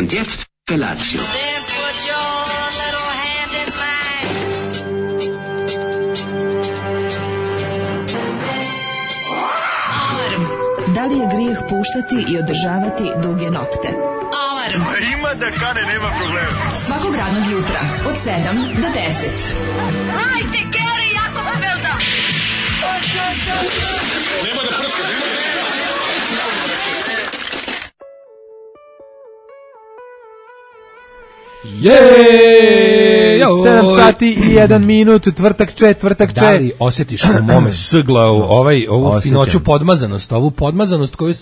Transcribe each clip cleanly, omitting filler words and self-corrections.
Und jetzt Felatio. Then put your little hand in mine. Alarm. Da li je grijeh puštati i održavati duge nokte? Alarm. Ima da kane, nema problema. Svakog radnog jutra od 7 do 10. Hajde, Geri, jako se velda. Nema da prska, nema da... 7 sati i 1 minut, tvrtak čet. Da li osjetiš u mome sgla ovu finoću podmazanost, ovu podmazanost koju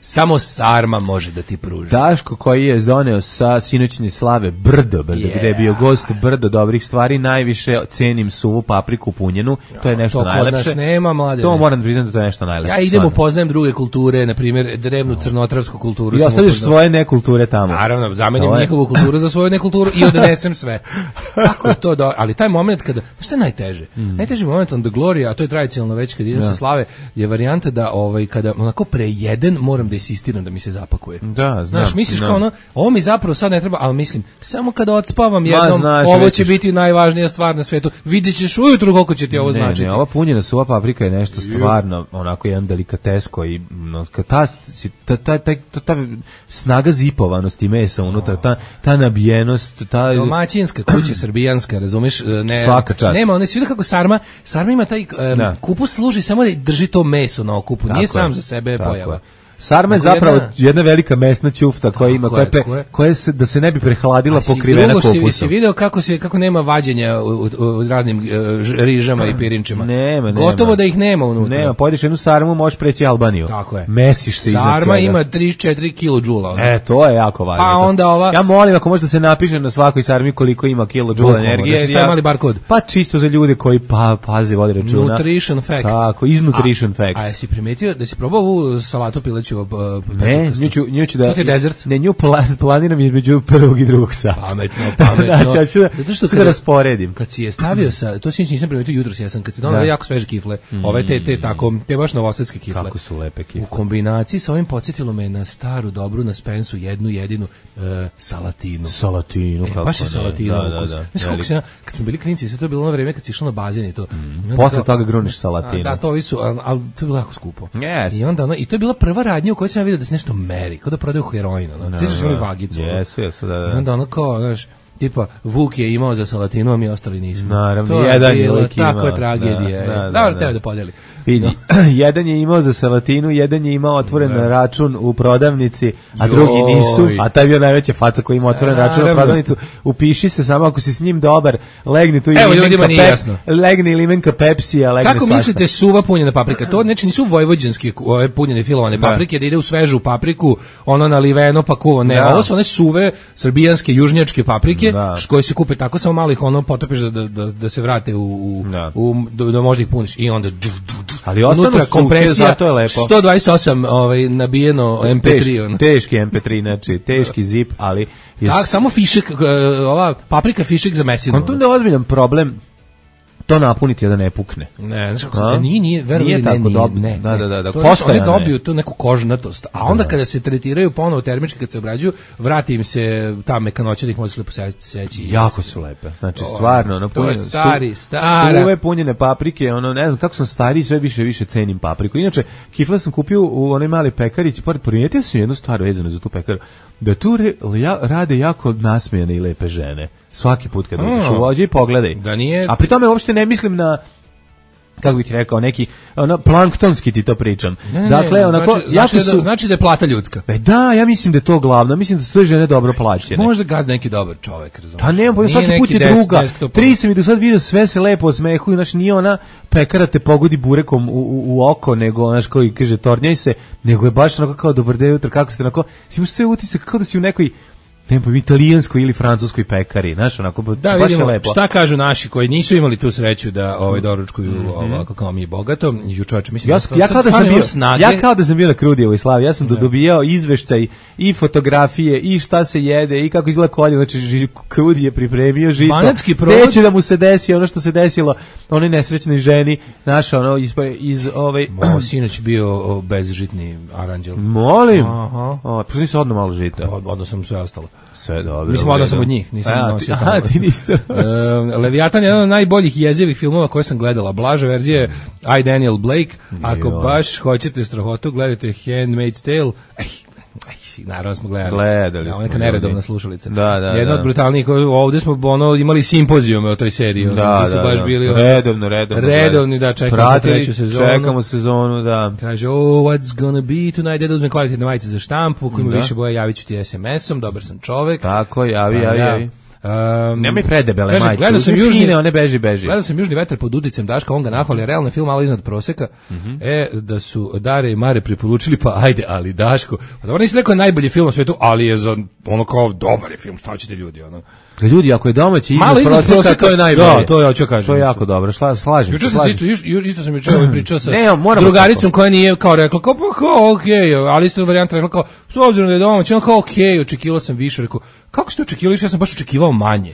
samo sarma može da ti pruži? Daško koji je doneo sa sinoćnje slave Brdo, gde je bio gost Brdo dobrih stvari, najviše cenim suvu papriku punjenu, to je nešto najlepše. To kod nas nema, mlade. To moram da priznam da to je nešto najlepše. Ja idem upoznajem druge kulture, na primjer drevnu crnotravsku kulturu. I ostaviš svoje nekulture tamo. Naravno, zamenim njihovu kulturu za svoju nekulturu i odnesem sve. Kako je to ali taj moment kada, šta je najteže? Najteži moment on the glory, a to je tradicionalno već kad idem sa slave, je varijanta da kada onako prejedem, moram da insistiram da mi se zapakuje. Da, znam. Znaš, misliš kao ono, ovo mi zapravo sad ne treba, ali mislim, samo kada odspavam jednom, ovo će biti najvažnija stvar na svetu. Vidjet ćeš ujutru koliko će ti ovo značiti. Ne, ova punjena suva paprika je nešto stvarno, onako jedan delikates koji, ta snaga zipovanosti mesa unutra, ta nabijenost, ta... Domaćinska kuća srbijanska, razumeš? Ne, svaka čast. Nema, ne svi kako sarma ima taj kupus služi samo da drži to meso na okupu, nije sam za sebe pojava. Sarma je zapravo jedna velika mesna ćufta koja ima, koja se, da se ne bi prehladila, pokrivena kupusom. Si video kako nema vađenja u raznim rižama i pirinčima? Nema. Gotovo da ih nema unutra. Nema, pojedeš jednu sarmu, možeš preći Albaniju. Tako je. Mesiš se iznad svega. Sarma ima 3-4 kilodžula. To je jako važno. Pa onda ova... Ja molim, ako možda se napiše na svakoj sarmi koliko ima kilodžula energije. Da se stavi mali barkod. Pa čisto za ljude koji paze, vode računa. Nutrition facts. Tako, iz nutrition facts. A jesi primetio da si probao ovu salatu pileću? Ne, nju ću da... To je desert? Ne, nju planiram između prvog i drugog sata. Pametno. Znači, ću da rasporedim. Kad si je stavio sa... To si nisam primetio jutros, kad si donao jako sveže kifle. Ove te baš novosadske kifle. Kako su lepe kifle. U kombinaciji sa ovim podsjetilo me na staru, dobru, na Spensu, jednu jedinu salatinu. Salatinu, kako ne. Baš je salatinu ukus. Znaš kako se, kad smo bili klinci, sve to je bilo ono vreme kad si išao na bazen i to. Posle toga gruniš salatinu. Da, to ovi su, ali to je bilo jako skupo. Yes. I onda i to je bila prva radnja u kojoj sam vidio da se nešto meri, kao da prodaju heroin, sviđaš imali vagicu. Jesu, da. I onda ono kao, znaš, tipa, Vuk je imao za salatinu, a mi ostali nismo. Naravno, jedan je lik imao. Takva tragedija. Dobro, tebe da podeli. Vidi, jedan je imao za salatinu, jedan je imao otvoren račun u prodavnici, a drugi nisu, a taj je bio najveća faca koji ima otvoren račun u prodavnicu. Upiši se samo ako si s njim dobar, legni tu legne limenka Pepsija, legne svašta. Kako mislite suva punjena paprika? To znači nisu vojvođanske ove punjene filovane paprike, da ide u svežu papriku, ono naliveno pa kuvo. Ne, ovo su one suve srbijanske, južnjačke paprike, koje se kupe tako, samo malo ih ono potopiš da se vrate da možda ih puniš i onda ali unutra kompresija, zato je lepo. 128 nabijeno MP3. Teški MP3, znači teški zip, ali... Tak, samo fišek, ova paprika fišek za mesinu. On tu ne ozbiljan problem to napuniti da ne pukne. Ne, znači kako nije tako dobro. Da. Oni dobiju tu neku kožnatost, a onda kada se tretiraju ponovo termički, kad se obrađuju, vrati im se ta mekanoća da ih može lepo seći. Jako su lepe. Znači stvarno, napunjene suve punjene paprike, ne znam kako sam stariji, sve više cenim papriku. Inače, kifle sam kupio u onoj mali pekarici, primijetio sam jednu stvar vezanu za tu pekaru, da tu rade jako nasmejane i lepe žene. Svaki put kad uđeš u vođe i pogledaj. Da nije... A pri tome uopšte ne mislim na, kako bih ti rekao, neki planktonski ti to pričam. Dakle, onako, znači da je plata ljudska. Da, ja mislim da je to glavno. Mislim da su sve žene dobro plaćene. Možda gaz neki dobar čovek, razumiješ. Pa nemam, svaki put je druga. Tri sam i do sad vidio, sve se lepo osmehuju, znači nije ona pekara te pogodi burekom u oko, nego onaš koji kaže tornjaj se, nego je baš onako kao dobar dan jutro, kako ste onako, imaš sve utisak kao da si u nekoj ne znam, italijanskoj ili francuskoj pekari, znaš, onako, da, baš vidimo je lepo. šta kažu naši koji nisu imali tu sreću da doručkuju ovako kao mi bogato. Čovječe, mislim, ja kao da sam bio na Krudijevoj slavi, ja sam dobijao izveštaj i fotografije i šta se jede i kako izgleda kolje, znači Krudi je pripremio žito. Banatski provod. Neće da mu se desi ono što se desilo onoj nesrećnoj ženi, naša ono iz sinoć bio bezžitni aranđel. Molim. Pa nisi odno malo žita. Odno sam sve ostalo. Sve dobro. Mislim, odno sam od njih, nisam nosio tamo. Ti niste. Leviatan je jedan od najboljih jezivih filmova koje sam gledala. Blaža verzija je I, Daniel Blake. Ako baš hoćete strahotu, gledajte Handmaid's Tale. Naravno smo gledali. Da, neka neredovna slušalica. Jedna od brutalnijih, ovdje smo imali simpozijume o toj seriji. Da, su baš bili redovni, da, čekamo treću sezonu. Čekamo sezonu, da. Kaže, what's gonna be tonight? Da uzmem kvalitetne majice za štampu, ako ima više boja, javit ću ti SMS-om, dobar sam čovek. Tako, javi. Nemoj predebele majice, gledao sam one beži. Gledao sam Južni vetar pod udicem Daška, on ga nahvali, realno film malo iznad proseka, da su Dare i Mare preporučili, pa ajde, ali Daško, pa dobro nisi rekao najbolji film u svetu, ali je za ono kao dobar je film, šta ćete ljudi, ono. Ljudi, ako je domaći iznad proseka, to je najbolje. Da, to ja ću kažem. To je jako dobro, slažem se. Isto sam juče pričao sa drugaricom koja nije kao rekla, kao okej, ali isto varijanta rekla kao, s obzirom da je domaći, ono kao okej, očekivao sam više, rekao, kako ste očekivali više, ja sam baš očekivao manje.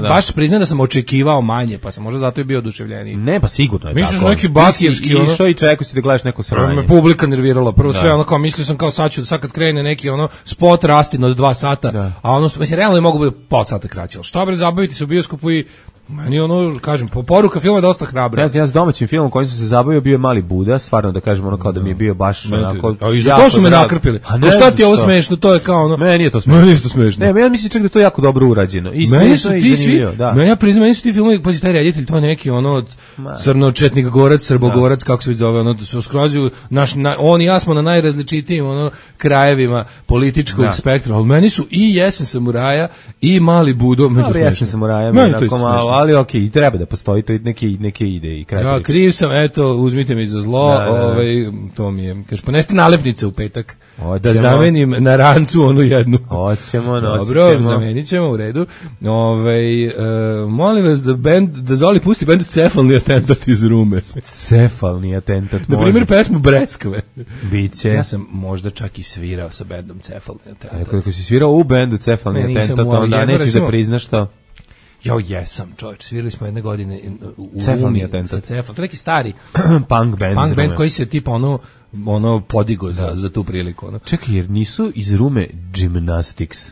Baš priznam da sam očekivao manje, pa sam možda zato i bio oduševljeniji. Ne, pa sigurno je tako. Misliš neki bakijevski, ono. Išao i čekao si da gledaš neko sranje. Me publika nervirala, prvo sve, ono kao, mislio sam kao sad kad krene neki, ono, spot rastin od 2 sata, a ono, mislim, realno je mogu biti pol sata kraće, ali šta bre, zabaviti se u bioskopu i meni ono, kažem, poruka filma je dosta hrabra. Ja s domaćim filmom kojim sam se zabavio bio je Mali Buda, stvarno da kažem ono kao da mi je bio baš onako. To su me nakrpili. A šta ti je ovo smešno, to je kao ono. Meni je to smešno. Ne, ja mislim čak da je to jako dobro urađeno. I smešno i zanimljivo, da. Ja priznam, meni su ti filmovi, pazi, taj reditelj, to je neki ono od Crnočetnik Gorac, Srbogorac, kako se već zove, ono, su skrozu, on i ja smo na najrazličitijim ono krajevima političkog spektra, ali meni su i Jesen samuraja i Mali Budo. Jesen samuraja, ali okej, i treba da postoji to neke ide i kraj. Ja, kriv sam, eto, uzmite mi za zlo, to mi je, kaže, poneste nalepnice u petak, da zamenim na rancu onu jednu. Hoćemo, nosit ćemo. Dobro, zamenit ćemo, u redu. Molim vas da Zoli pusti bend Cefalni atentat iz Rume. Cefalni atentat, na primjer, pesmu Breskve. Biće. Ja sam možda čak i svirao sa bendom Cefalni atentat. Ako si svirao u bendu Cefalni atentat, onda nećeš da priznaš to. Jo, jesam, čovječ, svirali smo jedne godine u Cefalni atentat. To je neki stari punk band koji se tipa ono podigo za tu priliku. Ono. Čekaj, jer nisu iz Rume Gymnastics?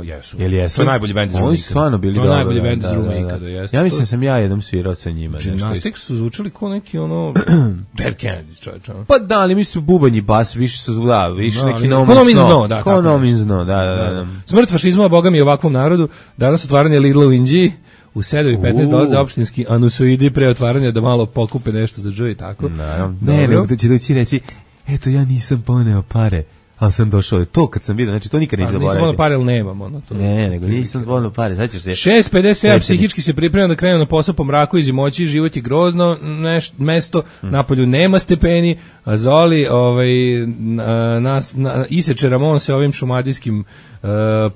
Jesu. Jesu? To je najbolji bend iz Rume. Oni stvarno bili dobro. To je najbolji bend iz Rume ikada, jesu. Ja mislim sam ja jednom svirao sa njima. Gymnastics su zvučali kao neki ono Dead Kennedys, čovječ. Pa da, ali mislim bubanj i bas više su neki No Means No. Da. Smrt fašizma, boga mi, ovakvom narodu. Danas otvaranje Lidla u Inđiji. U 7:15 dolaze opštinski anusoidi pre otvaranja da malo pokupe nešto za džoj i tako. Ne, nego će doći reći, eto ja nisam poneo pare, ali sam došao. To kad sam vidio, znači to nikad ne zaboravim. Nisam poneo pare, ali nemam. Ono, to ne, nego nisam poneo pare, sad ćeš se... 6:57, psihički se priprema da krenu na posao po mraku i zimoći, život je grozno mesto, napolju nema stepeni, a Zoli iseče Ramon se ovim šumadijskim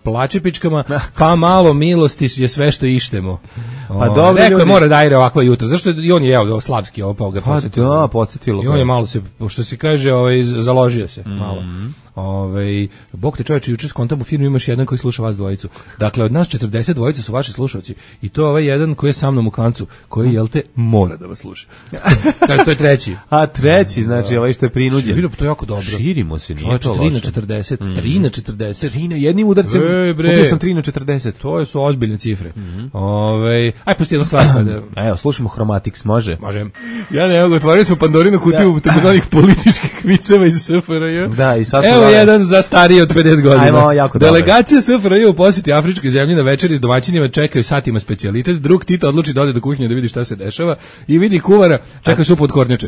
plačepičkama, pa malo milosti je sve što ištemo. Pa dobro, rekao je mora da ire ovakva jutra, zašto i on je jeo slavski pa ga podsjetilo. Da, podsjetilo. I on je malo se, što se kaže, založio se malo. Bog te čovječe, juče skontam u firmi imaš jedan koji sluša vas dvojicu. Dakle, od nas 40 dvojice su vaši slušalci i to je ovaj jedan koji je sa mnom u kancu, koji, jel te, mora da vas sluša. To je treći. A treći, znači, ovaj što je prinuđen. To je jako dobro. Širimo se, nije to loše. 3/40, 3/40. Jednim udarcem, kupio sam 3/40. To su ozbiljne cifre. Aj, pusti jednu stvar. Evo, slušamo Chromatics, može? Može. Ja ne, otvorili smo Pandorinu kutiju takozvanih političkih viceva iz SFRJ. Da, i sad evo jedan za starije od 50 godina. Ajmo, jako dobro. Delegacija SFRJ u posjeti afričkoj zemlji na večeri s domaćinima čekaju satima specijalitet. Drug Tito odluči da ode do kuhinje da vidi šta se dešava i vidi kuvara, čeka supu od kornjače.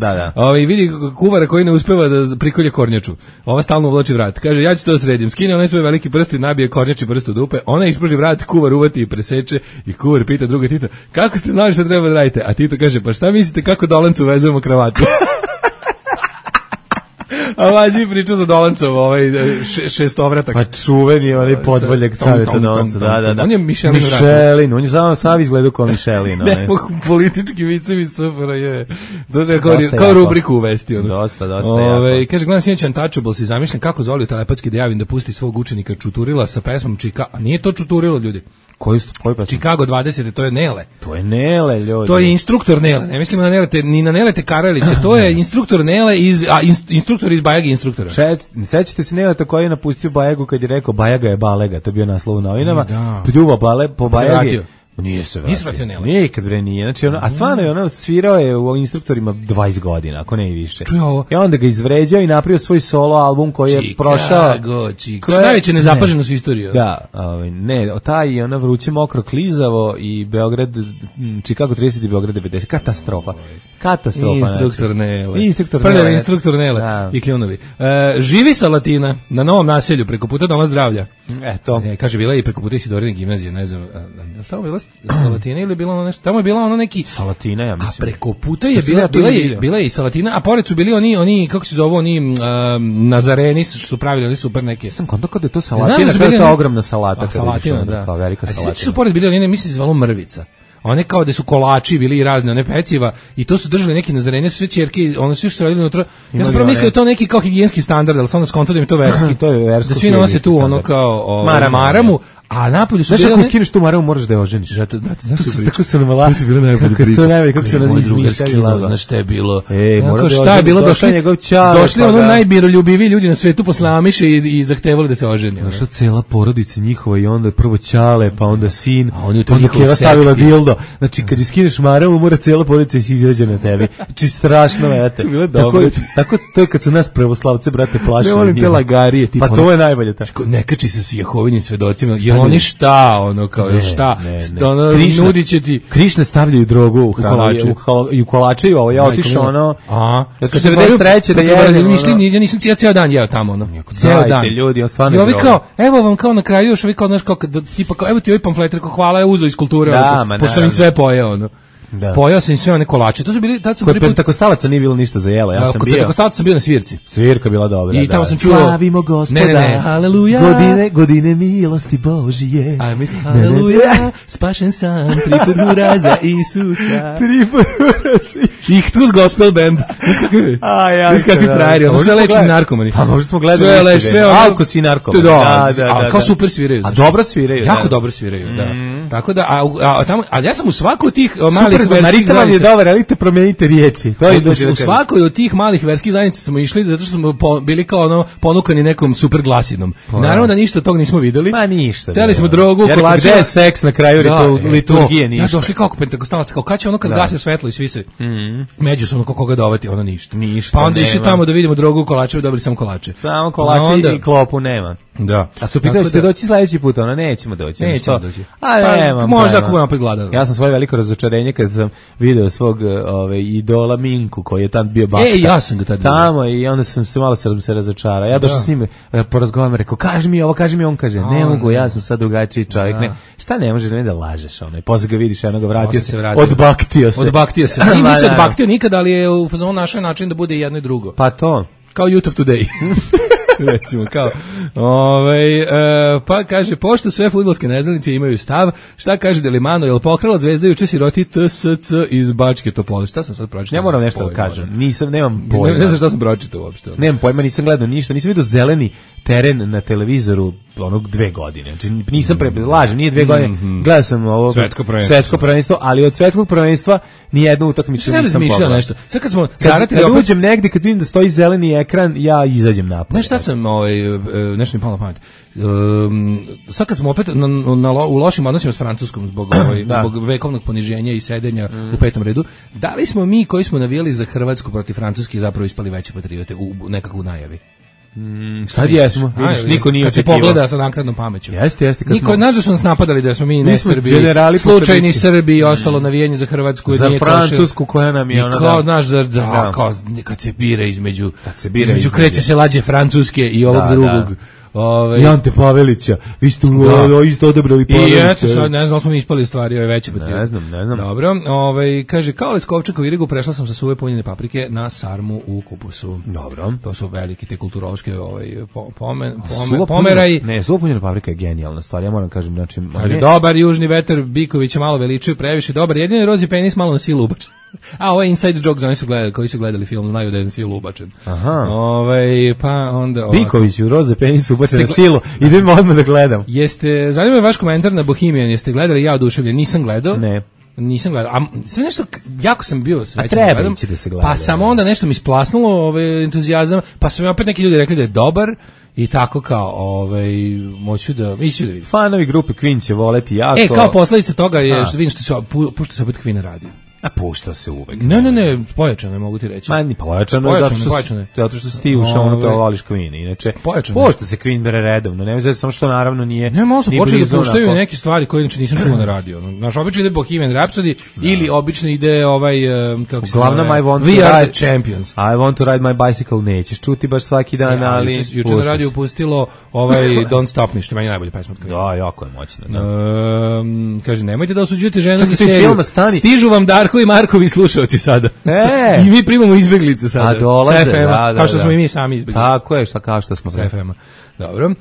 I vidi kuvara koji ne uspeva da prikolje kornjaču. Ova stalno uvlači vrat. Kaže, ja ću to da sredim. Skine onaj svoj veliki prst i nabije kornjači prst u dupe. Ona ispruži vrat, kuvar uvati i preseče i kuvar pita druga Tita, kako ste znali šta treba da radite? A Tito kaže, pa šta mislite kako dolancu vezujemo kravatu? A vađi pričao za Dolancov, šestovratak. Pa čuveni onaj podvoljak Saveta Dolanca, da. On je Mišelin, on je sam izgledao kao Mišelin. Ne, politički vicevi sufera je. Kao rubriku uvesti. Dosta jako. Kaže, gledam sinoć Untouchables i zamišljam kako Zoliju telepatski da javim da pusti svog učenika Čuturila sa pesmom a nije to Čuturilo, ljudi. Koji pesma? Chicago 20, to je Nele. To je Nele, ljudi. To je instruktor Nele. Ne mislimo na Nelete, ni na Nelete Karaliće. To je instruktor Nele instruktor iz Bajagi instruktura. Sećate se Neleta koji je napustio Bajagu kad je rekao Bajaga je balega, to je bio naslov u novinama. Pljuva po Bajagi. Nije se vratio. Nikad bre nije. Znači, a stvarno je ono svirao je u instruktorima 20 godina, ako ne i više. I onda ga izvređao i napravio svoj solo album koji je prošao. Chicago. Najveća nezapaženost u istoriji. Da, taj ona vruće mokro klizavo i Beograd, Chicago 30 i Beograd 90. Katastrofa. Instruktor Nele. Instruktor Nele i kljunovi. Živi Salatina na Novom naselju preko puta Doma zdravlja. Eto. Kaže, bila je i preko puta Isidorine gimnazije, ne znam, tamo bila Salatina ili bilo ono nešto, tamo je bila ono neki Salatina, ja mislim. A preko puta je bila je i Salatina, a pored su bili oni kako se zove, oni Nazareni što su pravili, oni super neke. Sam konto kada je to Salatina, to je ta ogromna salata. Salatina, da. Kao velika Salatina. Su pored bili oni, mislim se zvalo Mrvica. One kao da su kolači bili i razne one peciva i to su držali neki Nazareni, su sve ćerke, one su još radili unutra. Ja sam prvo mislio to neki kao higijenski standard, ali sam onda skonto da mi to verski. To je versko. Da svi nose tu ono kao maramu. A napolju su bili... Znaš, ako skineš tu maramu, moraš da je oženiš. Tako se nam laži. To najbolje, kako se nam izmišljali. Znaš šta je bilo? Šta je bilo? Došli ono najmiroljubiviji ljudi na svetu posle Amiše i zahtevali da se oženi. Došla cela porodica njihova i onda prvo ćale, pa onda sin, onda Keva stavila dildo. Znači, kad skineš maramu, mora cela porodica i si izrađa na tebi. Znači, strašno, vete. Tako, to je kad su nas pravoslavce, brate, plašili. Ne volim te lagarije. Pa to je najbolje. Ne kači se s Jehovinim svedocima. Oni šta, ono kao šta, ono nudi će ti. Krišne stavljaju drogu u kolače, ovo ja otišao ono. Kad se 93 da jedem. Ja nisam ceo dan jeo tamo ono. Ceo dan. Ljudi, on stvarno. I ovi kao, evo vam kao na kraju još ovi kao znaš kao tipa kao evo ti ovaj pamflet, rekao hvala, je uzeo iz kulture, pošto sam im sve pojeo ono. Da. Pojao sam sve one kolače. To su bili tad sam kod Pentakostalaca nije bilo ništa za jelo. Ja sam bio. Kod Pentakostalaca sam bio na svirci. Svirka bila dobra. I tamo sam čuo slavimo Gospoda. Haleluja. Godine milosti Božije. A mi smo haleluja. Spašen sam, triput hura za Isusa. Ih tu gospel band. Znaš kakvi frajeri. Ono sve leči narkomani. Pa možda smo gledali. Sve alko si narkoman. Da. Kao super sviraju. A dobro sviraju. Jako dobro sviraju, da. Tako da, a tamo, ali ja sam u svaku od tih malih verskih zajednica je dobar, ali te promenite riječi. U svakoj od tih malih verskih zajednica smo išli zato što smo bili kao ono ponukani nekom super glasinom. Naravno da ništa od tog nismo videli. Ma ništa. Hteli smo drogu, kolače. Gde je seks na kraju liturgije, ništa. Ja došli kao Pentakostalac, kao kad će ono kad gase svetlo i svi se međusobno koga dovati, ono ništa. Pa onda išli tamo da vidimo drogu, kolače, dobili samo kolače. Samo kolače i klopu nema. Da. A su pitali ste doći sledeći put, ona nećemo doći. A nema. Možda ako budemo opet gladan. Ja sam svoje veliko razočarenje kad sam video svog idola Minku koji je tam bio bakta. Ja sam ga tad tamo i onda sam se malo se razočarao. Ja došao s njim, porazgovaram, rekao kaži mi ovo, on kaže ne mogu, ja sam sad drugačiji čovjek. Ne, šta ne možeš da lažeš onaj. Posle ga vidiš, jednog vratio se, odbaktio se. I nisi odbaktio nikada, ali je u fazonu našao način da bude jedno i drugo. Pa to. Kao Youth of Today. Recimo, kao pa kaže, pošto sve fudbalske neznalice imaju stav, šta kaže Delimano, jel pokrala Zvezda juče siroti TSC iz Bačke Topole? Šta sam sad pročitao? Ja moram nešto da kažem, nemam pojma. Ne znam šta sam pročitao uopšte. Nemam pojma, nisam gledao ništa, nisam vidio zeleni teren na televizoru onog 2 godine. Znači nisam lažem, nije 2 godine. Gledao sam ovo svetsko prvenstvo, ali od svetskog prvenstva ni jednu utakmicu nisam pogledao. Nešto. Sad kad smo zaratili opet uđem negde kad vidim da stoji zeleni ekran, ja izađem napolje. Znaš šta sam nešto mi palo na pamet. Sad kad smo opet u lošim odnosima s Francuskom zbog vekovnog poniženja i sedenja u 5. redu, da li smo mi koji smo navijali za Hrvatsku protiv Francuske zapravo ispali veće patriote u nekakvu najavi? Sad jesmo, vidiš, niko nije očekivao. Kad se pogleda sa naknadnom pameću. Jeste. Niko, znaš da su nas napadali da smo mi ne Srbi, slučajni Srbi i ostalo navijanje za Hrvatsku. Za Francusku koja nam je ona. Kao, znaš, kao kad se bira između kreće se lađe Francuske i ovog drugog. I Ante Pavelića. Vi ste isto odabrali Pavelića. I eto sad, ne znam, smo mi ispali stvari, ove veće patriote. Ne znam. Dobro, kaže, kao Leskovčak u Irigu prešla sam sa suve punjene paprike na sarmu u kupusu. Dobro. To su veliki te kulturološke pomeraji. Ne, suva punjena paprika je genijalna stvar, ja moram kažem. Znači, kaže, dobar južni vetar, Bikovića malo veličuje, previše dobar, jedini rozi penis malo na silu ubačen. A ovo je inside joke za oni koji su gledali film, znaju da je na silu ubačen. Aha. Pa onda Biković u roze penis ubačen na silu, idemo odmah da gledam. Zanima me vaš komentar na Bohemian, jeste gledali? Ja oduševljen, nisam gledao. Ne. Nisam gledao, a sve nešto, jako sam bio srećan. Treba ići da se gleda. Pa samo onda nešto mi splasnulo entuzijazam, pa su mi opet neki ljudi rekli da je dobar i tako kao, moću da vidim. Fanovi grupe Queen će voleti jako. Kao posledica toga je, što vidim što se pušta se opet Queen radio. A pušta se uvek. Ne, pojačano je, mogu ti reći. Ma ni pojačano je zato što si ti ušao ono to voliš Queen. Inače, pušta se Queen bere redovno, ne znam samo što naravno nije. Ne, malo su počeli da puštaju neke stvari koje inače nisam čuo na radiju. Naš obično ide Bohemian Rhapsody ili obično ide kako se uglavnom I want We to are ride the champions. I want to ride my bicycle, nećeš čuti baš svaki dan, ali juče na radiju pustilo Don't Stop Me, što meni najbolje pesma od Queen. Da, jako je moćno. Kaže, nemojte da osuđujete žene za seriju. Stižu vam Darko i Markovi slušaoci sada. I mi primamo izbeglice sada. A dolaze, kao što smo i mi sami izbeglice. Tako je, kao što smo. Dobro.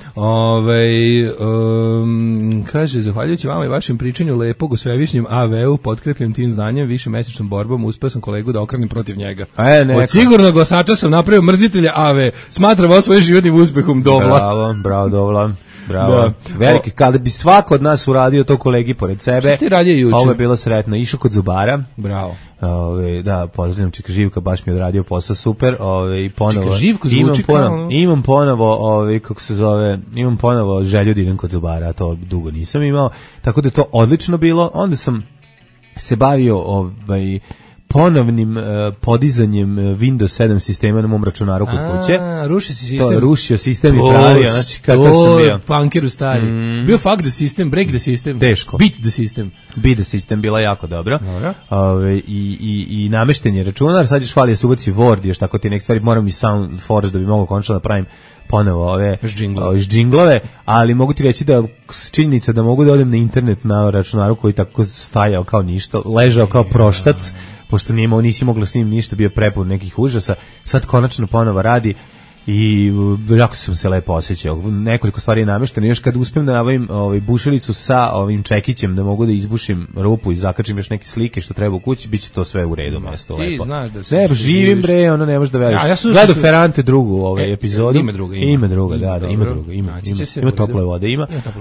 Kaže, zahvaljujući vama i vašem pričanju lepog o svevišnjem AV-u, potkrepljen tim znanjem, više mesečnom borbom, uspeo sam kolegu da okrenem protiv njega. Od sigurnog glasača sam napravio mrzitelja AV. Smatram ovo svojim životnim uspehom, Dovla. Bravo, Dovla. Bravo. Veliki, kada bi svako od nas uradio to kolegi pored sebe, ovo je bilo sretno. Išao kod zubara. Bravo. Da, pozdravljam Čika Živka, baš mi je odradio posao super. I ponovo Čika Živko zvuči kao... Imam ponovo, kako se zove, imam ponovo želju da idem kod zubara, to dugo nisam imao, tako da je to odlično bilo. Onda sam se bavio ponovnim podizanjem Windows 7 sistema na mom računaru kod kuće. Ruši si sistem. To je rušio sistem i pravio, znači kakav sam bio. Punkeru stari. Bio fuck the system, break the system. Teško. Beat the system. Beat the system bila jako dobro. I namešten je računar, sad još fali da se ubaci Word, još tako ti nek stvari, moram i SoundForge da bi mogao končno da pravim ponovo ove džinglove, ali mogu ti reći da činjenica da mogu da odem na internet na računaru koji tako stajao kao ništa, ležao kao proštac, pošto nisi mogla s njim ništa, bio prepun nekih užasa, sad konačno ponovo radi i jako sam se lepo osjećao. Nekoliko stvari je namešteno, još kad uspijem da nabavim bušilicu sa ovim čekićem da mogu da izbušim rupu i zakačim još neke slike što treba u kući, bit će to sve u redu, mesto lepo. Ti znaš da se živim bre, ono ne možeš da veriš. Gledao Ferrante drugu epizodu. Ima druga, ima tople vode,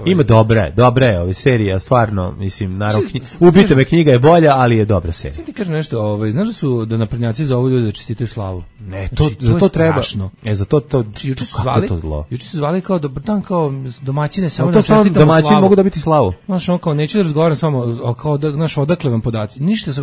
ima dobre ove serije, stvarno, mislim, naravno, Ubijte me knjiga je bolja, ali je dobra serija. Sad ti kažem nešto, znaš da su da naprednjaci zovu ljudi da čestitaju slavu? Ne, za to treba. Za to juče su zvali kao dobar dan, kao domaćine, samo da čestitamo slavu. Domaćini mogu dobiti slavu. Znaš, on kao, neću da razgovaram s vama, kao da, znaš, odakle vam podaci. Ništa se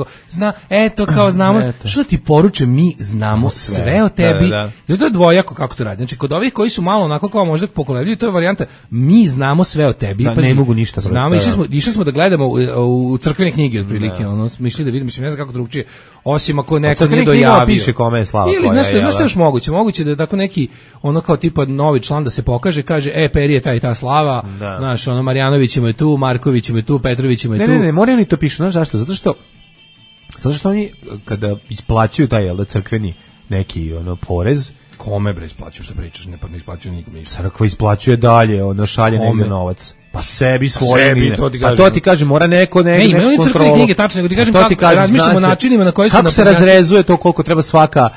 kao znamo, što ti poruče, mi znamo sve o tebi. To je dvojako kako to radi. Znači, kod ovih koji su malo onako kao možda pokolebljaju, to je varijanta, mi znamo sve o tebi. Ne mogu ništa. Znamo, išli smo da gledamo u crkvene knjige, otprilike, ono, mišli da vidimo, ne znam kako drugčije, osim ako neko nije dojavio. Piše kome je slava. Ili, znaš što još moguće da je tako neki ono kao tipa novi član da se pokaže, kaže Peri je ta i ta slava, znaš, ono Marjanović je tu, Marković je tu, Petrović je tu. Ne, moraju ni to pišu, znaš zašto? Zato što oni kada isplaćuju taj crkveni neki porez, kome bre isplaćuju, što pričaš, ne isplaćuju nikome. Crkva isplaćuje dalje, šalje negdje novac. Pa sebi svoje. A to ti kaže, mora neko kontrolu. Crkvene knjige, tačno, nego ti kažem kako razmišljamo o načinima na koji su kako se razrezuje to koliko treba svaka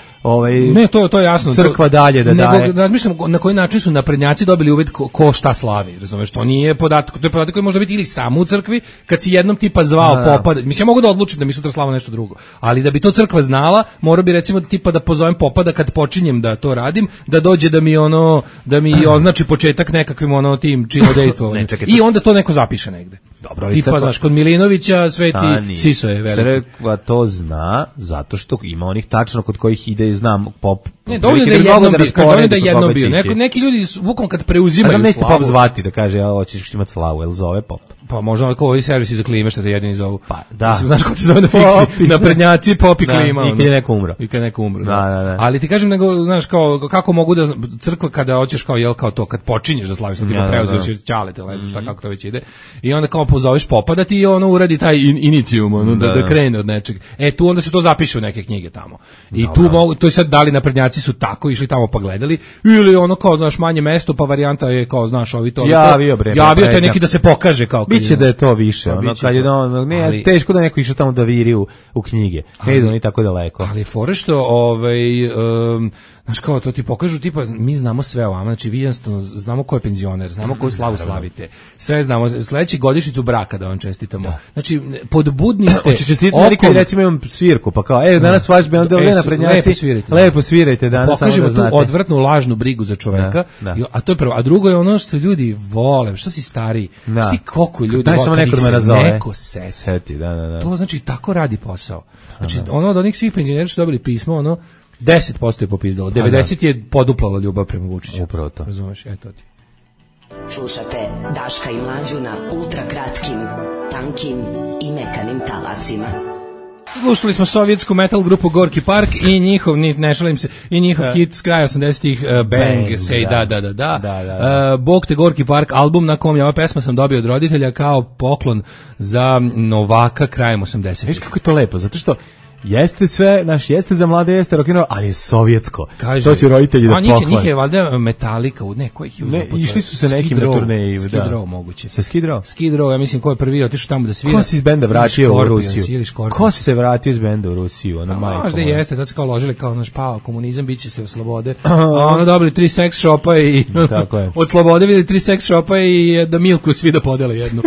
ne, to je jasno. Crkva dalje da daje. Nego razmišljamo na koji način su naprednjaci dobili uvid ko šta slavi, razumeš, to nije podatak, to je podatak koji može biti ili samo u crkvi, kad si jednom tipa zvao popa, mislim ja mogu da odlučim da mi sutra slava nešto drugo, ali da bi to crkva znala, mora bi recimo tipa da pozovem popa da kad počinjem da to radim, da dođe da mi označi početak nekakvim tim činodejstvom. I onda to neko zapiše negde. Dobro, tipa, znaš, kod Milinovića Sveti Siso je veliki. Crkva to zna, zato što ima onih tačno kod kojih ide, znam, pop Ne, dovoljno da je jednom bio. Neki ljudi bukvalno kad preuzimaju slavu. A nećete Pop zvati da kaže, hoćeš imati slavu, jel zove Pop? Pa možda kao ovi servisi za klime što te jedini zovu. Pa da. Mislim, znaš ko te zove na fiksni, na prednjaci Pop i klima. I kad je neko umro. Da. Ali ti kažem, nego, znaš, kao, kako mogu da, crkva kada hoćeš kao, jel, kao to, kad počinješ da slaviš, ti preuzeš ćalete, šta kako to već ide, i onda kao pozoveš Popa da ti ono uradi taj inicijum, da krene od nečeg. Tu onda se to zapiše u neke knjige tamo. I tu mogu, to je sad dali naprednjaci su tako, išli tamo pa gledali, ili ono kao, znaš, manje mesto, pa varijanta je kao, znaš, ovi to. Javio te neki da se pokaže kao. Biće da je to više, ono kad je ne, teško da neko išao tamo da viri u knjige. Ne idu ni tako daleko. Ali fore što znaš kao to ti pokažu tipa mi znamo sve o vama, znači vi jednostavno znamo ko je penzioner, znamo koju slavu slavite. Sve znamo, sledeći godišnjicu braka da vam čestitamo. Znači podbudni ste. Hoće čestitati Amerika, recimo imam svirku, pa kao danas vaš bend na prednjaci. Lepo svirajte danas. Pokažemo tu odvratnu lažnu brigu za čoveka. A to je prvo, a drugo je ono što ljudi vole, što si stariji. Šti koliko ljudi vole, samo neko seti. To znači tako radi posao. Znači ono od onih svih penzionera što dobili pismo, ono 10% je popizdalo, 90% je poduplalo ljubav prema Vučiću. Upravo to. Razumeš, to ti. Slušate Daška i Mlađu na ultra kratkim, tankim i mekanim talasima. Slušali smo sovjetsku metal grupu Gorki Park i njihov, ne šalim se, i njihov hit s kraja 80-ih, Bang, Say da. Bog te Gorki Park, album na kom je ova pesma sam dobio od roditelja kao poklon za Novaka krajem 80-ih. Viš kako je to lepo, zato što jeste sve, jeste za mlade, jeste rock'n'roll, ali je sovjetsko. Kaže, to će roditelji da poklone. Njih je valjda Metallica, kojih je uzeo? Išli su se nekim na turneji. Skid Row moguće. Sa Skid Row? Skid Row, ja mislim ko je prvi otišao tamo da svira. Ko se iz benda vratio u Rusiju? Ko se vratio iz benda u Rusiju? Možda jeste, tad se kao ložili kao naš pao komunizam, bit će se u slobode. A ono dobili 3 seks šopa i od slobode vidjeli 3 seks šopa i da Milku svi da podele jednu.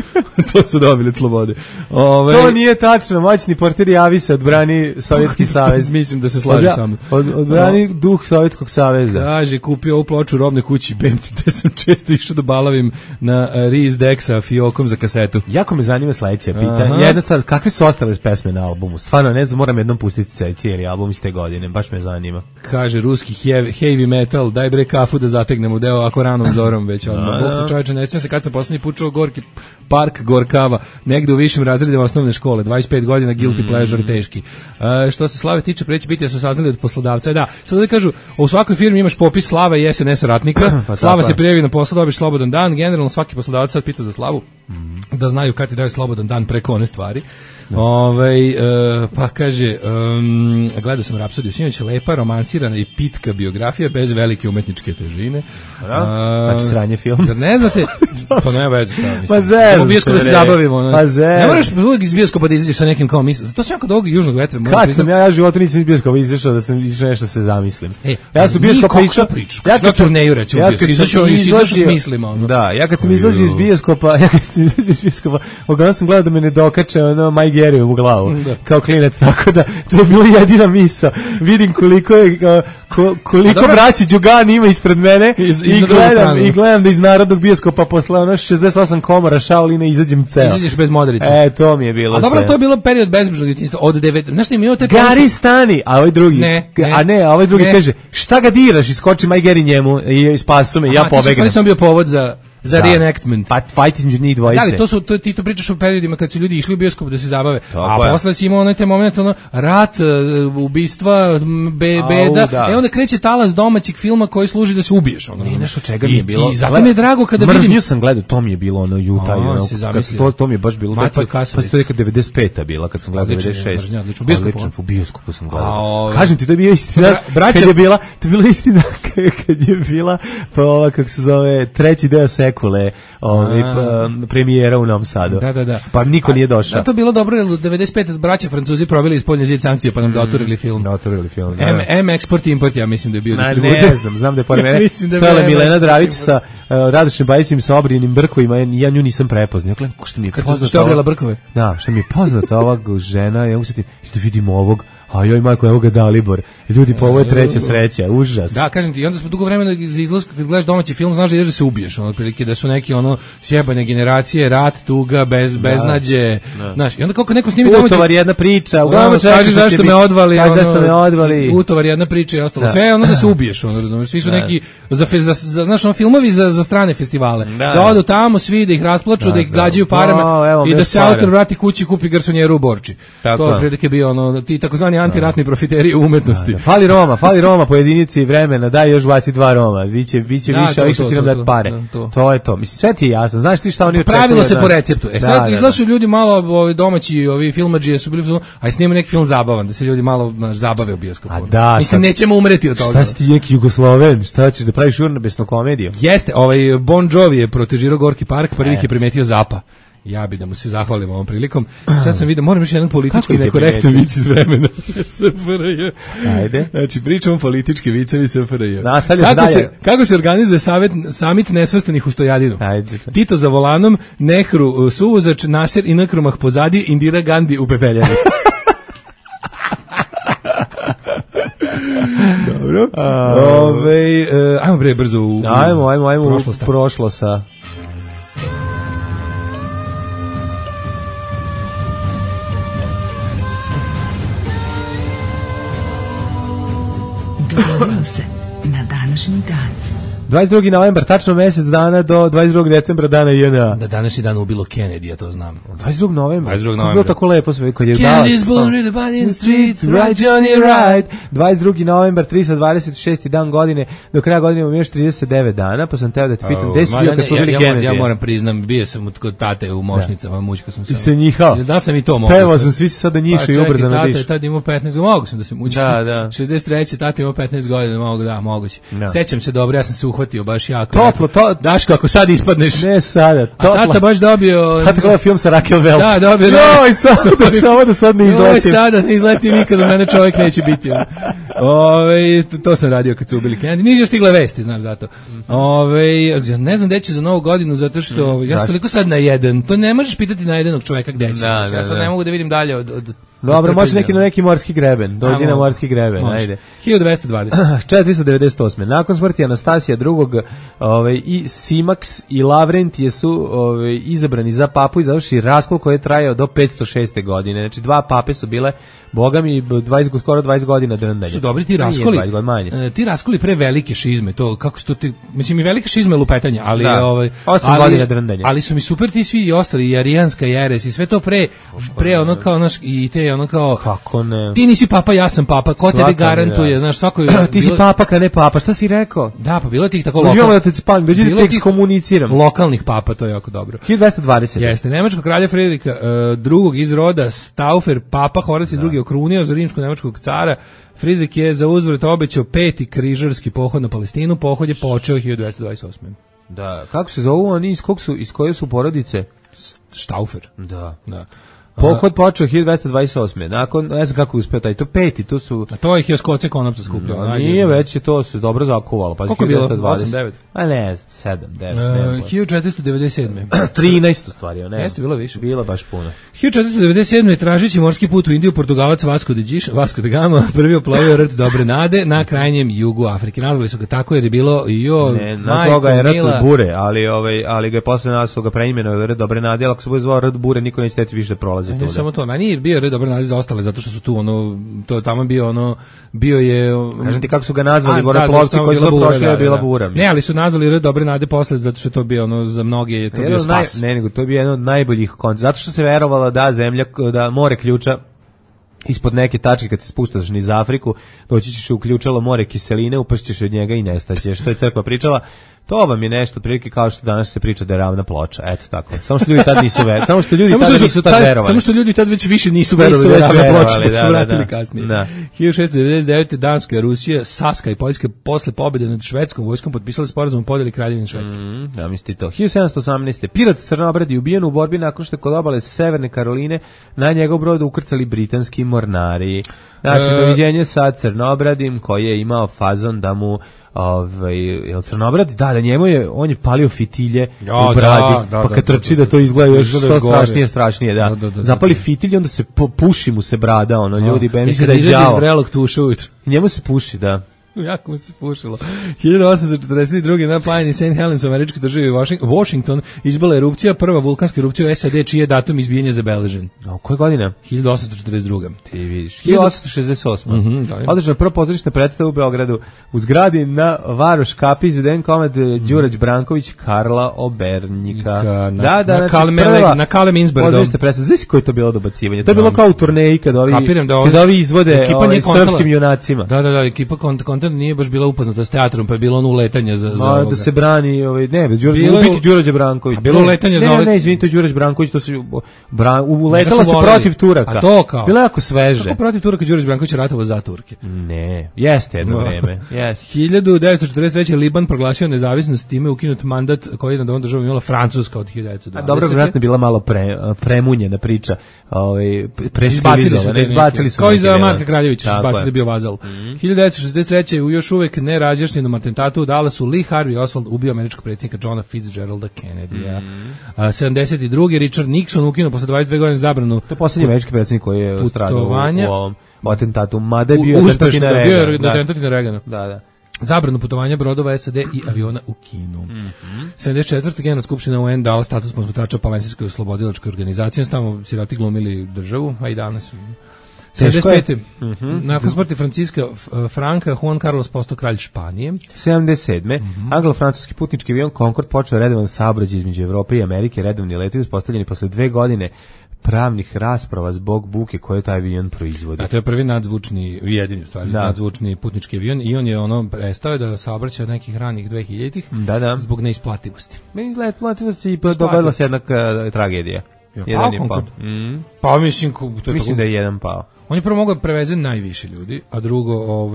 To su dobili od slobode. To nije tačno, moćni portir javi se, odbrani Sovjetski savez. Mislim da se slaže sa mnom. Odbrani duh Sovjetskog saveza. Kaže, kupio ovu ploču u robnoj kući BMT, gde sam često išao da balavim na Riz Dexa fiokom za kasetu. Jako me zanima sledeće pitanje. Jedna stvar, kakve su ostale pesme na albumu? Stvarno, ne znam, moram jednom pustiti cijeli album iz te godine, baš me zanima. Kaže, ruski heavy metal, daj bre kafu da zategnemo deo ako ranom zorom već odmah. Čovječe, ne sjećam se kad sam poslednji put čuo Gorki Park, Gorkava, negde u višim razredima osnovne škole, 25 godina, guilty pleasure, teški. Što se slave tiče, preći biti da su saznali od poslodavca. Da, sad da kažu, u svakoj firmi imaš popis slave i SNS ratnika, slava se prijavi na posao, dobiš slobodan dan, generalno svaki poslodavac sad pita za slavu, da znaju kad ti daju slobodan dan preko one stvari. Pa kaže, gledao sam Rapsodiju sinoć, lepa, romansirana i pitka biografija bez velike umetničke težine. Znači sranje film. Zar ne znate? Pa ne veze šta mislim. Pa zem. U bioskopu se zabavimo. Pa zem. Ne moraš uvijek iz bioskopa da izađeš sa nekim kao misli. Zato sam ja kod ovog južnog vetra. Kad sam ja životu nisam iz bioskopa izašao da sam išao nešto se zamislim. Ja sam bioskopa išao. Ja kad turneju recimo izašao s mislima. Da, ja kad sam izlazio iz bioskopa, uglavnom sam gledao da me ne dokače ono Maj Geriju u glavu, kao klinac, tako da to je bila jedina misa. Vidim koliko braći Đugani ima ispred mene i gledam da iz narodnog bioskopa posle ono 68 komora Shaolina izađem ceo. Izađeš bez modrice. To mi je bilo. A dobro, to je bilo period bezbrižnog djetinjstva od 9. Znaš šta mi je Gari stani, a ovaj drugi. A ovaj drugi kaže, šta ga diraš, iskoči Maj Geri njemu i spasu me i ja pobegnem. To sam bio povod za reenactment. Pa fight između njih dvojice. Da, ti to pričaš u periodima kad su ljudi išli u bioskop da se zabave. A posle si imao onaj te moment, rat, ubistva, beda. Onda kreće talas domaćeg filma koji služi da se ubiješ. Nije nešto čega mi je bilo. I zato mi je drago kada vidim. Mržnju sam gledao, to mi je bilo ono Jutaj. To mi je baš bilo. Pa se to je kad 95-a bila, kad sam gledao 96. U bioskopu sam gledao. Kažem ti, to je bio istina. Kad je bila istina, kad je bila, pa ova, kako se zove, treći deo Sekule, premijera u Novom Sadu. Da. Pa niko nije došao. Da, to bilo dobro, jer 95 braća Francuzi probili ispolnje zid sankcije, pa nam doturili film. Export i import, ja mislim da je bio distributer. Ne znam da je pored mene stojala Milena Dravić sa Radošnim Bajićem sa obrijenim brkovima, ja nju nisam prepoznao. Što mi je poznato? Što je obrijela brkove? Da, što mi je poznato ova žena, ja usetim, da vidimo ovog, a joj majko, evo ga Dalibor. Ljudi, pa ovo je treća sreća, užas. Da, kažem ti, i onda smo dugo vremena za izlazak, kad gledaš domaći film, znaš da ideš da se ubiješ, otprilike. otprilike da su neki ono sjebane generacije, rat, tuga, beznađe, znaš, i onda kako neko snimi domaći... Utovar jedna priča, kaži zašto me odvali, zašto me odvali. Utovar jedna priča i ostalo. Sve ono da se ubiješ, ono, razumiješ, svi su neki, znaš, ono, filmovi za strane festivale, da odu tamo, svi da ih rasplaču, da ih gađaju parama i da se autor vrati kući i kupi garsonjeru u Borči. To je prilike bio ono, ti takozvani antiratni profiteri u umetnosti. Fali Roma po jedinici vremena, daj još baci 2 Roma, biće više ovih što će nam dati pare. To je to. Mislim, sve ti je jasno. Znaš ti šta oni očekuju? Pravilo se po receptu. Sad izlasu ljudi malo domaći, ovi filmadžije su bili, aj snima neki film zabavan, da se ljudi malo zabave u bioskopu. Mislim, nećemo umreti od toga. Šta si ti neki Jugosloven? Šta ćeš da praviš urnebesnu komediju? Jeste, Bon Jovi je protežirao Gorki park, prvih je primetio Zapa. Ja bi da mu se zahvalim ovom prilikom. Sad sam vidio, moram još jedan politički nekorektan vic iz vremena SFRJ. Ajde. Znači, pričamo politički vicevi SFRJ. Kako se organizuje samit nesvrstanih u Stojadinu? Ajde. Tito za volanom, Nehru suvozač, Nasser i Nkrumah pozadi, Indira Gandhi u pepeljani. Dobro. Ajmo bre brzo u prošlost. Dogodilo se na današnji dan. 22. novembar, tačno mjesec dana do 22. decembra dana JNA. Da današnji dan ubilo Kennedy, ja to znam. 22. novembra. 22. novembra. Bilo tako lepo sve kad je Kennedy's born in the body in the street, right Johnny right. 22. novembar, 326. dan godine, do kraja godine imamo još 39 dana, pa sam teo da te pitam, gde si bio kad su bili Kennedy? Ja moram priznam, bio sam kod tate u Mošnicama, mučka sam se. I se njihao. Da sam i to mogao. Pevao sam, svi se sada njišu i ubrzano dišu. Tada imao 15 godina, mogu sam da se mučim. Da. 63. tada imao 15 godina, moguće. Sećam se dobro, ja sam se uhvatio baš jako. Toplo, Daško, ako sad ispadneš. Ne sada, toplo. A tata baš dobio... Tata gleda film sa Raquel Welch. Da, dobio. Joj, samo da sad ne izletim. Joj, sada ne izletim nikad, od mene čovjek neće biti. To sam radio kad su ubili Kennedy. Nije stigle vesti, znaš, zato. Ne znam gde će za Novu godinu, zato što ja sam toliko sad na jedan. To ne možeš pitati na jednog čovjeka gde će. Ja sad ne mogu da vidim dalje od dobro, može neki morski greben. Dođi na morski greben, ajde. 1220. 498. Nakon smrti Anastasija II. I Simax i Lavrentije su izabrani za papu i završi raskol koji je trajao do 506. godine. Znači, 2 pape su bile, boga mi, skoro 20 godina drndanja. Su dobri ti raskoli. Ti raskoli pre velike šizme, to kako su to mislim i velike šizme lupetanja, ali 8 godina drndanja. Ali su mi super ti svi i ostali, i arijanska jeres i sve to pre ono kao naš i te ono kao kako ne. Ti nisi papa, ja sam papa, ko tebi garantuje, znaš, svako ti si papa, kad ne papa, šta si rekao? Da, pa bilo tih tako komuniciram. Lokalnih papa, to je jako dobro. 1220. Jeste, nemačkog kralja Fridrika drugog iz roda Staufer, papa Horac drugi okrunio za rimsko-nemačkog cara. Fridrik je za uzvrat obećao 5. križarski pohod na Palestinu, pohod je počeo 1228. Da, kako se zovu oni, iz koje su porodice? Staufer. Da. Pohod počeo 1228. Nakon, ne znam kako je uspeo taj, to 5. to su... A to ih je Skotce konopca skupljao. Nije već, to se dobro zakuvalo. Pa koliko je bilo? 8-9? A ne, 7-9. 1497. 13 u stvari, ne. Jeste, bilo više. Bilo baš puno. 1497. tražeći morski put u Indiju, Portugalac Vasco da Gama prvi oplovio rt Dobre Nade na krajnjem jugu Afrike. Nazvali su ga tako jer je bilo nazvao ga je rt Bure, ali ga je posle nas su ga preimenovali rt Dobre Nade, ali ako se bude zvao rt Bure, niko neće teti više da prolazi. Ne samo to, nije bio red Dobre Nade za ostale, zato što su tu to tamo bio je... Kažem ti kako su ga nazvali, moreplovci koji su prošli je bila bura. Ne, ali su nazvali red Dobre Nade posle, zato što je to bio za mnoge je to bio spas. Ne, nego to je bio jedan od najboljih koncepta, zato što se verovalo da zemlja, da more ključa ispod neke tačke kad se spuštaš niz Afriku, doći ćeš u ključalo more kiseline, upašćeš od njega i nestaćeš. Što je crkva pričala, to vam je nešto prilike kao što danas se priča da je ravna ploča. Eto tako. Samo što ljudi tad nisu verovali. Samo što ljudi tad već više nisu verovali da je ravna ploča, pa su vratili kasnije. 1699. Danska, Rusija, Saska i Poljska posle pobjede nad švedskom vojskom potpisali sporazum o podjeli Kraljevine Švedske. Ja mislim to. 1718. Pirat Crnobrad je ubijen u borbi nakon što je kod obale Severne Karoline na njegov brod ukrcali britanski mornari. Znači, doviđenje sa Crnobradim koji je imao fazon da mu jel Crnobrad? Da, njemu je, on je palio fitilje u bradi, pa kad trči da to izgleda još što strašnije, da. Zapali fitilje, onda se puši mu se brada, ljudi, misle da je đavo. Iz vrelog tuša ujutru. Njemu se puši, da. Jako mu se pušilo. 1842. na planini St. Helens u američkoj državi Washington izbila erupcija, prva vulkanska erupcija u SAD, čiji je datum izbijanja zabeležen. A koje godine? 1842. Ti vidiš. 1868. Održana prva pozorišna predstava u Beogradu. U zgradi na Varoš kapi izveden komad Đurađ Branković, Karla Obernika. Na Kale Minsbergom. Pozorišna predstava. Znaš koje je to bilo dobacivanje? To je bilo kao u turneji kad ovi izvode srpskim junacima. Da, ekipa kontent nije baš bila upoznata s teatrom, pa je bilo ono uletanje za ovoga. Da se brani, ubiti Đurađa Branković. A bilo uletanje za Ne, izvinite, Đurađ Branković, to su uletala se protiv Turaka. A to kao. Bilo jako sveže. Kako protiv Turaka Đurađ Branković ratovao za Turke? Ne, jeste jedno vreme. Jeste. 1943. Liban proglasio nezavisnost, time ukinut mandat koji je nad ovom državom imala Francuska od 1920. A dobro, vjerojatno bila malo premunjena priča. Izbacili su. Kao i za Marka Kraljevića, izbacili bio vazal. 1963. u još uvek nerazjašnjenom atentatu u Dallasu Lee Harvey Oswald ubio američkog predsjednika Johna Fitzgeralda Kennedya. 72. Richard Nixon ukinuo posle 22 godine zabranu. To je posljednji američki predsjednik koji je stradao u ovom atentatu. Mada je bio atentat na Reagana. Da. Zabranu putovanja brodova SAD i aviona u Kinu. 74. Generalna skupština UN dala status posmatrača Palestinskoj oslobodilačkoj organizaciji, tamo siroti glumili državu, a i danas. 75. Nakon smrti Franciska Franka, Juan Carlos postao kralj Španije. 77. Anglo-francuski putnički avion Concorde počeo redovan saobraćaj između Evrope i Amerike, redovni letovi uspostavljeni posle 2 godine pravnih rasprava zbog buke koje taj avion proizvodi. A to je prvi nadzvučni, jedini u stvari, nadzvučni putnički avion i on je prestao da saobraća od nekih ranih 2000-ih zbog neisplativosti. Neisplativosti i dogodila se jedna tragedija. Jedan je pao. Pa mislim da je jedan pao. On je prvo mogao preveze najviše ljudi, a drugo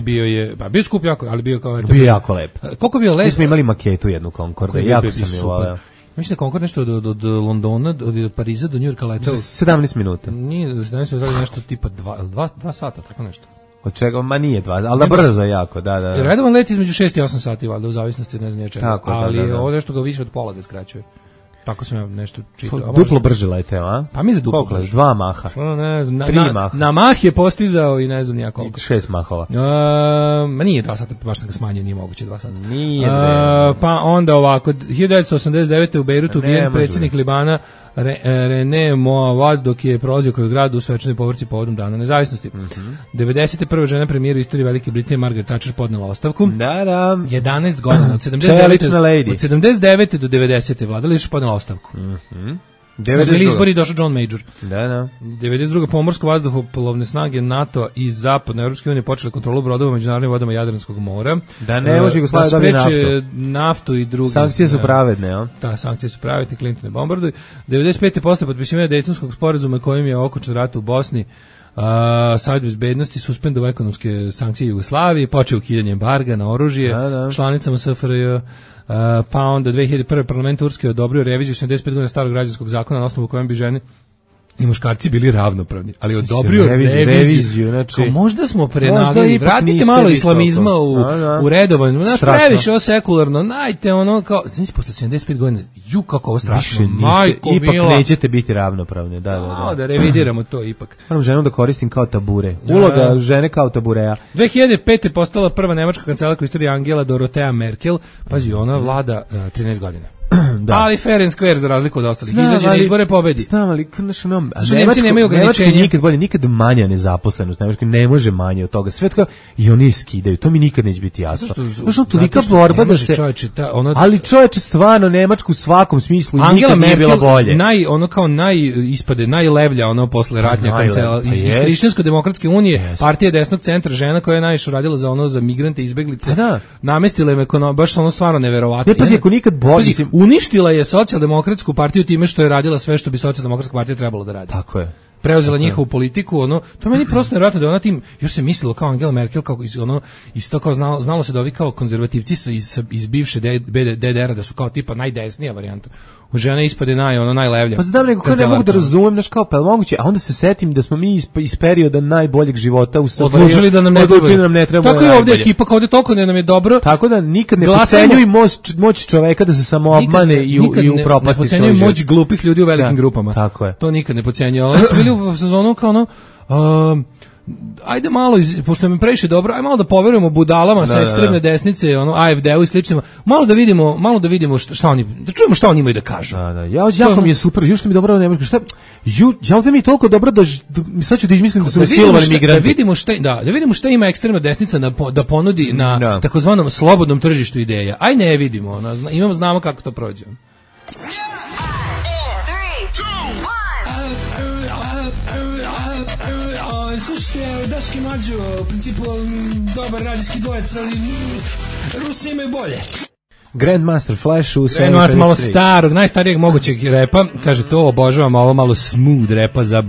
bio je skup jako, ali bio kao bio jako lep. Koliko bio lep? Mi smo imali maketu jednu Concorde, jako sam je voleo. Mislim da Concorde nešto od Londona, od Pariza do Njujorka letao 17 minuta. Nije, za 17 minuta nešto tipa 2 sata, tako nešto. Od čega? Ma nije 2, ali da brzo jako, da. Redovan let između 6 i 8 sati, valjda, u zavisnosti ne znam čega, ali ovo nešto ga više od pola ga skraćuje. Tako sam ja nešto čitao. Duplo brže leteo, a? Pa mi za duplo brže. 2 maha. Ne znam, 3 maha. Na mah je postizao i ne znam nijako koliko. 6 mahova. Ma nije 2 sata, baš sam ga smanjio, nije moguće 2 sata. Nije. Pa onda ovako, 1989. u Bejrutu ubijen predsjednik Libana René Moavad dok je prolazio kroz grad u svečanoj povorci povodom dana nezavisnosti. 91. žena premijera u istoriji Velike Britanije Margaret Thatcher podnela ostavku. Da. 11 godina, od 79. do 90. vladala još podnela ostavku. Bili izbori i došao John Major. Da. 92. pomorsko vazduhoplovne snage NATO i zapadne Europske unije počele kontrolu brodova u međunarodnim vodama Jadranskog mora. Da ne može Jugoslavija dobiti naftu i drugi. Sankcije su pravedne, ja? Da, sankcije su pravedne, Clinton ne bombarduje. 95. posle potpisivanja Dejtonskog sporazuma kojim je okončan rat u Bosni, Savjet bezbednosti suspendovao ekonomske sankcije Jugoslavije, počeo ukidanje embarga na oružje članicama SFRJ. Pa onda 2001. parlament Turske odobrio reviziju 75 godina starog građanskog zakona na osnovu kojem bi žene i muškarci bili ravnopravni, ali odobrio reviziju. Znači, možda smo prenagli, vratite malo islamizma u redovan, znaš, previše ovo sekularno, najte ono kao, znači, posle 75 godina, kako ovo strašno, majko ipak mila. nećete biti ravnopravni, da revidiramo to ipak. Moram ženu da koristim kao tabure, uloga žene kao tabureja. 2005. je postala prva nemačka kancelarka u istoriji Angela Dorothea Merkel, pazi, ona vlada 13 godina. Da. Ali fair and square za razliku od ostalih. Izađe na izbore, pobedi. Znam, ali Nemci nemaju ograničenja. Nikad manja nezaposlenost, Nemačka ne može manje od toga. Sve tako i oni skidaju. To mi nikad neće biti jasno. Zašto tolika borba da se ali čoveče stvarno Nemačku u svakom smislu Angela nikad nije bila bolje. Ispade najlevlja posle ratnja kancela iz Hrišćansko-demokratske unije, partija desnog centra, žena koja je najviše radila za migrante i izbeglice. Namestila im baš stvarno neverovatno. Ne pazi, ako nikad bolje uništila je socijaldemokratsku partiju time što je radila sve što bi socijaldemokratska partija trebala da radi. Tako je. Preuzela njihovu politiku, to meni prosto nevjerojatno da ona tim, još se mislilo kao Angela Merkel, kao isto kao znalo se da ovi kao konzervativci iz bivše DDR-a da su kao tipa najdesnija varijanta. U žene ispade najlevlja. Pa znam nego, ne mogu da razumem, znaš kao, pa je moguće, a onda se setim da smo mi iz perioda najboljeg života u Srbiji odlučili da nam ne treba. Tako je ovdje ekipa, kao ovdje toliko nam je dobro. Tako da nikad ne potcenjuj moć čoveka da se samo obmane i upropasti svoj život. Ne potcenjuj moć glupih ljudi u velikim grupama. Tako je. To nikad ne potcenjuju. Ali smo bili u sezonu kao ajde malo, pošto mi previše dobro, ajde malo da poverujemo budalama sa ekstremne desnice, ono, AFD-u i sličnima, malo da vidimo šta oni, da čujemo šta oni imaju da kažu. Da. Jako mi je super, još mi dobro Nemačka, ja ovdje mi je toliko dobro da sad ću da izmislim da su silovani migranti. Da vidimo šta ima ekstremna desnica da ponudi na takozvanom slobodnom tržištu ideja. Aj ne vidimo, znamo kako to prođe. Slušajte, Daški Mlađo, u principu dobar radijski dvojec, ali Rusi imaju bolje. Grandmaster Flash u 753. Grandmaster malo starog, najstarijeg mogućeg repa, kaže to obožavam, ovo malo smooth repa za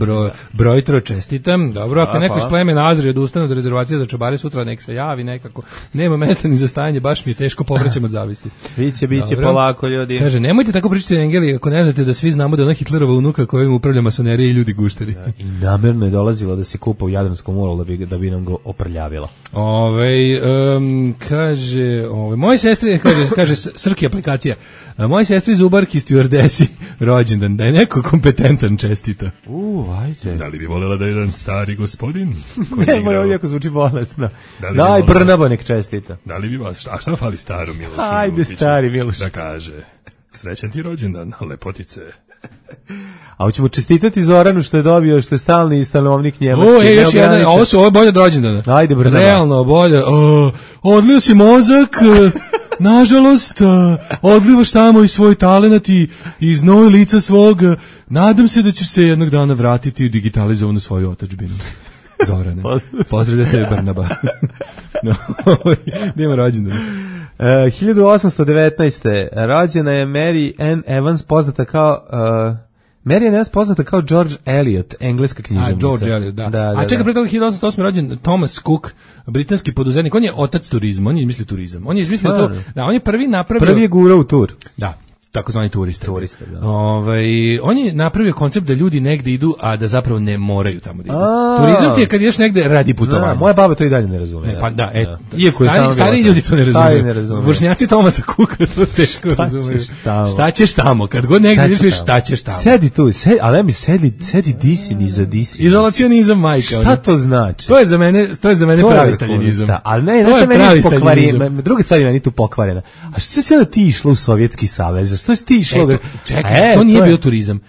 brojtro, čestitam. Dobro, ako neko iz plemena Azri odustane od rezervacije za čobare sutra, nek se javi nekako. Nema mesta ni za stajanje, baš mi je teško, povraćam od zavisti. Biće polako, ljudi. Kaže, nemojte tako pričati Engeli, ako ne znate da svi znamo da ona Hitlerova unuka kojim upravlja masonerija i ljudi gušteri. I namerno je dolazila da se kupa u Jadranskom moru da bi nam go oprljavila. Kaže, moje sestre, kaže Srki aplikacija. Moje sestri zubarki stjuardesi rođendan, da je neko kompetentan čestita. Ajde. Da li bi voljela da je jedan stari gospodin? Nemoj, ovo jako zvuči bolesno. Daj, Brnabo nek čestita. Da li bi vas, a šta fali staru Milošu? Ajde, stari Miloš. Da kaže, srećan ti rođendan, lepotice. A hoćemo čestitati Zoranu što je dobio, što je stalni stanovnik Njemačke. Još jedna, ovo je bolje od rođendana. Ajde, Brnabo. Realno, bolje. Odlio si mozak, nažalost, odlivaš tamo i svoj talenat i iz nove lica svog. Nadam se da ćeš se jednog dana vratiti u digitalizovanu svoju otadžbinu. Zorane. Pozdravljate Brnaba. Nema rođendan. 1819. rođena je Mary Ann Evans, poznata kao... Mary Ann Evans poznata kao George Eliot, engleska književnica. George Eliot, da. A čekaj, pre toga 1808. rođen Thomas Cook, britanski poduzetnik. On je otac turizma, on je izmislio turizam. On je izmislio to, da, on je prvi napravio... Prvi je gurao u tur. Da. Takozvani turiste. Da. On je napravio koncept da ljudi negde idu, a da zapravo ne moraju tamo da idu. Turizam ti je kad ideš negde radi putovanja. Moja baba to i dalje ne razume. Stari ljudi to ne razume. Vršnjaci Tomasa Cooka to teško razumeju. Šta ćeš tamo? Kad god negde ideš, šta ćeš tamo? Sedi tu, ali mi sedi disin iza disin. Izolacionizam, majka. Šta to znači? To je za mene pravi staljinizam. Ali ne, nešto meni pokvareno. Druga stvar meni tu pokvarena. A što se onda ti išlo u Sovjetski savez? Što si ti išlo? Čekaj, to nije bio turizam.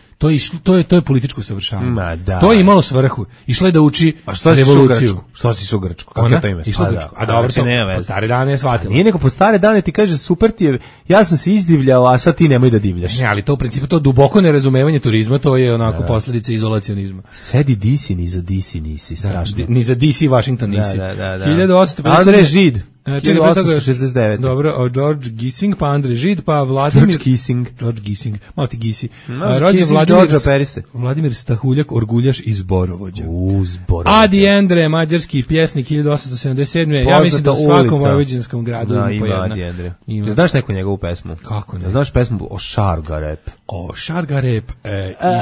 To je političko savršavanje. To je imalo svrhu. Išla je da uči revoluciju. Što si u Grčku? Kako to ime? Išla u Grčku. A dobro, po stare dane je shvatila. Nije nego po stare dane ti kaže super ti je, ja sam se izdivljao, a sad ti nemoj da divljaš. Ne, ali to u principu, to duboko nerazumevanje turizma, to je onako posljedica izolacionizma. Sedi disi, ni za disi nisi, strašno. Ni za DC Washington nisi. 1850. Andrej Žid. 1869. Dobro, George Gissing, pa Andrej Žid, pa Vladimir... George Gissing, malo ti Gisi. Rođen Vladimir Stahuljak, orguljaš iz Borovođa. Zborovođa. Adi Endre, mađarski pjesnik, 1877. Ja mislim da u svakom vojvođanskom gradu ima po jedna. Ti znaš neku njegovu pesmu? Kako ne? Znaš pesmu o Šargarep? O Šargarep,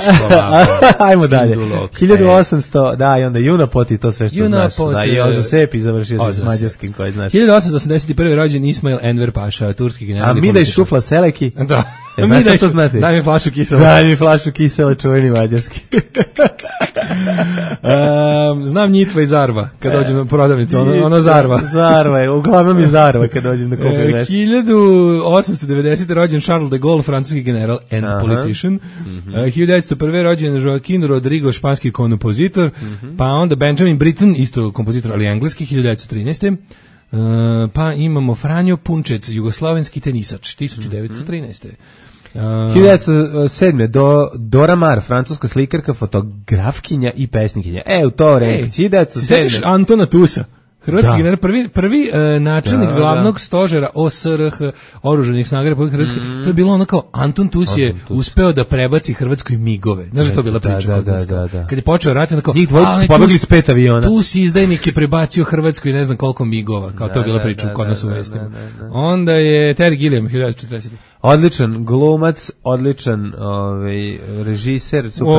iškola. Ajmo dalje. 1800, da, i onda Junapoti, to sve što znaš. Da, i Ozosepi završio se s mađarskim koji znaš. 1881. rođen Ismail Enver Paša, turski general. A mi da šufla seleki? Da. Znaš šta to znate? Daj mi flašu kisela. Daj mi flašu kisela, čuveni mađarski. Znam Njitva i Zarva, kad dođem na prodavnicu, ono Zarva. Zarva je, uglavnom je Zarva kad dođem da kupim nešto. 1890. rođen Charles de Gaulle, francuski general and politician. 1901. rođen Joaquin Rodrigo, španski kompozitor. Pa onda Benjamin Britten, isto kompozitor, ali engleski, 1913. Pa imamo Franjo Punčec, jugoslovenski tenisač, 1913. 1907. Dora Maar, francuska slikarka, fotografkinja i pesnikinja. U to vreme. 1907. Sjećaš Antona Tusa? Hrvatski general, prvi načelnik glavnog stožera OSRH, oružanih snaga Republike Hrvatske. To je bilo ono kao Anton Tus je uspeo da prebaci Hrvatskoj migove. Znaš da to bila priča? Da. Kad je počeo rat, ono kao njih dvojica su pobegli s 5 aviona. Tus izdajnik je prebacio Hrvatskoj ne znam koliko migova. Kao to je bila priča kod nas u vestima. Onda je Terry Gilliam, 1940. Odličan glumac, odličan režiser, super.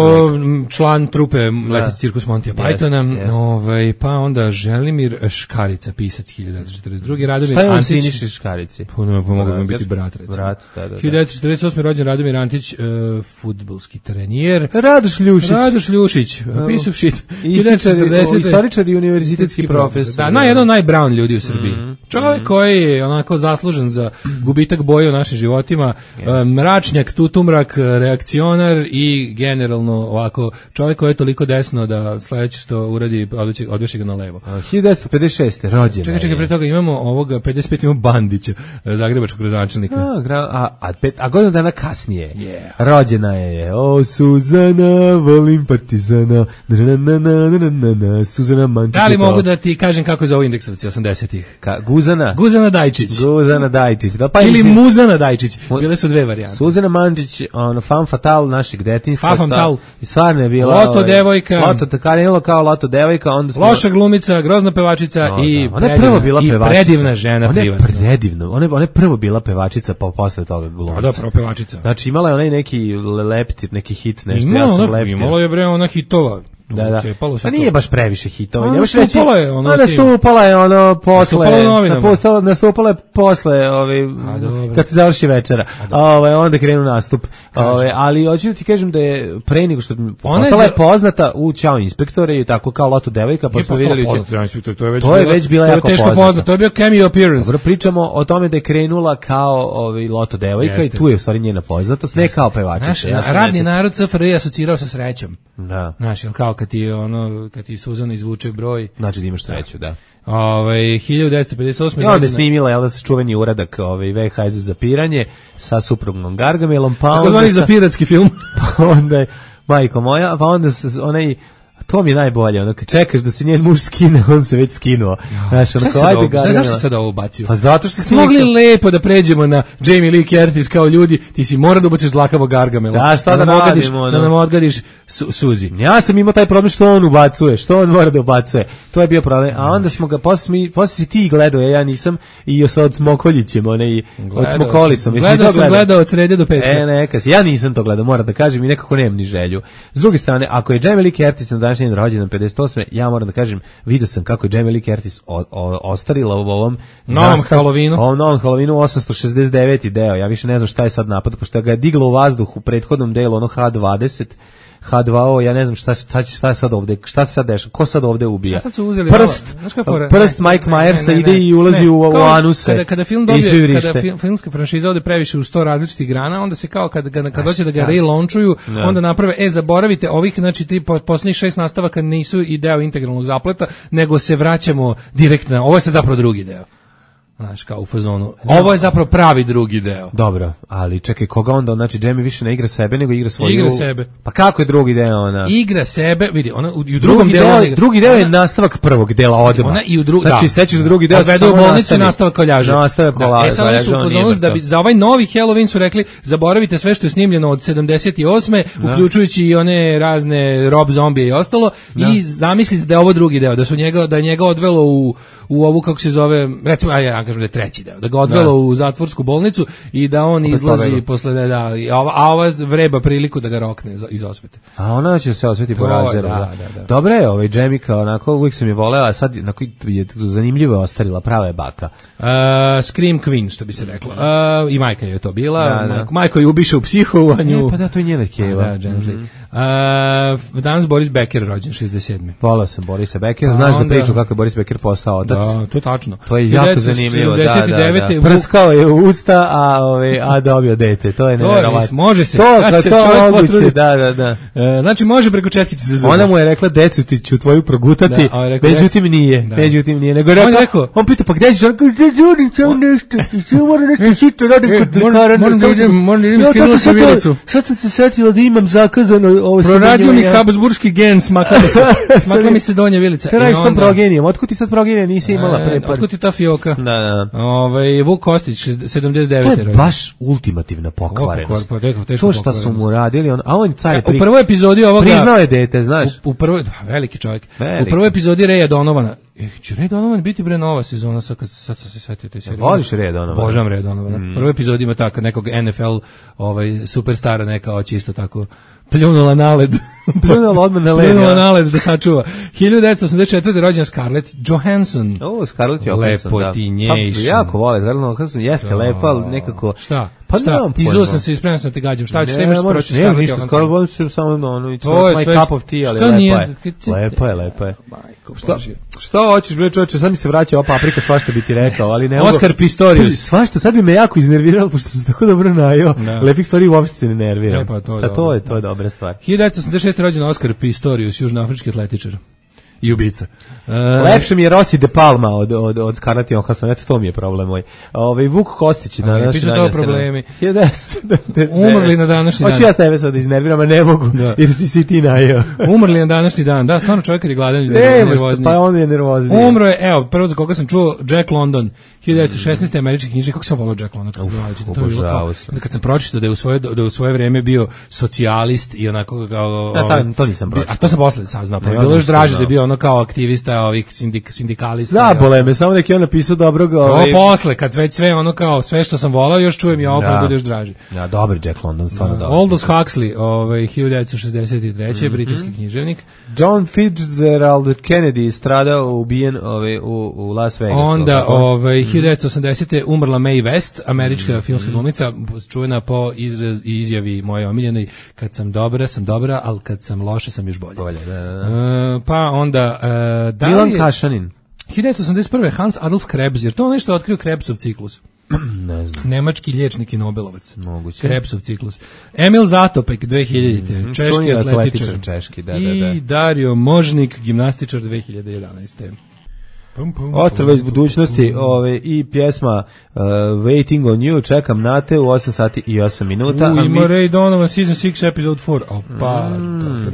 Član trupe Letici cirkus Montija Pythona, pa onda Želimir Škarica, pisac 1942. Radomir Šta je on Antić. Siniši Škarici? Mogu mi biti brat, recimo. Brat, da. 1948. rođen Radomir Antić, fudbalski trenjer. Radoš Ljušić. Piece of shit. Istoričar i univerzitetski profesor. Da, jedan od najbrown ljudi u Srbiji. Čovjek koji je onako zaslužen za gubitak boje u našim životima, mračnjak, tutumrak, reakcionar i generalno ovako čovjek koji je toliko desno da sledeće što uradi odveši ga na levo. 1956. rođena. Čekaj, pre toga imamo ovoga 55 imamo Bandića, zagrebačkog gradonačelnika. A godinu dana kasnije rođena je Suzana, volim Partizana, Suzana Mančić. Da li mogu da ti kažem kako je za ovo indeksovci 80-ih? Guzana Dajčić. Da, ili Muzana Dajčić. Bile su dve varijante. Suzana Mančić, fan fatal našeg detinjstva. Fatal. I stvarno je bila Loto devojka. Loto karenilo kao Loto devojka, onda smo loša glumica, grozna pevačica i predivna žena privatno. Ona je prvo bila pevačica, pa posle toga glumica. Da, prvo pevačica. Znači imala je onaj neki leptir, neki hit, nešto. Imala je bre ona hitova. Da. Pa nije baš previše hitova. Nastupala je nastupala je posle kad se završi večera. Onda krenu nastup. Ali hoću da ti kažem da je pre nego što postala je poznata u Ćao inspektore i tako kao Loto devojka, pa smo videli to je već bila jako poznata. To je bio cameo appearance. Dobro, pričamo o tome da je krenula kao Loto devojka i tu je u stvari njena poznatost, ne kao pevačica. Radni narod SFRJ asocirao sa srećom. Da. Znaš, kao kad ti Suzana izvuče broj, znači da imaš sreću, da. 1958. I onda je snimila čuveni uradak VHS za piranje sa suprugom Gargamelom, pa onda zvani za piratski film. Pa onda je majko moja, pa onda onaj to mi je najbolje, kad čekaš da se njen muž skine, on se već skinuo. Znaš, zašto sad ovo ubacio? Pa zato što smo mogli lepo da pređemo na Jamie Lee Curtis kao ljudi, ti si mora da ubaciš dlakavo Gargamela. Da, šta da radimo? Da nam odgadiš Suzi. Ja sam imao taj problem što on ubacuje, što on mora da ubacuje. To je bio problem. A onda smo ga, posle si ti gledao, ja nisam, i sa od Smokoljićem, od Smokolisom. Gledao od srede do petka. Neka si, ja nisam to gledao, moram da kažem i nekako nemam ni želju. S druge strane, ako je Jamie Lee Curtis na današnji rođendan 58. ja moram da kažem, vidio sam kako je Jamie Lee Curtis ostarila u ovom novom Halloweenu. Ovom novom Halloweenu 869. deo. Ja više ne znam šta je sad napad, pošto ga je diglo u vazduh u prethodnom delu, ono H20, H2O, ja ne znam šta je sad ovde, šta se sad dešava, ko sad ovde ubija. Prst Mike Myersa ide i ulazi u anuse. Kada film filmska franšiza ode previše u 100 različitih grana, onda se kao kad hoće da ga relaunchuju, onda naprave, zaboravite, ovih, znači, posljednjih 6 nastavaka nisu i deo integralnog zapleta, nego se vraćamo direktno, ovo je sad zapravo drugi deo. Znaš, kao u fazonu. Ovo je zapravo pravi drugi deo. Dobro, ali čekaj, koga onda, znači, Jamie više ne igra sebe, nego igra svoju... Igra sebe. Pa kako je drugi deo ona? Igra sebe, vidi, ona u drugom delu... Drugi deo je nastavak prvog dela odmah. Ona i u drugom... Znači, sećaš da drugi deo odvede u bolnicu i nastavak koljaža. Nastavak koljaža. Sad oni su u fazonu da bi za ovaj novi Halloween su rekli, zaboravite sve što je snimljeno od 78. uključujući i one razne Rob zombije i ostalo, i zamislite da je ovo drugi deo, da je njega odvelo u ovu, kako se zove, recimo, ja kažem da je treći deo, da ga odvelo u zatvorsku bolnicu i da on izlazi posle, a ova vreba priliku da ga rokne iz osvete. A ona će se osveti po razeru. Dobro je, Jamie kao onako, uvijek sam je voleo, a sad je zanimljivo ostarila, prava je baka. Scream Queen, što bi se reklo. I majka je to bila. Majko je ubiše u psihovanju. Pa da, to je njena keva. Danas Boris Becker rođen 67. Volao sam Borisa Beckera, znaš za priču kako je Boris Becker postao otac. Da, to je tačno. To je jako zanimljivo. Da. Prskao je u usta, a dobio dete. To je nevjerovatno. Može se. To moguće, da. Znači može preko četkice se zove. Ona mu je rekla, decu ti ću tvoju progutati, međutim nije. Nego je rekao, on pita, pa gdje ćeš? On kaže, žurim nešto, moram nešto hitno radim kod lekara. Moram da idem skinuti sa vilicu. Sad sam se setila da imam zakazano ovo sve. Proradio mi habsburški gen, smakla mi se donja vilica. Te radiš sam progenijem, otkud ti sad progenija nisi imala pre par? Otkud ti ta fioka? Da. Vuk Kostić, 79. To je baš ultimativna pokvarenost. To šta su mu radili, a on car je u prvoj epizodi ovoga... Priznao je dete, znaš. U prvoj, veliki čovjek. U prvoj epizodi Reja Donovana, Će Ray Donovan biti bre nova sezona, sad se setio te serije. Voliš Ray Donovan? Božam Ray Donovan. Prvi epizod ima tako nekog NFL superstara neka hoće isto tako pljunula na led. Pljunula odmah na led. Pljunula na led da sačuva. 1984. rođena Scarlett Johansson. Scarlett Johansson, Lepo ti njejši. Jako vole, Scarlett Johansson jeste lepa, ali nekako... Šta? Izuo sam se i spremno sam te gađam. Šta ćeš, imaš proći Scarlett Johansson? Ništa, Scarlett Johansson samo it's my cup of tea, ali lepa je. Šta hoćeš, bre čoveče, sad mi se vraća ova paprika, svašta bi ti rekao, ali ne... Oscar Pistorius. Svašta, sad bi me jako iznerviralo, pošto sam tako dobro najao. Lepih stvari uopšte se ne nerviram. To je dobra stvar. 1986. rođen Oscar Pistorius, južnoafrički atletičar. I ubica. Lepše mi je Rossi de Palma od Scarlett Johansson, eto to mi je problem moj. Vuk Kostić na današnji dan. Pišu to problemi. 1979. Umrli na današnji dan. Hoću ja tebe sad da iznerviram, a ne mogu, jer si ti najeo. Umrli na današnji dan, da, stvarno čovjek kad je gladan je nervozniji. Pa on je nervozniji. Umro je, evo, prvo za koga sam čuo, Jack London, 1916. američki knjižnik, kako sam volao Jack London kad sam pročitao da je u svoje vreme bio socijalist i onako kao... To nisam pročitao. A to sam posle saznao, pa bilo još draže da je bio ono kao aktivista ovih sindikalista. Zabole me, samo neki on napisao dobrog... Posle, kad već sve ono kao, sve što sam volao, još čujem i ovo pa bude još draži. Ja, dobar Jack London, stvarno dobar. Aldous Huxley, 1963. britanski književnik. John Fitzgerald Kennedy stradao, ubijen u Las Vegasu. Onda, 1980. umrla Mae West, američka filmska glumica, čuvena po izjavi moje omiljenoj, kad sam dobra, ali kad sam loša sam još bolje. Pa onda... Milan Kašanin. 1981. Hans Adolf Krebs, jer to nešto je otkrio Krebsov ciklus. Ne znam. Nemački liječnik i Nobelovac. Moguće. Krebsov ciklus. Emil Zatopek, 2000. Češki atletičar. Češki, da. I Dario Možnik, gimnastičar, 2011. Ostrava iz budućnosti i pjesma Waiting on You, čekam na te u 8 sati i 8 minuta. Ima Ray Donovan, season 6, episode 4. Opa,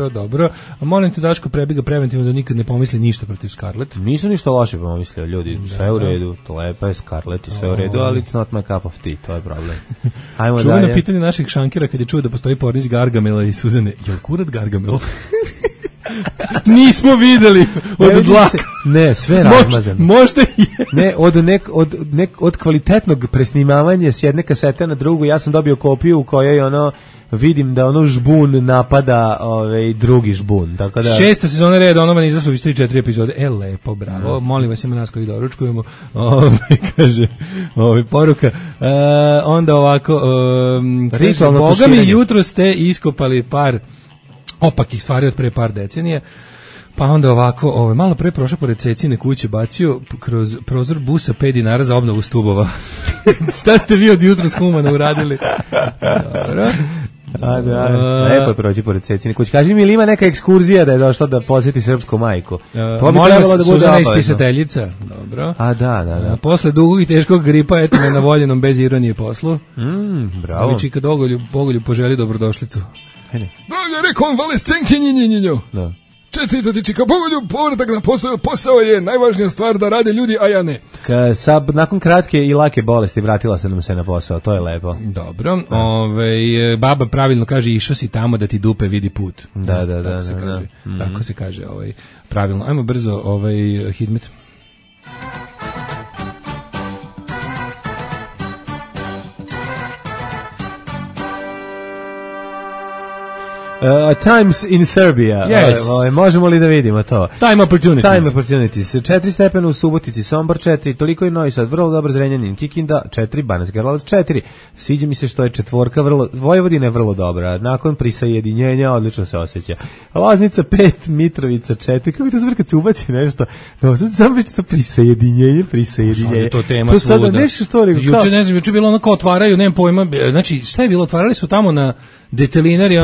dobro. A molim te, Daško, prebiga preventivno da nikad ne pomisli ništa protiv Scarlett. Nisu ništa loše pomislio, ljudi, sve u redu, to lepa je Scarlett i sve u redu, ali it's not my cup of tea, to je problem. Čuveno pitanje naših šankira kad je čuo da postoji porniz Gargamela i Suzane, je li kurat Gargamel? Nismo videli od dlaka. Ne, sve razmazano. Možda je. Ne, od kvalitetnog presnimavanja s jedne kasete na drugu, ja sam dobio kopiju u kojoj vidim da žbun napada drugi žbun. Tako da... 6. sezona Ray Donovan izašla već 3-4 epizode. Lepo, bravo. Molim vas, ima nas koji doručkujemo. Kaže, poruka. Onda ovako, Boga mi jutro ste iskopali par opakih stvari od pre par decenije, pa onda ovako, malo pre prošao pored Cecine kuće, bacio kroz prozor busa 5 dinara za obnovu stubova. Šta ste vi od jutros humana uradili? Dobro. Lepo je proći pored Cecine kuće. Kaži mi, ili ima neka ekskurzija da je došla da posjeti srpsku majku? To bi trebalo da bude Suzana ispisateljica. Dobro. Da. Posle dugog i teškog gripa, eto me na voljenom bez ironije poslu. Bravo. Viči kad Bogolju poželi dobrodošlicu. Bolje rekao on valescenkinjinjinjinju. Da. Četvrto ti čika Bogolju, povratak na posao je najvažnija stvar da rade ljudi, a ja ne. Nakon kratke i lake bolesti vratila se nam se na posao, to je lepo. Dobro, baba pravilno kaže, išao si tamo da ti dupe vidi put. Da. Tako se kaže, pravilno. Ajmo brzo, Hidmet. Times in Serbia. Yes. Možemo li da vidimo to? Time opportunities. 4 stepena u Subotici, Sombor 4, toliko i Novi Sad, vrlo dobro Zrenjanin, Kikinda 4, Banatski Karlovac 4. Sviđa mi se što je četvorka, Vojvodina je vrlo dobra. Nakon prisajedinjenja odlično se osjeća. Loznica 5, Mitrovica 4. Kako bi to zbog kad se ubaci nešto? No, sad sam već to prisajedinjenje. To tema to svuda. Juče bilo ono kao otvaraju, nemam pojma, znači šta je bilo, otvarali su tamo na detelinari,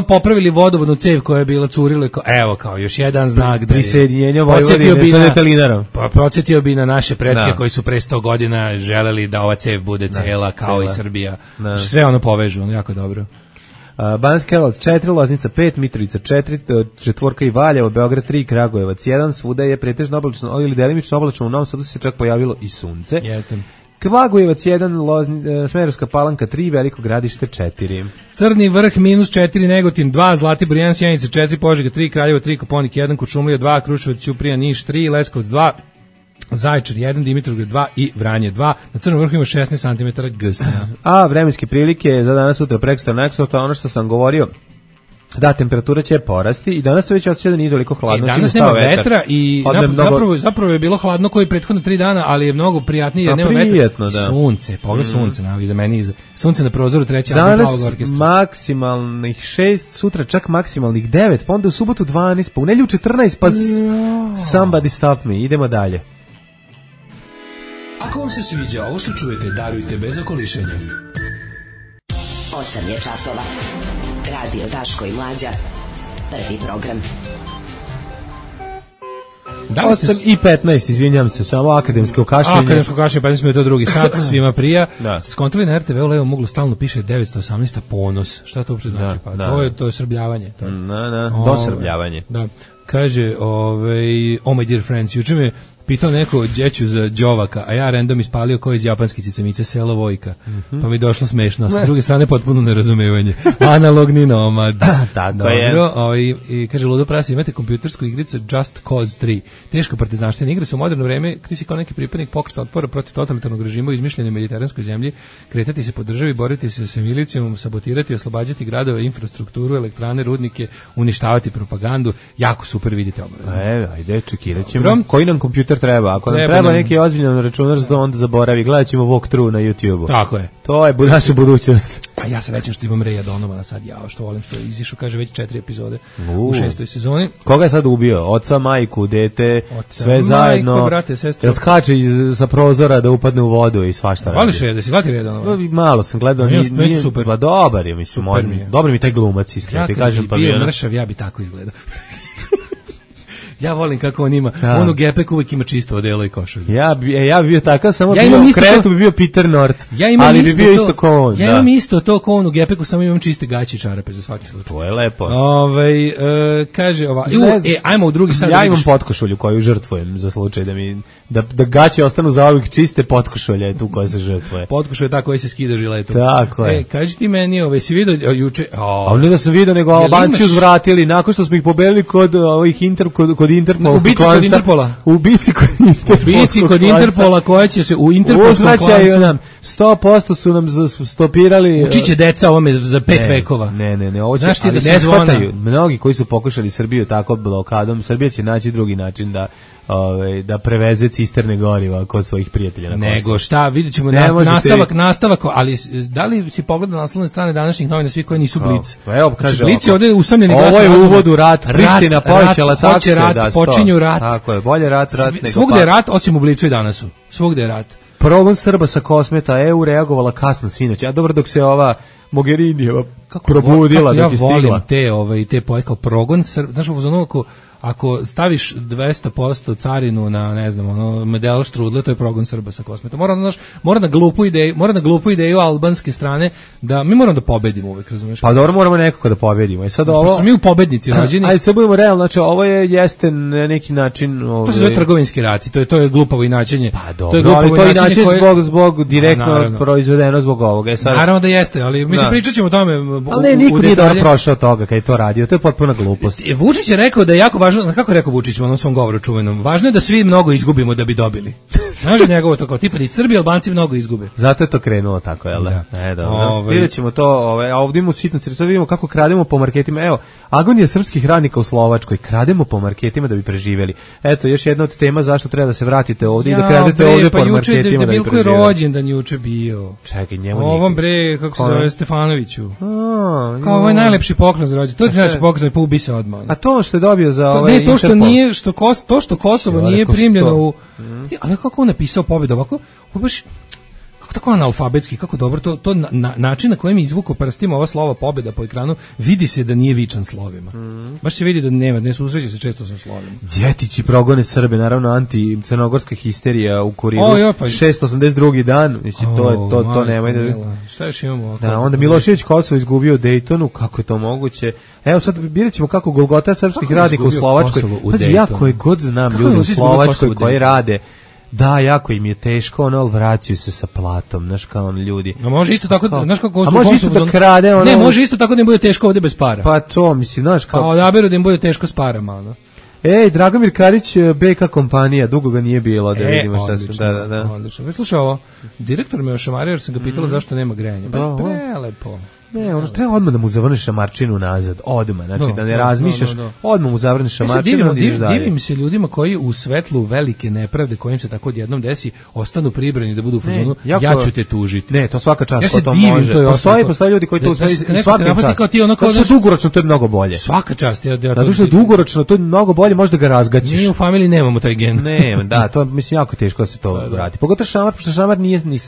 popravili vodovodnu cev koja je bila curila, kao još jedan znak da prisjedinjenja Vojvodine sa detelinarom. Pa podsjetio bi na naše pretke koji su pre 100 godina želeli da ova cev bude cela kao i Srbija. Sve povežu, jako dobro. Banatski Karlovac 4, Loznica 5, Mitrovica 4, četvorka i Valjevo, Beograd 3, Kragujevac 1, svuda je pretežno oblačno ili delimično oblačno, u Novom Sadu se čak pojavilo i sunce. Jeste. Kvagujevac 1, Smederevska Palanka 3, Veliko Gradište 4. Crni vrh -4, Negotin 2, Zlatibor 1, Sjenica 4, Požega 3, Kraljevo 3, Koponik 1, Kuršumlija 2, Kruševac, Ćuprija, Niš 3, Leskovac 2, Zaječar 1, Dimitrovgrad 2 i Vranje 2. Na Crnom vrhu ima 16 cm gstanja. A vremenske prilike za danas, sutra, prekosutra, neksutra, ono što sam govorio, da, temperatura će porasti i danas se već osjeća da nije toliko hladno. Danas nema vetra i zapravo je bilo hladno koji prethodno 3 dana, ali je mnogo prijatnije jer nema vetra. Da. Sunce, pogled sunce, iza mene iza. Sunce na prozoru treći album Plavog orkestra. Danas maksimalnih 6, sutra čak maksimalnih 9, pa onda u subotu 12, pa u nedjelju 14, pa somebody stop me. Idemo dalje. Ako vam se sviđa ovo što čujete, darujte bez okolišenja. 8 je časova. Radio Daško i Mlađa. Prvi program. 8 i 15, izvinjam se, samo akademsko kašljenje. Akademsko kašljenje, 15 minuta drugi sat, svima prija. Skontroli na RTV u levom uglu stalno piše 918 ponos. Šta to uopšte znači? Pa to je srbljavanje. Dosrbljavanje. Da. Kaže, oh my dear friends, juče me pitao neko đeću za đovaka, a ja random ispalio ko iz japanske cicamice selo Vojka. Pa mi došlo smešno. Sa druge strane potpuno nerazumevanje. Analogni nomad. Tako je. I kaže, ludo prasi, imate kompjutersku igricu Just Cause 3. Teška partizanština igra se u moderno vreme, ti si kao neki pripadnik pokreta otpora protiv totalitarnog režima u izmišljenoj mediteranskoj zemlji, kretati se po državi, boriti se sa milicijom, sabotirati, oslobađati gradove, infrastrukturu, elektrane, rudnike, uništavati propagandu. Jako super, vidite obavezno. Ajde, čekirat ćemo. Koji nam kompjuter treba? Ako nam treba neki ozbiljan računarstvo, onda zaboravi. Gledat ćemo walkthrough na YouTube-u. Tako je. To je naša budućnost. A ja se rećem što imam Reja Donovana sad, što volim što je izišao, kaže već 4 epizode u 6. sezoni. Koga je sad ubio? Oca, majku, dete, sve zajedno. Majko, brate, sestru. Jel skače sa prozora da upadne u vodu i svašta radi? Voliš je da si gledati Reja Donovana? Malo sam gledao. Nije super. Pa dobar je, mislim. Dobar mi taj glumac, iskreno ti kažem. Ja kad bi bio mršav, ja bi tako izgledao. Ja volim kako on ima. On u Gepek uvijek ima čisto odelo i košulju. Ja bi bio takav, samo u krevetu bi bio Peter North. Ali bi bio isto kao on. Ja imam isto to kao on u Gepeku, samo imam čiste gaće i čarape za svaki slučaj. To je lepo. Kaže ajmo u drugi sad. Ja imam potkošulju koju žrtvujem za slučaj da gaće ostanu zauvijek čiste, potkošulja je tu koja se žrtvuje. Potkošulja je ta koja se skida žiletom. Tako je. Kaži ti meni, si vidio juče? A ne da sam vidio, nego Albanci uzvratili nakon što smo ih pobedili kod ovih Ubici kod Interpola koja će se u Interpolskom klancu nam 100% su nam stopirali. Učiće deca ovome za 5 vekova. Ne, ovo će, ali ne shvataju. Mnogi koji su pokušali Srbiju tako blokadom, Srbija će naći drugi način da preveze cisterne goriva kod svojih prijatelja na Kosovu. Nego šta, vidjet ćemo nastavak, ali da li si pogledao na naslovne strane današnjih novina svi koji nisu Blic? Evo, kaže Blic je ovdje usamljeni glas. Ovo je uvod u rat, Priština povećala takse. Počinju rat. Tako je, bolje rat nego svugde je rat, osim u Blicu i danasu. Svugde je rat. Progon Srba sa Kosmeta, EU reagovala kasno sinoć, a dobro dok se ova Mogherinijeva probudila dok je stigla. Ja volim te poje kao progon Srba, znaš ovo ako staviš 200% carinu na, ne znam, medel štrudle, to je progon Srba sa Kosmeta. Mora na glupu ideju albanske strane da mi moramo da pobedimo uvek, razumeš? Pa dobro, moramo nekako da pobedimo. I sad ovo smo mi u pobednici rođeni. Ajde, sad budemo realni, znači ovo jeste na neki način, to se zove trgovinski rat i to je glupavo inačenje. Pa dobro, ali to inače zbog direktno proizvedeno zbog ovoga. Naravno da jeste, ali mi se pričaćemo o tome. Ali ne, niko nije dobro prošao toga kad je to radio. To je potpuna glupost. Vučić je rekao da je jako važno, kako je rekao Vučić u onom svom govoru čuvenom, važno je da svi mnogo izgubimo da bi dobili. Znaš njegovo to kao tipa da Srbi i Albanci mnogo izgube. Zato je to krenulo tako, jel da? Dobro. Vidjet ćemo to, a ovdje imamo sitnu crtu, sad vidimo kako krademo po marketima. Evo, agonija srpskih radnika u Slovačkoj, krademo po marketima da bi preživjeli. Eto, još jedna od tema zašto treba da se vratite ovdje i da kradete ovdje po marketima da bi preživjeli. Je rođendan juče bio. Čekaj, njemu ovom kako se zove Stefanoviću. Kao ovo je najlepši poklon za rođendan. To je najlepši poklon, pa ubi se odmah. A to što je dobio za ovaj Interpol. Ne, to što Kosovo nije primljeno u... Ali kako on napisao pobedu ovako? Baš tako analfabetski, kako dobro, to način na kojem je izvukao prstima ova slova pobeda po ekranu, vidi se da nije vičan slovima. Baš se vidi da ne susreće se često sa slovima. Đetići progone Srbe, naravno anti-crnogorska histerija u Kurilu. 682. dan, mislim, to nemoj da... Šta još imamo? Da, onda Milošević Kosovo izgubio u Dejtonu, kako je to moguće? Evo sad vidjet ćemo kako Golgota srpskih radnika u Slovačkoj. Pazi, ja koje god znam ljudi u Slovačkoj koji rade Da, jako im je teško, ono, ali vraćaju se sa platom, znaš, kao ono, ljudi. No može isto tako, znaš kako... A može isto da krade, ono... Ne, može isto tako da im bude teško ovde bez para. Pa to, mislim, znaš, kao... Pa odaberu da im bude teško s parama, ono. Ej, Dragomir Karić, BK kompanija, dugo ga nije bilo, da vidimo šta se... Da. Odlično. Slušaj ovo, direktor me ošamario jer sam ga pitala zašto nema grejanja. Pa prelepo. Ne, ono treba odmah da mu zavrneš šamarčinu nazad, odmah, znači da ne razmišljaš, odmah mu zavrneš šamarčinu. Divim se ljudima koji u svetlu velike nepravde kojim se tako odjednom desi, ostanu pribrani da budu u fazonu, ja ću te tužiti. Ne, to svaka čast ko to može. Postoje ljudi koji to uspeju i svakim čast. To što dugoročno to je mnogo bolje. Svaka čast. Zato što dugoročno to je mnogo bolje, možda ga razgaćiš. Mi u familiji nemamo taj gen. Ne, da, to mislim jako teško da se to vrati. Pogotovo šamar, pošto šamar nije ni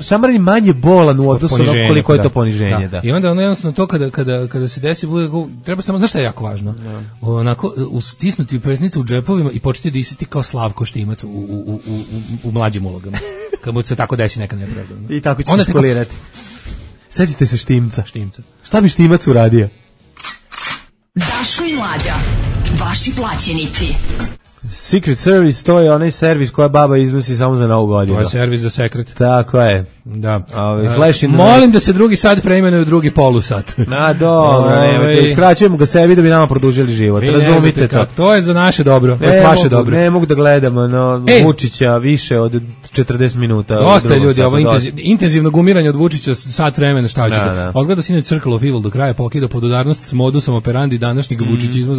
šamar je manje bolan u odnosu na koliko je to poniženje, da. I onda ono jednostavno to kada se desi bude treba samo, znaš šta je jako važno? Onako stisnuti pesnicu u džepovima i početi da isiti kao Slavko Štimac u mlađim ulogama. Kad mu se tako desi neka nepravda. I tako će se skolirati. Setite se Štimca. Štimca. Šta bi Štimac uradio? Daško i Mlađa, vaši plaćenici. Secret Service, to je onaj servis koja baba iznosi samo za Novu godinu. To je servis za sekret. Tako je. Da. Molim da se drugi sat preimenuje u drugi polusat. Na dobro, skraćujemo ga sebi da bi nama produžili život. Razumite to. To je za naše dobro, to je vaše dobro. Ne mogu da gledamo Vučića više od 40 minuta. Dosta ljudi, ovo intenzivno gumiranje od Vučića sat vremena, šta hoćete. Odgleda sinoć Circle of Evil do kraja, pokida podudarnost s modusom operandi današnjeg vučićizma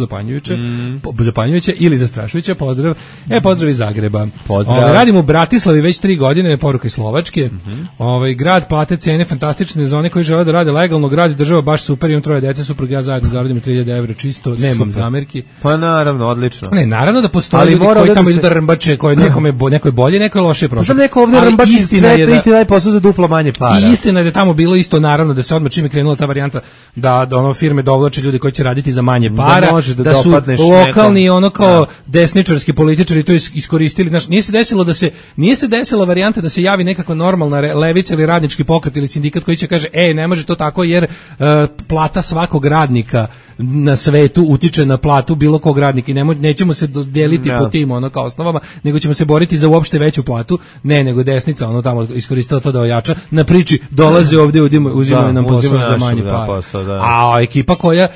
zapanjujuće ili zastrašujuće. Pozdrav. Pozdrav iz Zagreba. Radimo u Bratislavi već 3 godine, poruka iz Slovačke. Grad, plate, cene fantastične za one koji žele da rade legalno, grad i država baš super, imam 3 dece, suprug ja zajedno zaradimo 3000 evra čisto, nemam zamerki. Pa naravno, odlično. Ne, naravno da postoje ljudi koji tamo idu da rmbače, koji nekoj bolje, nekoj loše prošlo. Pa neko ovdje rmbači sve, to isti daje posao za duplo manje para. I istina je da tamo bilo isto, naravno, da se odmah čim je krenula ta varijanta da ono firme dovlače ljudi koji će raditi za manje para, da su lokalni ono kao desničarski političari to iskoristili. Znači, nije se desila varijanta da se javi nekakva normalna levica ili radnički pokret ili sindikat koji će kaže, ne može to tako jer plata svakog radnika na svetu utiče na platu bilo kog radnika i nećemo se deliti po tim ono kao osnovama, nego ćemo se boriti za uopšte veću platu. Ne, nego desnica ono tamo iskoristila to da ojača na priči, dolaze ovdje, uzimaju nam posao za manje para. A ekipa koja,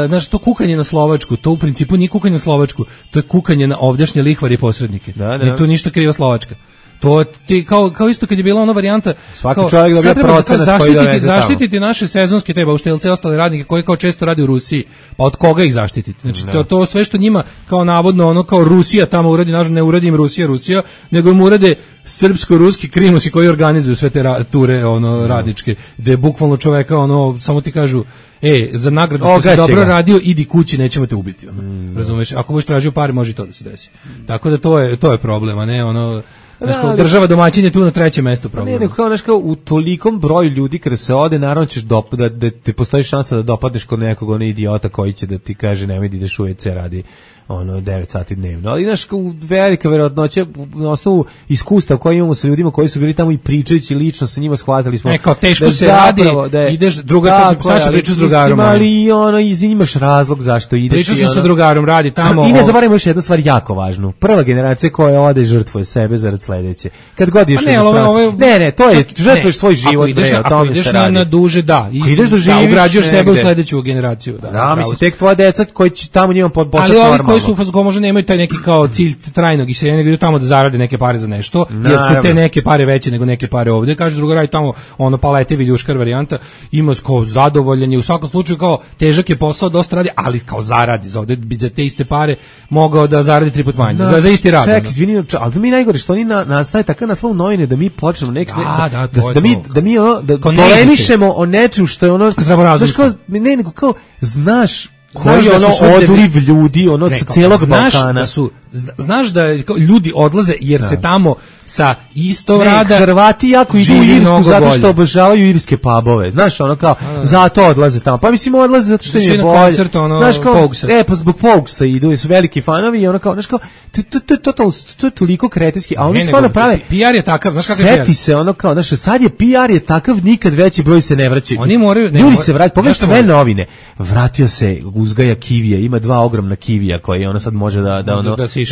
znaš, to kukanje na Slovačku, to u principu nije kukanje na Slovačku, to je kukanje na ovdješnje lihvari i posrednike. Ne, to ništa kriva Slovačka. To ti kao isto kad je bila ona varijanta svaki čovjek dobija procenat koji doveze tamo. Zaštititi naše sezonske te bauštelce i ostale radnike koji kao često radi u Rusiji. Pa od koga ih zaštititi? Znači to sve što njima kao navodno ono kao Rusija tamo uradi, nažalost ne uradi im Rusija, nego im urade srpsko-ruski krimusi koji organizuju sve te ture ono radničke, gde bukvalno čoveka ono samo ti kažu za nagradu što si dobro radio, idi kući, nećemo te ubiti. Razumeš? Ako budeš tražio pare, može i to da se desi. Tako da to je problem, a ne ono država domaćin je tu na 3. mestu problem. Ne, kao nešto u tolikom broju ljudi kada se ode, naravno ćeš da te postoji šansa da dopadneš kod nekog ono idiota koji će da ti kaže nemoj da ideš u WC radi 9 sati dnevno. Ali znaš, velika verovatnoća na osnovu iskustva koje imamo sa ljudima koji su bili tamo i pričajući lično sa njima, shvatili smo kao teško se radi, ideš sad će pričati s drugarom. Ali imaš razlog zašto ideš. Pričao sam sa drugarom, radi tamo. I ne zaboravimo još jednu stvar jako važnu. Prva generacija koja ode žrtvuje sebe zarad sledeće. Kad god ideš ne, to je žrtvuješ svoj život. Ako ideš na duže, ugrađuješ sebe u sledeću generaciju. Da, mislim, tek tvoja deca koji će tamo njima postati normalno. Koji su možda nemaju taj neki kao cilj trajnog iseljenja, nego idu tamo da zarade neke pare za nešto, jer su te neke pare veće nego neke pare ovdje. Kaže druga radi tamo palete viljuškar varijanta, ima kao zadovoljan je u svakom slučaju kao težak je posao, dosta radi, ali kao zaradi za ovdje bi za te iste pare mogao da zaradi 3 puta manje, za isti rad. Ček, izvini, ali da mi najgore što oni nastaje takav naslov u novine da mi počnemo da mi polemišemo o nečem što je ono znaš koji je ono odliv ljudi, sa cijelog Balkana. Znaš da ljudi odlaze jer se tamo sa istog rada. Hrvati jako idu u Irsku zato što obožavaju irske pubove. Znaš, ono kao, zato odlaze tamo. Pa mislim, odlaze zato što im je bolje. Koncert, znaš kao, pa zbog Pogsa idu, su veliki fanovi i ono kao, znaš kao, to je toliko kretenski, a oni stvarno prave. PR je takav, znaš kako je PR? Seti se ono kao, znaš, sad je PR je takav, nikad veći broj se ne vraća. Oni moraju, ljudi se vraćaju, pogledaj sve novine. Vratio se, uzgaja kivije, ima 2 ogromna kivija koje ona sad može da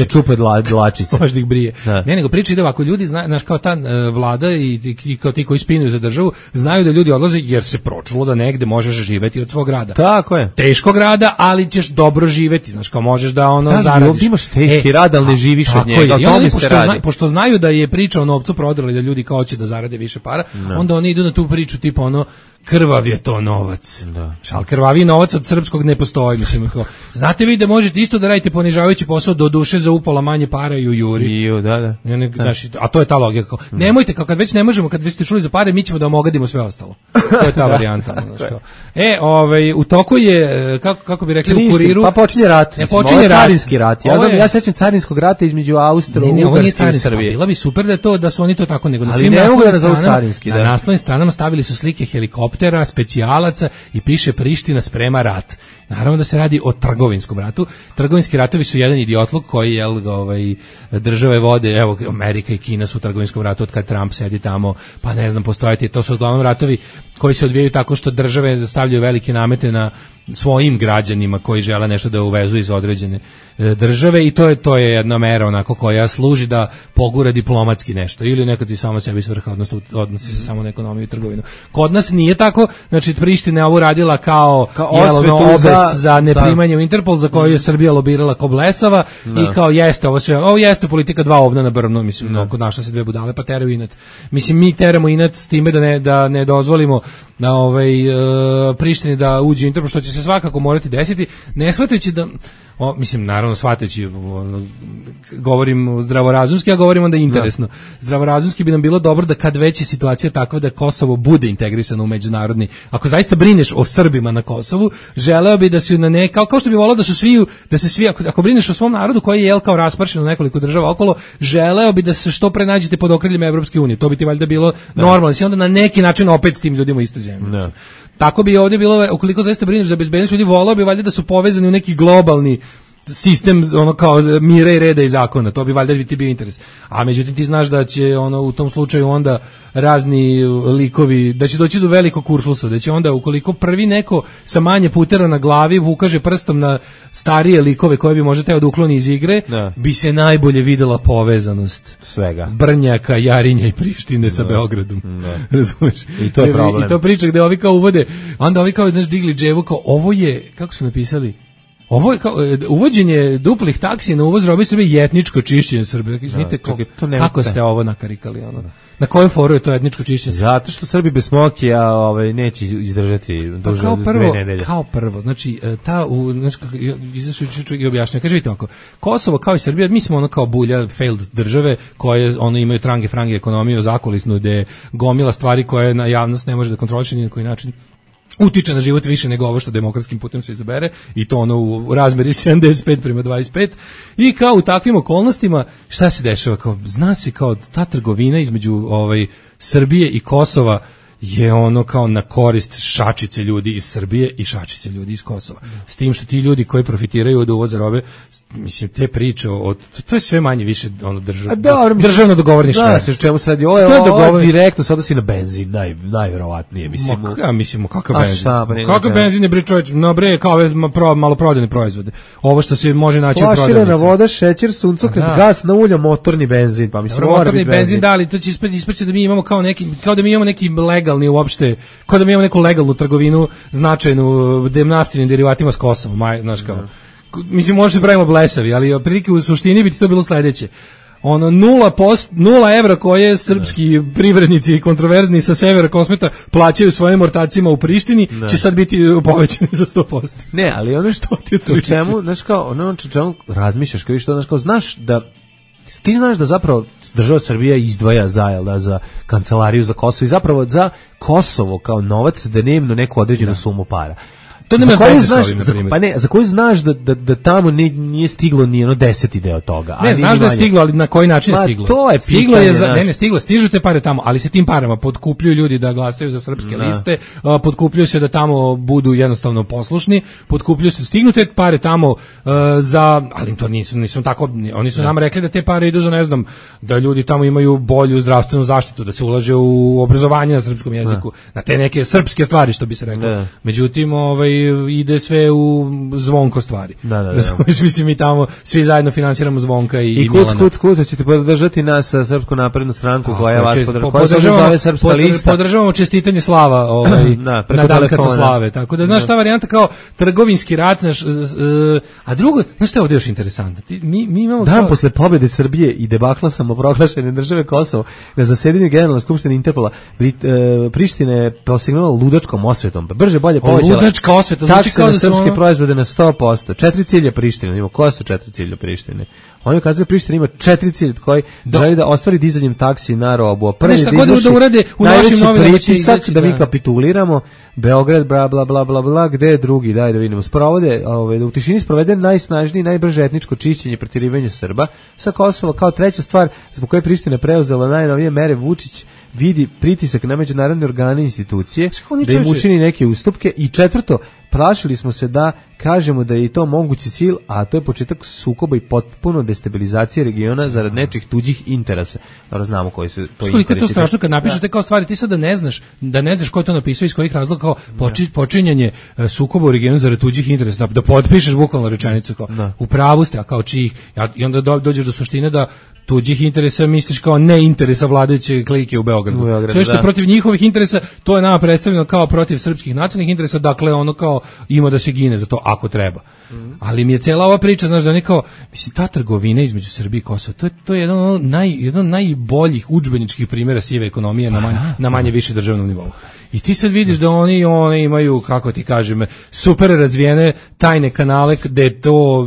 čupe dlačice. Može da ih brije. Da. Ne, nego priča ide ovako, ljudi znaš kao ta vlada i kao ti koji spinuju za državu, znaju da ljudi odlaze jer se pročulo da negde možeš živeti od svog rada. Tako je. Teškog rada, ali ćeš dobro živeti, znaš kao možeš da zaradiš. Ovdje imaš teški rad, ali ne živiš od njega. Pošto znaju da je priča o novcu prodrali, da ljudi kao hoće da zarade više para, onda oni idu na tu priču tipa ono, krvav je to novac. Da. Šal krvavi novac od srpskog ne postoji, mislim. Znate vi da možete isto da radite ponižavajući posao do duše za upola manje para i u juri. Da. A to je ta logika. Nemojte, kad već ne možemo, kad vi ste čuli za pare, mi ćemo da vam ogadimo sve ostalo. To je ta varijanta. U toku je, kako bi rekli, u Kuriru. Pa počinje rat. Počinje carinski rat. Ja sećam carinskog rata između Austro-Ugarske i Srbije. Bilo bi super da su oni to tako, nego na svim naslovnim stranama stavili su slike helikoptera, specijalaca i piše Priština sprema rat. Naravno da se radi o trgovinskom ratu. Trgovinski ratovi su jedan idiotluk koji države vode, evo Amerika i Kina su u trgovinskom ratu od kad Trump sedi tamo, pa ne znam, postojati, to su uglavnom ratovi koji se odvijaju tako što države stavljaju velike namete na svojim građanima koji žele nešto da uvezu iz određene države i to je jedna mera onako koja služi da pogura diplomatski nešto ili nekad i samo sebi svrha, odnosno odnosi se samo na ekonomiju i trgovinu. Kod nas nije tako, znači Priština je ovo radila kao obest za neprimanje u Interpol za koju je Srbija lobirala ko blesava i kao jeste ovo sve, ovo jeste politika 2 ovna na brvnu, mislim, kod naša se 2 budale pa teraju inat. Mislim, mi teramo inat s time da ne dozvolimo da Prištini da uđe u Interpol, što će se svakako morati desiti, ne shvatajući da mislim, naravno shvatajući, govorim zdravorazumski, a govorim onda interesno. Zdravorazumski bi nam bilo dobro da kad već je situacija takva da Kosovo bude integrisano u međunarodni, ako zaista brineš o Srbima na Kosovu, želeo bi da se kao što bi volao da se svi, ako brineš o svom narodu koji je kao raspršen u nekoliko država okolo, želeo bi da se što pre nađete pod okriljem Evropske unije. To bi ti valjda bilo normalno, si onda na neki način opet s tim ljudima u istu zemlju. Tako bi ovdje bilo, ukoliko zaista brineš za bezbednost ljudi, volao bi valjda da su povezani u neki globalni sistem kao mira i reda i zakona, to bi valjda ti bio interes. A međutim ti znaš da će u tom slučaju onda razni likovi, da će doći do velikog kuršlusa, da će onda ukoliko prvi neko sa manje putera na glavi ukaže prstom na starije likove koje bi možda teo da ukloni iz igre, bi se najbolje videla povezanost svega. Brnjaka, Jarinja i Prištine sa Beogradom. Razumeš? I to je problem. I to priča gde ovi kao uvode, onda ovi kao digli dževu kao ovo je, kako su napisali, ovo je kao uvođenje duplih taksi na uvoz robe Srbije je etničko čišćenje Srbije. Izvinite, kako ste ovo nakarikali? Na kojoj foru je to etničko čišćenje? Zato što Srbi bez smokija neće izdržati duže od 2 nedelje. Kao prvo, znači, izašao i objašnjava, kaže vidite ovako, Kosovo kao i Srbija, mi smo kao bulja failed države koje imaju trange frange ekonomiju zakulisnu gde gomila stvari koje na javnost ne može da kontroliše ni na koji način utiče na život više nego ovo što demokratskim putem se izabere i to u razmeri 75:25 i kao u takvim okolnostima šta se dešava, kao zna se kao ta trgovina između Srbije i Kosova je kao na korist šačice ljudi iz Srbije i šačice ljudi iz Kosova. S tim što ti ljudi koji profitiraju od uvoza robe, mislim, te priče, to je sve manje više državno dogovorništvo. Da, se o čemu se radi. Ovo je direktno se odnosi na benzin, najverovatnije. Mislim, kakav benzin? Kakav benzin je, bre čovječ, kao maloprodajne proizvode. Ovo što se može naći u prodavnici. Flaširana voda, šećer, suncokret, gas na ulja, motorni benzin. Pa mislim, motorni benzin, da, ali to će ispreći da mi imamo kao da mi imamo neki legalni uopšte, kao da mi imamo neku legalnu trgovinu značajnu naftinim derivatima s Kosovom, znaš kao. Mislim, možda se pravimo blesavi, ali otprilike u suštini bi ti to bilo sledeće. 0 evra koje srpski privrednici i kontroverzni sa severa Kosmeta plaćaju svojim ortacima u Prištini, će sad biti povećani za 100%. Ne, ali ono što ti u čemu, znaš kao, ono čemu razmišljaš, kao što, znaš kao, ti znaš da zapravo država Srbija izdvaja za kancelariju za Kosovo i zapravo za Kosovo kao novac dnevno neku određenu sumu para. To nema veze sa ovim, na primjer. Pa ne, za koju znaš da tamo nije stiglo ni ono 10 deo toga. Ne, znaš da je stiglo, ali na koji način je stiglo? To je stiglo pitanje, stiglo, stižu te pare tamo, ali se tim parama potkupljuju ljudi da glasaju za srpske liste, potkupljuju se da tamo budu jednostavno poslušni, potkupljuju se, stignu te pare tamo ali to nisu tako, oni su nam rekli da te pare idu za, ne znam, da ljudi tamo imaju bolju zdravstvenu zaštitu, da se ulaže u obrazovanje na srpskom jeziku, na te neke srpske stvari, što bi se reklo. Međutim, ide sve u Zvonko stvari. Mislim, mi tamo svi zajedno finansiramo Zvonka i Milana. Kuc, ćete podržati nas sa Srpsku naprednu stranku koja vas podržavamo čestitanje slava na dan kad su slave. Tako da, znaš, ta varijanta kao trgovinski rat, a drugo, znaš šta je ovdje još interesantno? Mi imamo dan posle pobjede Srbije i debakla samoproglašene države Kosovo na zasedanju Generalne skupštine Interpola Priština je posegnula ludačkom osvetom. Brže bolje povećala ludačka osveta, znači kao da srpske proizvode na 100%. 4 cilja Prištine. Ima koja su 4 cilja Prištine? Oni kazaju Priština ima 4 cilja koji želi da ostvari dizanjem taksi na robu. Prvi da urade u našim novinama pritisak da mi kapituliramo. Beograd, bla, bla, bla, bla, bla, gde je drugi, daj da vidimo. Sprovode, da u tišini sprovede najsnažnije, najbrže etničko čišćenje, protirivanje Srba sa Kosova. Kao treća stvar, zbog koje Priština preuzela najnovije mere, Vučić vidi pritisak na međunarodne organe i institucije da im učini neke ustupke. I četvrto, plašili smo se da kažemo da je i to mogući cilj, a to je početak sukoba i potpuno destabilizacije regiona zarad nečih tuđih interesa. Dobro, znamo koji su to interesi. Koliko je to strašno kad napišete kao stvari, ti sad da ne znaš ko je to napisao, iz kojih razloga, kao počinjanje sukoba u regionu zarad tuđih interesa, da potpišeš bukvalno rečenicu kao u pravu ste, a kao čijih, i onda dođeš do suštine da tuđih interesa misliš kao ne interesa vladajuće klike u Beogradu. Sve što je protiv njihovih interesa, to je nama predstavljeno kao protiv srpskih nacionalnih interesa, dakle ono kao ima da se gine za to ako treba. Ali mi je cijela ova priča, znaš, da oni kao, mislim, ta trgovina između Srbije i Kosova, to je jedan najboljih udžbeničkih primjera sive ekonomije na manje više državnom nivou. I ti sad vidiš da oni imaju, kako ti kažem, super razvijene tajne kanale gde to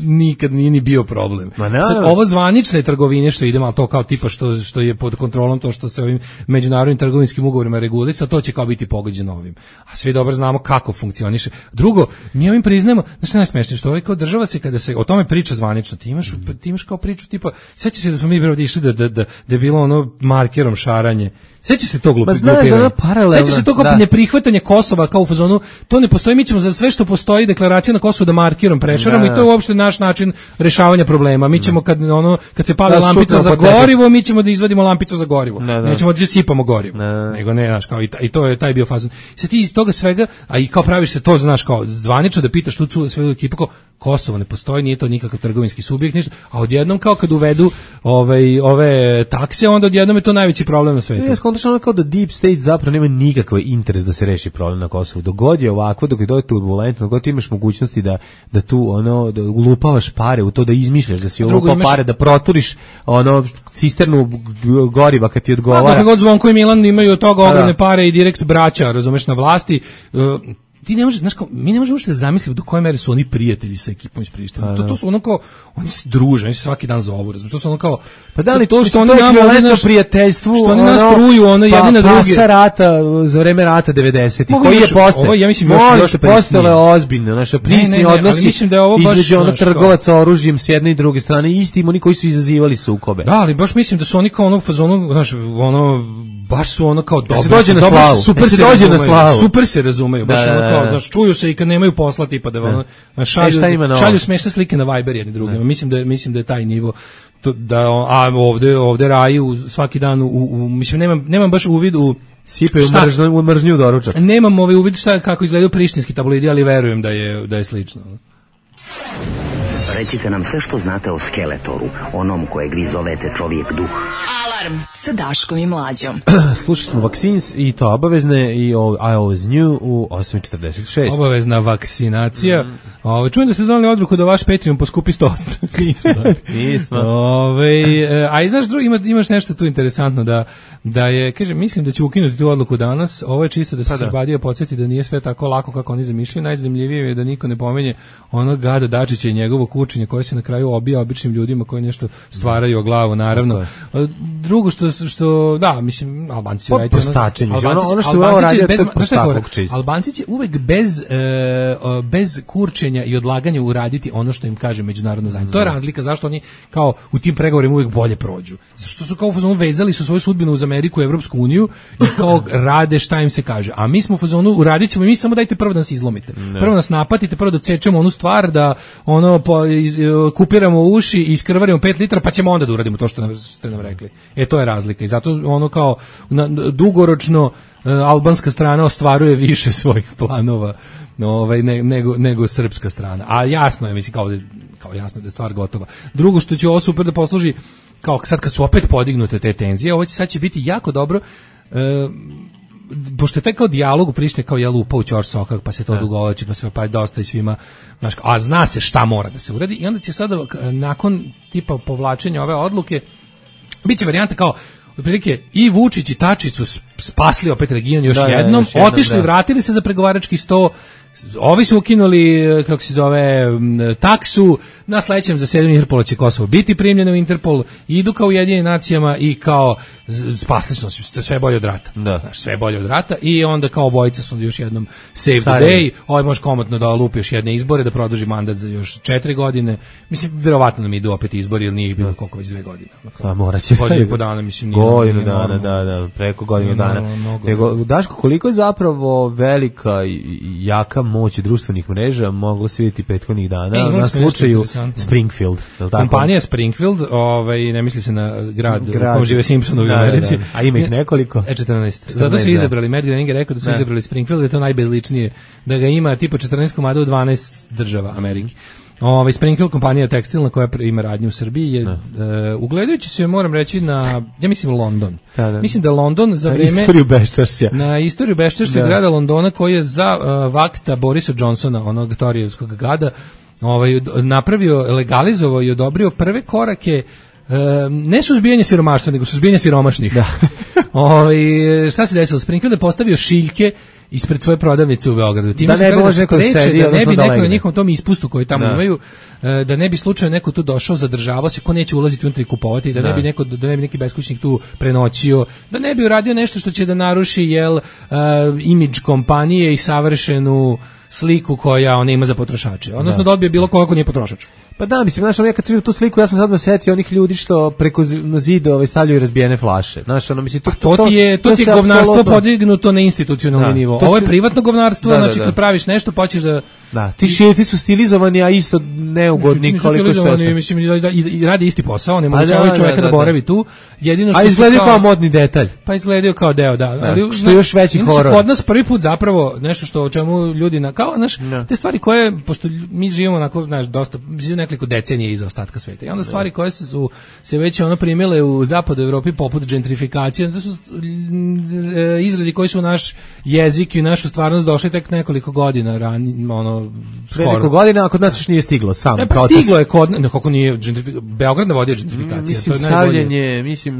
nikad nije ni bio problem. Sad, ovo zvanične trgovine što idemo, ali to kao tipa što je pod kontrolom, to što se ovim međunarodnim trgovinskim ugovorima regulica, to će kao biti pogođeno ovim. A svi dobro znamo kako funkcioniše. Drugo, mi ovim priznajemo, znaš što je najsmešnije, što ovaj kao država se kada se o tome priča zvanično, ti imaš kao priču tipa, sjećaš se da smo mi ovdje išli da je bilo ono markerom šaranje. Sjeća se to glupiranje. Sjeća se to kao neprihvatanje Kosova kao u fazonu, to ne postoji, mi ćemo za sve što postoji deklaracija na Kosovu da markirom prešaramo i to je uopšte naš način rešavanja problema. Mi ćemo kad se pali lampica za gorivo, mi ćemo da izvadimo lampicu za gorivo. Nećemo da sipamo gorivo. Nego ne, znaš, kao i to je taj bio fazon. Sad ti iz toga svega, a i kao praviš se to, znaš, kao zvanično da pitaš tu svoju ekipu kao Kosovo ne postoji, nije to nikakav trgovinski subjekt, ništa, a odjednom kao kad uvedu ove takse, onda odjednom je to najveći problem na svetu. Ono kao da Deep State zapravo nema nikakav interes da se reši problem na Kosovu. Dogod je ovako, dok je dođe turbulentno, dogod ti imaš mogućnosti da tu da ulupavaš pare u to, da izmišljaš, da si ulupao pare, da proturiš cisternu goriva kad ti odgovara. Dok god Zvonko i Milan imaju od toga ogromne pare i direkt braća, razumeš, na vlasti, ti ne možeš, znaš kao, mi ne možemo uopšte zamisliti do koje mere su oni prijatelji sa ekipom iz Prištine. To su ono kao, oni se druže, oni se svaki dan zovu, razumiješ, to su ono kao, pa da li to što oni nama prijateljstvu, što oni nas truju, jedni na druge. Pasa rata, za vreme rata 90-ih, koji je postao? Ovo ja mislim još postale ozbiljno, naše prisni odnosi između trgovaca oružjem s jedne i druge strane, istim oni koji su izazivali sukobe. Da, ali baš mislim da su oni kao fazonu, znaš, baš su ono kao dobro, super se razumeju, baš ono kao, znaš, čuju se i kad nemaju posla, tipa da šalju smešne slike na Viber jedni drugima. Mislim da je taj nivo, a ovde raju svaki dan, mislim, nemam baš uvid u sipaju mržnju doručak. Nemam uvid kako izgledaju prištinski tabloidi, ali verujem da je slično. Recite nam sve što znate o Skeletoru, onom kojeg vi zovete čovjek duh. Alarm sa Daškom i Mlađom. Slušali smo Vaccines i to obavezne i I Always Knew u 8.46. Obavezna vakcinacija. Čujem da ste donali odluku da vaš Patreon poskupi 100%. Nismo. A i znaš, imaš nešto tu interesantno da je, kažem, mislim da će ukinuti tu odluku danas. Ovo je čisto da se Srbadija podsjeti da nije sve tako lako kako oni zamišljaju. Najzanimljivije je da niko ne pomenje onog Gada Dačića i njegovog učenja koje se na kraju obija običnim ljudima koji nešto stvaraju o glavu, naravno. drugo što da, mislim, Albanci po prostačenju. Ono što je ovo radio, to je prostakluk čist. Albanci će uvek bez kurčenja i odlaganja uraditi ono što im kaže međunarodna zajednica. To je razlika zašto oni kao u tim pregovorima uvek bolje prođu. Što su kao u fazonu vezali su svoju sudbinu uz Ameriku i Evropsku uniju i kao rade šta im se kaže. A mi smo u fazonu uradit ćemo i mi samo dajte prvo da nas izlomite. Prvo nas napatite, prvo da odsečemo onu stvar, da ono kupiramo uši i iskrvarimo 5 litara, pa ćemo onda da uradimo to što ste nam rekli. To je razlika i zato ono kao dugoročno albanska strana ostvaruje više svojih planova nego srpska strana. A jasno je, mislim, kao jasno da je stvar gotova. Drugo što će ovo super da posluži, kao sad kad su opet podignute te tenzije, ovo sad će biti jako dobro, pošto je taj kao dijalog u Prištini kao je lupa u ćorsokak, pa se to dugovlači, pa se pa dosta i svima, znaš, a zna se šta mora da se uradi i onda će sada nakon tipa povlačenja ove odluke biće varijanta kao otprilike i Vučić i Tačić su spasli opet region još jednom, otišli, vratili se za pregovarački sto, ovi su ukinuli, kako se zove, taksu, na sledećem zasedanju Interpola će Kosovo biti primljeno u Interpol, idu kao Ujedinjenim nacijama i kao spasli su sve bolje od rata. Znaš, sve bolje od rata i onda kao obojica su još jednom save the day, ovaj može komotno da lupi još jedne izbore, da produži mandat za još 4 godine. Mislim, verovatno nam idu opet izbori, jer nije bilo koliko već 2 godine. Moraće. Godinu i po dana, mislim, godinu dana, da, preko godinu dana. Nego, Daško, koliko je zapravo velika i jaka moć društvenih mreža moglo se vidjeti prethodnih dana na slučaju Springfield. Kompanija Springfield, ne misli se na grad u kom žive Simpsonovi u Americi. A ima ih nekoliko? 14. Zato su izabrali, Matt Groening je rekao da su izabrali Springfield, da je to najbezličnije, da ga ima tipa 14 komada u 12 država Amerike. Springfield kompanija tekstilna koja ima radnju u Srbiji je ugledajući se, moram reći, na, ja mislim, London. Mislim da London za vreme na istoriju beščašća grada Londona, koji je za vakta Borisa Johnsona, onog Torijevskog gada, napravio, legalizovao i odobrio prve korake ne suzbijanje siromaštva, nego suzbijanje siromašnih. Šta se desilo? Springfield je postavio šiljke ispred svoje prodavnice u Beogradu. Da ne može neko sedi, da ne bi neko na njihovom tom ispustu koji tamo imaju, da ne bi slučajno neko tu došao, zadržavao se, ko neće ulaziti unutra i kupovati, da ne bi neki beskućnik tu prenoćio, da ne bi uradio nešto što će da naruši imidž kompanije i savršenu sliku koja ona ima za potrošače. Odnosno da odbije bilo koga ko nije potrošač. Pa da, mislim, znaš, ja kad sam vidio tu sliku, ja sam sad me setio onih ljudi što preko zida stavljaju razbijene flaše. Znaš, mislim, to ti je govnarstvo podignuto na institucionalni nivo. Ovo je privatno govnarstvo, znači kad praviš nešto, pa ćeš da... Da, ti šiljci su stilizovani, a isto neugodni koliko sve. Mislim, i radi isti posao, ne mogućavaju čoveka da boravi tu. A izgledaju kao modni detalj. Pa izgledaju kao deo, da. Što je još veći horor. Kod nas prvi put zapravo nešto o čemu ljudi, kao, znaš, te stvari koje, pošto mi živimo onako, znaš, dosta, nekoliko decenije iza ostatka sveta. I onda stvari koje su se već primile u zapadu Evropi poput gentrifikacije, to su izrazi koji su u naš jezik i našu stvarnost došli tek nekoliko godina skoro. Nekoliko godina, a kod nas još nije stiglo sam proces. Stiglo je kako nije Beograd navodio gentrifikacija.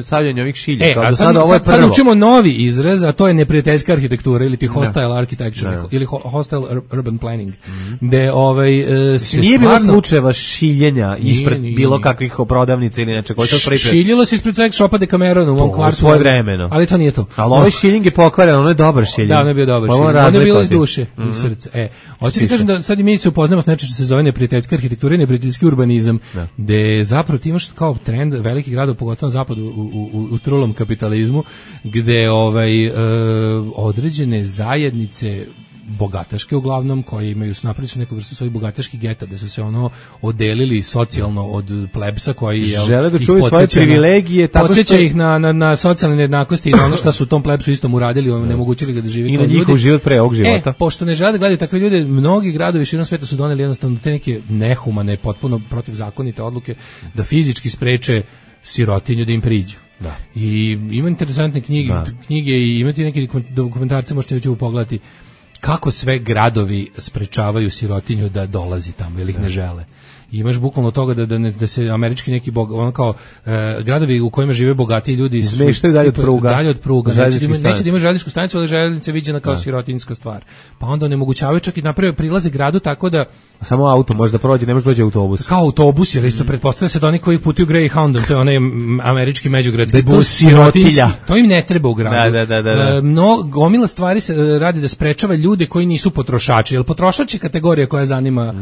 Stavljanje ovih šiljaka. Sad učimo novi izraz, a to je neprijateljska arhitektura ili ti hostile architecture ili hostile urban planning. Nije bilo slučajeva šiljenja ispred bilo kakvih prodavnica ili nečeg. Šiljilo se ispred sex shopa Decameron u mom kvartu. Svoje vremeno. Ali to nije to. Ali ovaj šiljenj je pokvaren, ono je dobar šiljenj. Da, ono je bio dobar šiljenj. Ono je bilo iz duše, iz srca. Hoću ti kažem da sad i mi se upoznamo s nečim što se zove neprijateljska arhitektura i neprijateljski urbanizam, gde zapravo ti imaš kao trend velikih gradova, pogotovo na zapadu u trulom kapitalizmu, gde određene zajednice bogataške uglavnom, koji imaju, napravili su neku vrstu svojih bogataških geta, da su se odelili socijalno od plebsa koji žele da čuvaju svoje privilegije, podsjeća ih na socijalne nejednakosti i na ono što su u tom plebsu istom uradili, onemogućili ga da živi i na njihov život pre ovog života. Pošto ne žele da gledaju takve ljude, mnogi gradovi širom sveta su doneli jednostavno te neke nehumane, potpuno protivzakonite odluke da fizički spreče sirotinju da im priđu. Da. I ima interesantne knjige i imate neki dokumentarce, možete ću pogledati kako sve gradovi sprečavaju sirotinju da dolazi tamo ili ih ne žele. I imaš bukvalno toga da se američki neki ono kao gradovi u kojima žive bogati ljudi izmeštaju dalje od pruga. Neće da ima željezničku stanicu, ali željeznica viđena kao sirotinjska stvar. Pa onda onemogućavaju čak i naprave prilaze gradu tako da samo auto može da prođe, ne može doći autobus. Kao autobus, jer isto pretpostavlja se da oni koji putuju Greyhoundom, to je onaj američki međugradski bus sirotinski. To im ne treba u gradu. Da. Gomila stvari se radi da sprečava ljude koji nisu potrošači, jer potrošač je kategorija koja zanima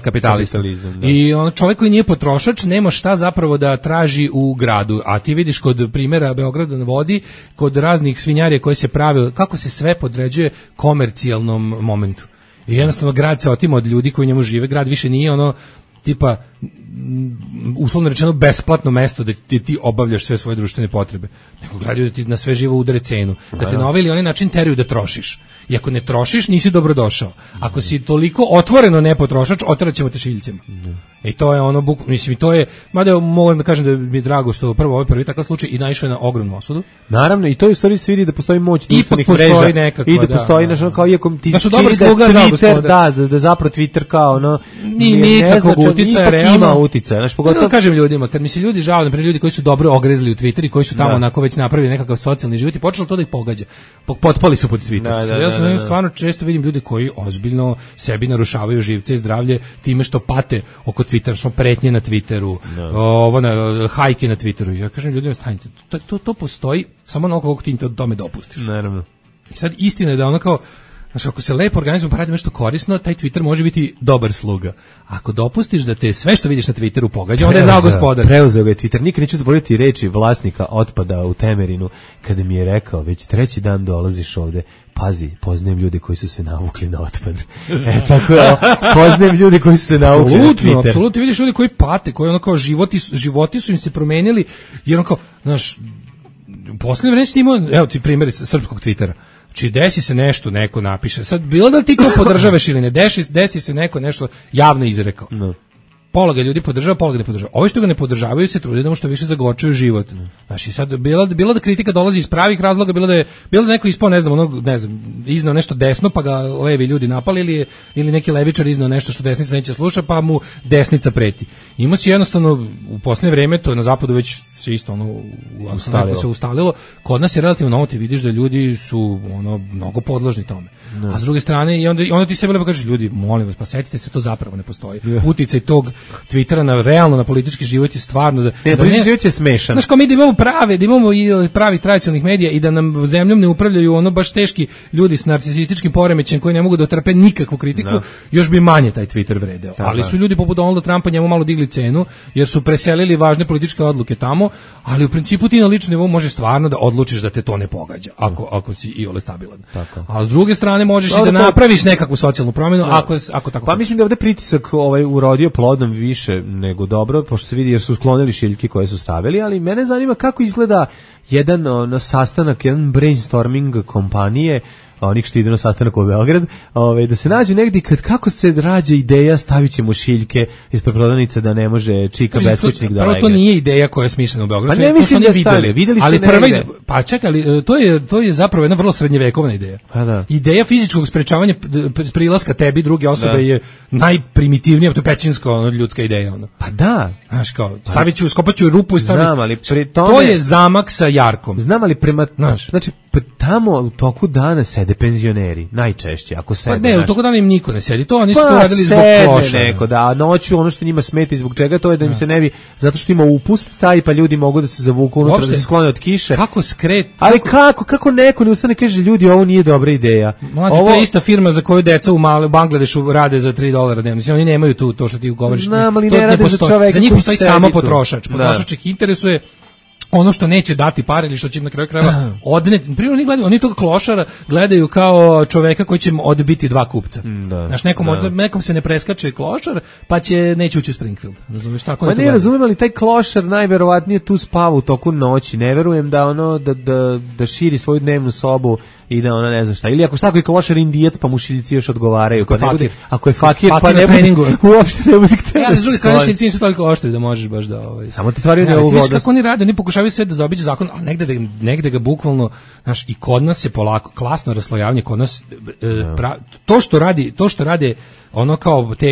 kapitalista. I on čovjek koji nije potrošač nema šta zapravo da traži u gradu, a ti vidiš kod primjera Beograda na vodi, kod raznih svinjarija koje se prave, kako se sve podređuje komercijalnom momentu. I jednostavno grad se otima od ljudi koji u njemu žive, grad više nije ono tipa uslovno rečeno besplatno mesto da ti obavljaš sve svoje društvene potrebe, nego gledaju da ti na sve živo udare cenu, da te na ovaj ili onaj način teraju da trošiš. I ako ne trošiš, nisi dobrodošao. Ako si toliko otvoreno nepotrošač, oteraćemo te šiljcima. I to je ono, mislim, to je, mada moram da kažem da mi je drago što ovaj prvi takav slučaj i naišao je na ogromnu osudu. Naravno, i to je u stvari se vidi da postoji moć društvenih mreža. I da postoji nešto kao, iako ti da su dobar sluga za Twitter, da zapravo Twitter kao ono, nikakvog uticaja, realno. Ima uticaja, znači pogotovo. Kažem ljudima, kad mi se ljudi žale, naprimjer ljudi koji su dobro ogrezli u Twitter i koji su tamo onako već napravili nekakav socijalni život i počelo to da ih pogađa. Potpali su pod Twitter. Ja stvarno često vidim ljude koji ozbiljno sebi narušavaju živce i zdravlje time što pate oko Twittera, što pretnje na Twitteru, hajke na Twitteru. Ja kažem ljudima, stanite, to postoji samo ono kog ti tome dopustiš. Naravno. I sad istina je da ono kao, znači, ako se lepo organizujemo pa radimo nešto korisno, taj Twitter može biti dobar sluga. Ako dopustiš da te sve što vidiš na Twitteru pogađa, onda je zao gospodar. Preuzeo ga je Twitter. Nikad neću zaboraviti reči vlasnika otpada u Temerinu, kada mi je rekao, već 3. dan dolaziš ovde, pazi, poznajem ljude koji su se navukli na otpad. Tako je, poznajem ljude koji su se navukli na Twitter. Apsolutno, vidiš ljudi koji pate, koji ono kao životi su im se promenili, jer ono kao, znaš, u posljednje vreme si imao, evo ti primjer srpskog Twittera. Či desi se nešto, neko napiše. Sad, bilo da ti ko podržavaš ili ne, desi se neko nešto javno izrekao. No. Pola ga ljudi podržava, pola ga ne podržava. Ovi što ga ne podržavaju se trude da mu što više zagorčuju život. Znači sad bilo da kritika dolazi iz pravih razloga, bilo da neko ispao, ne znam, iznao nešto desno pa ga levi ljudi napali ili neki levičar iznao nešto što desnica neće sluša pa mu desnica preti. Ima se jednostavno u posljednje vreme, to je na zapadu već se isto se ustalilo. Kod nas je relativno novo, ti vidiš da ljudi su mnogo podložni tome. No. A s druge strane i onda ti sebi lepo kažeš, ljudi, molim vas, pa setite se, to zapravo ne postoji. Uticaj tog Twittera realno na politički život je stvarno da politički život je smešan. Znaš, kao mi da imamo i pravi tradicionalnih medija i da nam zemljom ne upravljaju baš teški ljudi s narcisističkim poremećajem koji ne mogu da otrpe nikakvu kritiku, još bi manje taj Twitter vredeo. Ali su ljudi poput Donalda Trumpa njemu malo digli cenu jer su preselili važne političke odluke tamo, ali u principu ti na ličnom nivou može stvarno da odlučiš da te to ne pogađa ako si iole stabilan. A s druge strane možeš i da napraviš nekakvu socijalnu promjenu ako tako. Pa mislim da ovde pritisak urodio plodom više nego dobro, pošto se vidi jer su sklonili šiljke koje su stavili, ali mene zanima kako izgleda jedan sastanak, jedan brainstorming kompanije, onih što idu na sastanak u Beograd, da se nađu negdje kako se rađa ideja stavit ćemo šiljke ispred prodavnice da ne može čika beskućnik da legne. To nije ideja koja je smišljena u Beogradu. Pa ne mislim da videli su negdje. Pa čekaj, ali to je zapravo jedna vrlo srednjevekovna ideja. Pa da. Ideja fizičkog sprečavanja prilaska tebi druge osobe je najprimitivnija, to je pećinsko ljudska ideja. Pa da. Znaš kao, skopaću rupu i to je zamak sa jarkom. Znam, ali znači tamo u toku dana sede penzioneri, najčešće, ako sede. Pa ne, u toku dana im niko ne sedi, to oni su to radili zbog kloša. Neko, da, noću ono što njima smeta i zbog čega, to je da im se ne bi, zato što ima upust taj, pa ljudi mogu da se zavuku unutra, da se sklone od kiše. Kako skret? Ali kako neko ne ustane kaže, ljudi, ovo nije dobra ideja. Mlađe, to je ista firma za koju deca u Bangladešu rade za $3 dnevno. Mislim, oni nemaju to što ti govoriš. Ali ne rade za čoveka. Za njih postoji samo potrošač. Potrošač ih interesuje ono što neće dati pare ili što će im na kraju krajeva odneti. Primjer, oni tog klošara gledaju kao čoveka koji će im odbiti 2 kupca. Znaš, nekom se ne preskače klošar, pa neće ući u Springfield. Razumiješ, tako ne razumijem, ali taj klošar najverovatnije tu spava u toku noći. Ne verujem da da širi svoju dnevnu sobu i da ona ne znam šta. Ili ako je klošar indijac, pa mušiljci još odgovaraju. Ako je fakir, pa ne treningu. Uopšte ne bude htjeti. Ja, s druge strane, šilci nisu toliko oštri da možeš baš da... Samo ti stvari ne ugodu. Viš kako oni rade, oni pokušavaju sve da zaobiđu zakon, a negde ga bukvalno, znaš, i kod nas je polako, klasno raslojavanje, kod nas, to što rade ono kao te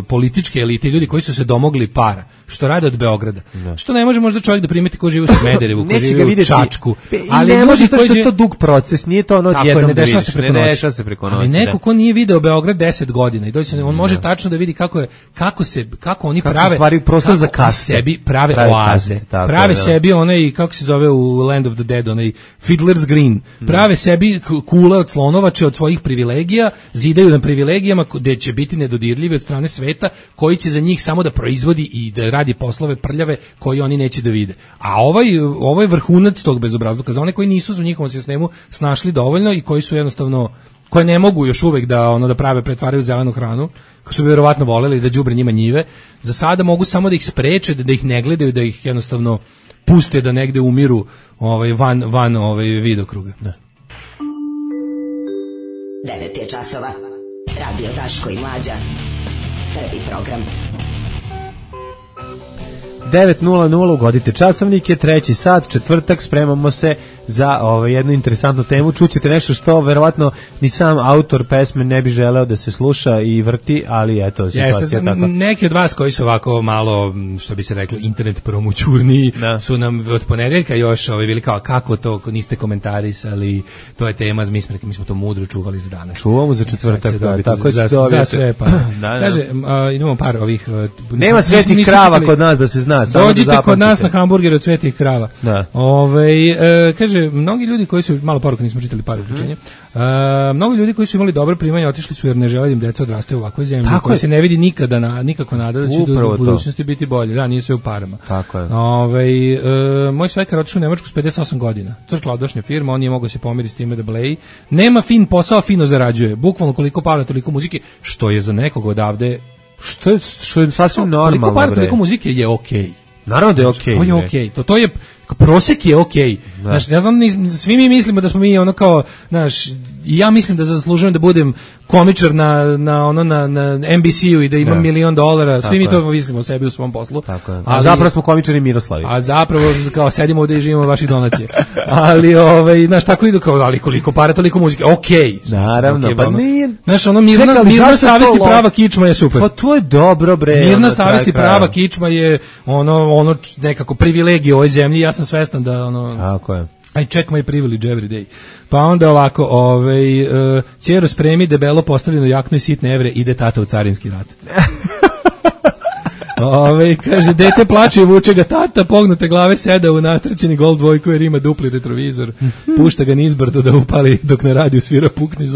političke elite, ljudi koji su se domogli para, što rade od Beograda. Što ne može možda čovjek da primeti ko živi u Smederevu, ko živi u Čačku. Ali ne može što je to dug proces, nije to ono odjednom ne dešava se preko noći. Ali neko ko nije video Beograd 10 godina i dođe on može tačno da vidi kako oni prave stvari prostor za kaste. Sebi prave oaze. Prave sebi onaj, kako se zove u Land of the Dead, onaj Fiddler's Green. Prave sebi kule od slonovače od svojih privilegija, zidaju na privilegijama gde će biti nedodirljivi od strane sveta, koji će za njih samo da proizvodi i da radi poslove prljave koji oni neće da vide. A ovo je vrhunac tog bezobrazluka za one koji nisu u njihovom sistemu snašli dovoljno i koji su jednostavno, koje ne mogu još uvek da pretvaraju zelenu hranu, koji su bi verovatno voleli da đubre njima njive. Za sada mogu samo da ih spreče, da ih ne gledaju, da ih jednostavno puste da negde umiru van vidokruga. Da. 9 je časova. Radio Daško i Mlađa. Prvi program. 9:00 ugodite časovnike, 3. sat, četvrtak, spremamo se za jednu interesantnu temu. Čućete nešto što verovatno ni sam autor pesme ne bi želeo da se sluša i vrti, ali eto, situacija je takva. Neki od vas koji su ovako malo, što bi se reklo, internet promućurniji, su nam od ponedeljka još bili kao kako to niste komentarisali, to je tema, mi smo to mudro čuvali za danas. Čuvamo za četvrtak, tako za sve pa. Kaže, imamo par ovih... Nema svetih krava kod nas da se zna. Dođite kod nas na hamburger od svetih krava. Kaže, mnogi ljudi koji su, malo poruka, nismo čitali par uključenja, mnogi ljudi koji su imali dobro primanje otišli su jer ne žele da im deca odrastaju u ovakvoj zemlji, koji se ne vidi nikako nada da će u budućnosti biti bolje. Da, nije sve u parama. Tako je. Moj svekar otišao u Nemačku s 58 godina. Crkladošnja firma, on nije mogao se pomiriti s time da bleji. Nema fin posao, fino zarađuje. Bukvalno koliko para, toliko muzike, što je za nekog odavde što je sasvim normalno. Toliko para, toliko muzike je okej. Naravno da je okej. To je okej. To je prosek je okej. Znaš, ja znam, svi mi mislimo da smo mi ono kao, znaš, i ja mislim da zaslužujem da budem komičar na NBC-u i da imam $1.000.000, svi mi to mislimo o sebi u svom poslu. A zapravo smo komičari Miroslavi. A zapravo kao sedimo ovde i živimo vaših donacije. Ali znaš, tako idu kao, ali koliko para, toliko muzike. Okej. Naravno, pa nije. Znaš, mirna savest i prava kičma je super. Pa to je dobro, bre. Mirna savest i prava kičma je ono nekako privilegija u ovoj zemlji. Ja sam svestan da Tako je. I check my privilege every day. Pa onda ovako, ćero spremi debelo postavljenu jaknu i sitne evre, ide tata u carinski rat. Kaže, dete plače i vuče ga tata, pognute glave seda u natrčeni Gold dvojku jer ima dupli retrovizor, pušta ga nizbrdo da upali dok na radiju svira Pukni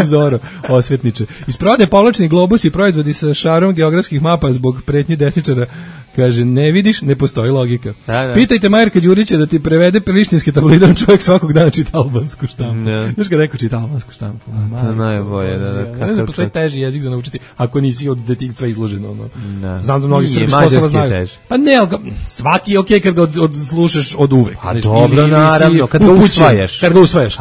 Zoro, osvetniče. Iz prodaje povlačni globus i proizvodi sa šarom geografskih mapa zbog pretnje desničara. Kaže, ne vidiš, ne postoji logika. Da. Pitajte Majerka Đurića da ti prevede prištinski tabloidan, čovjek svakog dana čita albansku štampu. Znaš kad neko čita albansku štampu? To je najbolje. Ne postoji teži jezik za naučiti ako nisi od detinjstva izložen. Znam da mnogi Srbi Kosova znaju. Pa ne, svaki je okej kad ga slušaš od uvek. A dobro, naravno, kad ga usvajaš.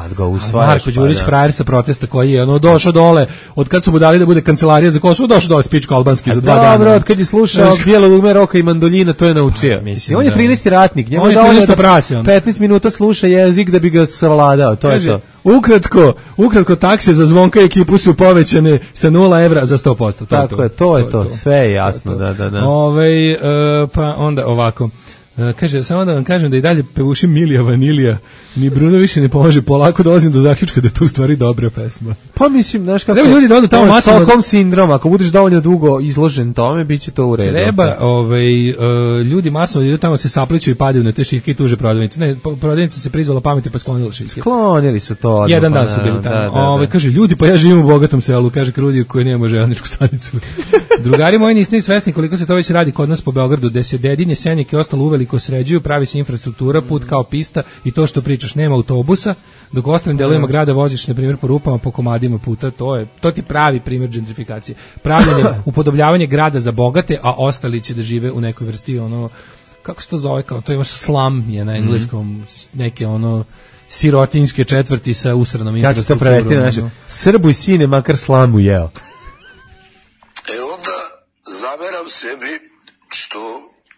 Marko Đurić, frajer sa protesta koji je došao dole, od kad su mu dali da bude kancelarija za Kosovo, došao dole s pičku albanski za 2 dana. Dobro, od kad je slušao Bijelo dugme roka i mandoljina, to je naučio. On je 13. ratnik, njemu je dovoljno da 15 minuta sluša jezik da bi ga savladao, to je to. Ukratko takse za Zvonka i ekipu su povećane sa 0 evra za 100%. Tako je, to je to, sve je jasno. Da. Pa onda ovako. Kaže, samo da vam kažem da i dalje pevušim Milija Vanilija, ni Bruno više ne pomaže, polako dolazim do zaključka da je to u stvari dobra pesma. Pa mislim, znaš kako, treba ljudi da odu tamo masovno. Stockholm sindrom, ako budeš dovoljno dugo izložen tome, bit će to u redu. Treba, ljudi masovno idu tamo, se sapliću i padaju na te šiljke i tuže prodavnice. Ne, prodavnica se prizvala pameti pa sklonila šiljke. Sklonili su to. Odmah, jedan dan su bili tamo. Kaže, ljudi, pa ja živim u bogatom selu, kaže Krudi koji nema željezničku stanicu. Drugari moji, niste svesni koliko se to već radi kod nas po Beogradu, gde se Dedinje, Senjak i ostalo uveliko sređuju, pravi se infrastruktura, put kao pista i to što pričaš, nema autobusa, dok u ostalim delovima grada voziš, na primjer, po rupama, po komadima puta, to ti pravi primjer gentrifikacije. Pravljanje, upodobljavanje grada za bogate, a ostali će da žive u nekoj vrsti, kako se to zove, kao to imaš slum, je na engleskom, neke sirotinjske četvrti sa usranom infrastrukturom. Ja ću to prevesti na naše. Srbuj sine, makar slamu jeo. Onda zameram sebi što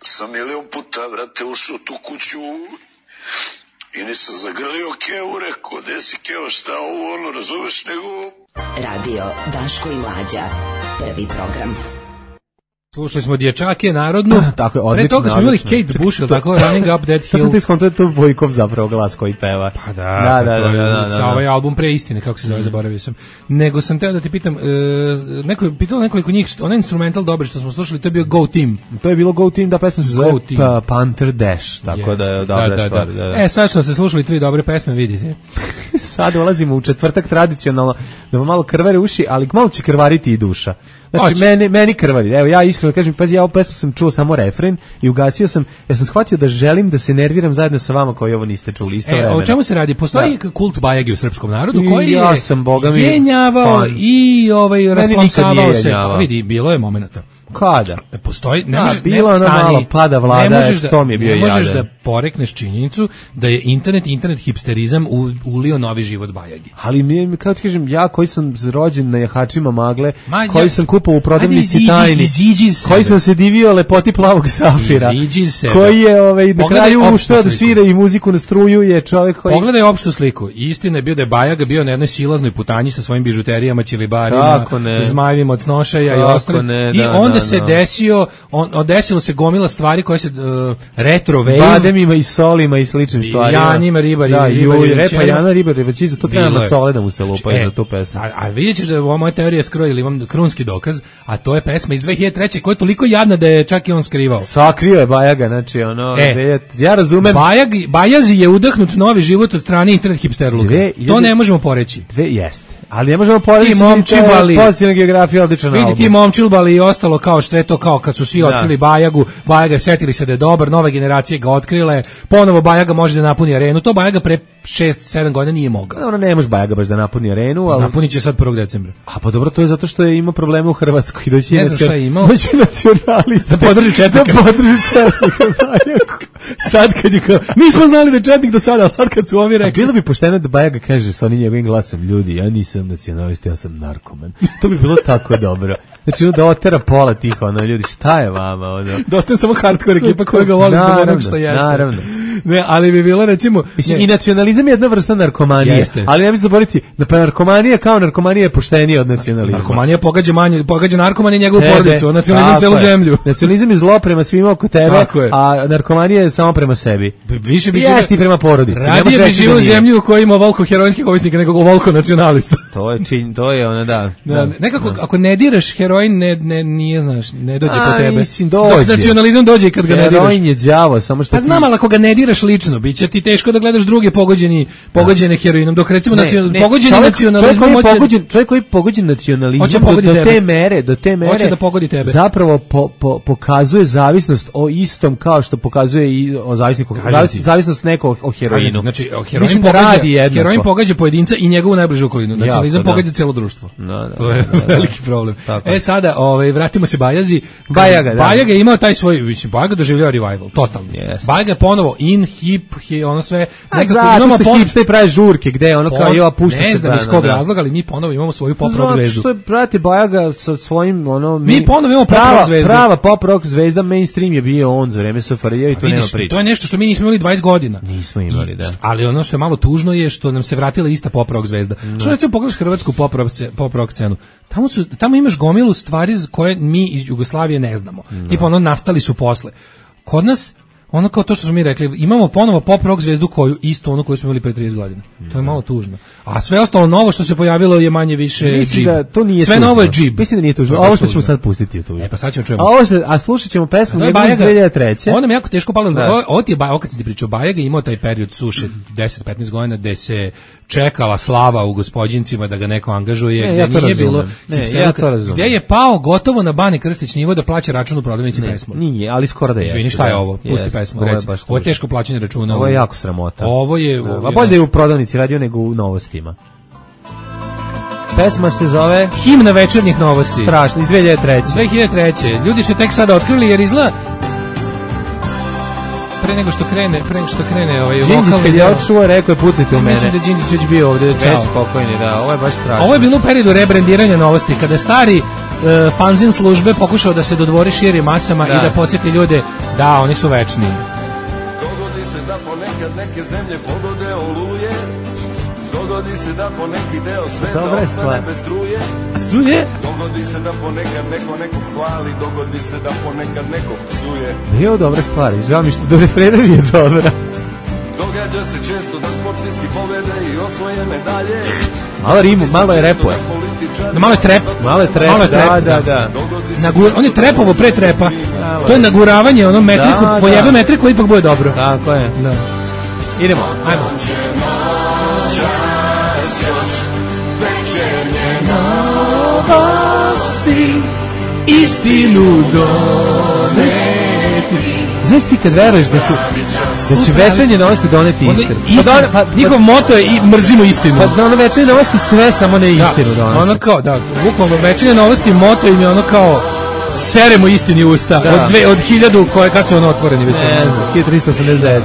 sam milion puta, vrate, ušao u tu kuću i nisam zagrlio Keo, rekao, gde si Keo, šta ovo, ono, razumeš, nego... Radio Daško i Mlađa, prvi program. Slušali smo Dječake narodnu. Tako je, odlično. Pre toga smo imali Kate Bush, ili tako, Running Up That Hill. Sad sam ti skontao, to je Vojkov zapravo glas koji peva. Pa da. Ovaj album pre istine, kako se zove, zaboravio sam. Nego sam teo da ti pitam, neko je pitalo nekoliko njih, onaj instrumental dobar što smo slušali, to je bio Go Team. To je bilo Go Team, da pesma se zove Panther Dash, tako da je dobra stvar. Sad što ste slušali 3 dobre pesme, vidite. Sad ulazimo u četvrtak tradicionalno, da vam malo krvare uši, ali malo će krvariti i duša. Znači, meni krvari. Evo, ja iskreno kažem, pazi, ja ovu pesmu sam čuo samo refren i ugasio sam, ja sam shvatio da želim da se nerviram zajedno sa vama koji ovo niste čuli isto vremena. O čemu se radi? Postoji kult Bajage u srpskom narodu koji ja sam, boga mi, jenjavao i rasplamsavao se. Vidi, bilo je momenata. Kada? Postoji, bilo ono malo pada vlada, što mi je bio jadan. Ne možeš da porekneš činjenicu da je internet hipsterizam ulio novi život Bajagi. Ali kao ti kažem, ja koji sam rođen na jahačima magle, koji sam kupao u prodavnici tajni, koji sam se divio lepoti plavog safira, koji je na kraju uštao da svira i muziku na struju, je čovjek koji... Pogledaj opštu sliku. Istina je bio da je Bajaga bio na jednoj silaznoj putanji sa svojim bižuterijama, ćilibarima, zmajevima od snošaja i ostalo. I se desilo se gomila stvari koje se retro wave, bademima i solima i sličnim stvarima, janima, ribari, repa Jana Ribari, već za to treba na sole da mu se lupaju za tu pesmu. A vidjet ćeš da ova moja teorija skroji, ili imam krunski dokaz, a to je pesma iz 2003. koja je toliko jadna da je čak i on skrivao. Sakrio je Bajaga, znači ja razumem. Bajazi je udahnut novi život od strane internet hipsterluka. To ne možemo poreći. Jeste. Ali ne možemo poreći pozitivna geografija, odličan album. Vidi ti Momčilbali i ostalo kao što je to, kao kad su svi otkrili Bajagu, Bajaga setili se da je dobar, nove generacije ga otkrile, ponovo Bajaga može da napuni arenu, to Bajaga pre 6-7 godina nije mogao. Ono ne može Bajaga baš da napuni arenu, ali... Napunit će sad 1. decembra. A pa dobro, to je zato što je imao probleme u Hrvatskoj i doći nacionalista. Da podrži Četnika. Sad kad je kao, mi smo znali da je Četnik do sada, ali sad kad su ovi rekli... Bilo bi pošteno da Bajaga kaže sa onim njegovim glasom, ljudi, ja nisam nacionalista, ja sam narkoman. To bi bilo tako dobro. Znači, da otera pola tih, ljudi, šta je vama, Da ostane samo hardcore ekipa koja ga voli zbog onog što jeste. Naravno. Ne, ali bi bilo, recimo... Mislim, i nacionalizam je jedna vrsta narkomanije. Jeste. Ali ne bi zaboraviti, da narkomanija kao narkomanija je poštenija od nacionalizma. Narkomanija pogađa narkoman i njegovu porodicu, nacionalizam celu zemlju. Nacionalizam je zlo prema svima oko tebe, a narkomanija je samo prema sebi. Više bi jesti i prema porodici. Radije bi živo u zemlju u kojoj ima ovoliko heroinskih ovisnika nego ovoliko nacionalista. To je ona, da. Nekako, ako ne diraš heroin, nije, znaš, ne dođe po tebe. Mislim, dođe. Dok nacionalizam dođe i kad ga ne diraš. Heroin je đavo, samo što... Pa znam, ali ako ga ne diraš lično, bit će ti teško da gledaš druge pogođene heroinom, dok recimo pogođeni nacionalizmom čovjek koji je pogođen nacionalizmom do te mere hoće da pogodi tebe. Zapravo pokazuje zavisnost o istom kao što pokazuje i o zavisnost nekog o heroinu. Znači, heroin pogađa pojedinca i njegovu najbližu okolinu. Nacionalizam pogađa celo društvo. To je veliki problem. Sada, vratimo se Bajazi. Bajaga je imao taj svoj, Bajaga doživljava revival, totalno. Bajaga je ponovo hip, ono sve. Zato što hipster pravi žurke, gde ono kao jeva pušta se. Ne znam iz kog razloga, ali mi ponovo imamo svoju pop rock zvezdu. Zato što prati Bajaga sa svojim, mi ponovo imamo pop rock zvezdu. Prava pop rock zvezda, mainstream je bio on za vreme SFRJ i to nema priče. To je nešto što mi nismo imali 20 godina. Nismo imali, da. Ali ono što je malo tužno je što nam se vratila ista pop rock zvezda. Što recimo pogledaš hrvatsku pop rock scenu, tamo imaš gomilu stvari koje mi iz Jugoslavije ne znamo. Tipa ono nastali su posle. Kod nas ono kao to što smo mi rekli, imamo ponovo pop rock zvezdu koju smo imali pre 30 godina. To je malo tužno. A sve ostalo novo što se pojavilo je manje više džib. Sve tužno. Novo je džib. Mislim da nije tužno. Ovo što ćemo sad pustiti je tužno. Pa sad ćemo čujemo. A slušat ćemo pesmu iz 2003. Ovo nam jako teško palo. Ovo kad si ti pričao, Bajaga imao taj period suše 10-15 godina gde se čekala slava u Gospođincima da ga neko angažuje, gde nije bilo gde je pao gotovo na Bani Krstić nivo da plaća račun u prodavnici pesmu. Nije, ali skoro da je. Izvini, šta je ovo? Pusti pesmu, reci. Ovo je teško plaćanje računa. Ovo je jako sramota. Ovo je... A bolje je u prodavnici radio nego u Novostima. Pesma se zove Himna večernjih novosti. Strašno, iz 2003. 2003. Ljudi su tek sada otkrili jer izgleda pre nego što krene ovaj Đinđić kad je odšuo, rekao je pucajte u mene. Mislim da Đinđić već bio ovde, čao. Već pokojni, da, ovo je baš strašno. Ovo je bilo u periodu rebrendiranja Novosti, kada stari fanzin službe pokušao da se dodvori širim masama i da podsjeti ljude da oni su večni. Dogodi se da ponekad neke zemlje pogode oluje, dogodi se da po neki deo sveta ostane bez struje. Dogodi se da ponekad neko nekog hvali, dogodi se da ponekad nekog psuje. Nije ovo dobra stvar, žao mi što do refrena mi je dobra. Događa se često da sportisti pobede i osvoje medalje. Malo rimu, malo je repuje. Malo je trep. Da. On je trepovo pre trepa. To je naguravanje, ono metriku, pojebe metriku, ipak bude dobro. Tako je. Da. Idemo. Ajmo. Istinu doneti. Znaš ti kad veruješ da će večernje novosti doneti istinu? Njihov moto je i mrzimo istinu. Pa ono večernje novosti sve samo ne istinu donesi. Ono kao, da, bukvalno večernje novosti moto im je ono kao seremo istini usta. Od 1000 koje kad su ono otvoreni već. 1389.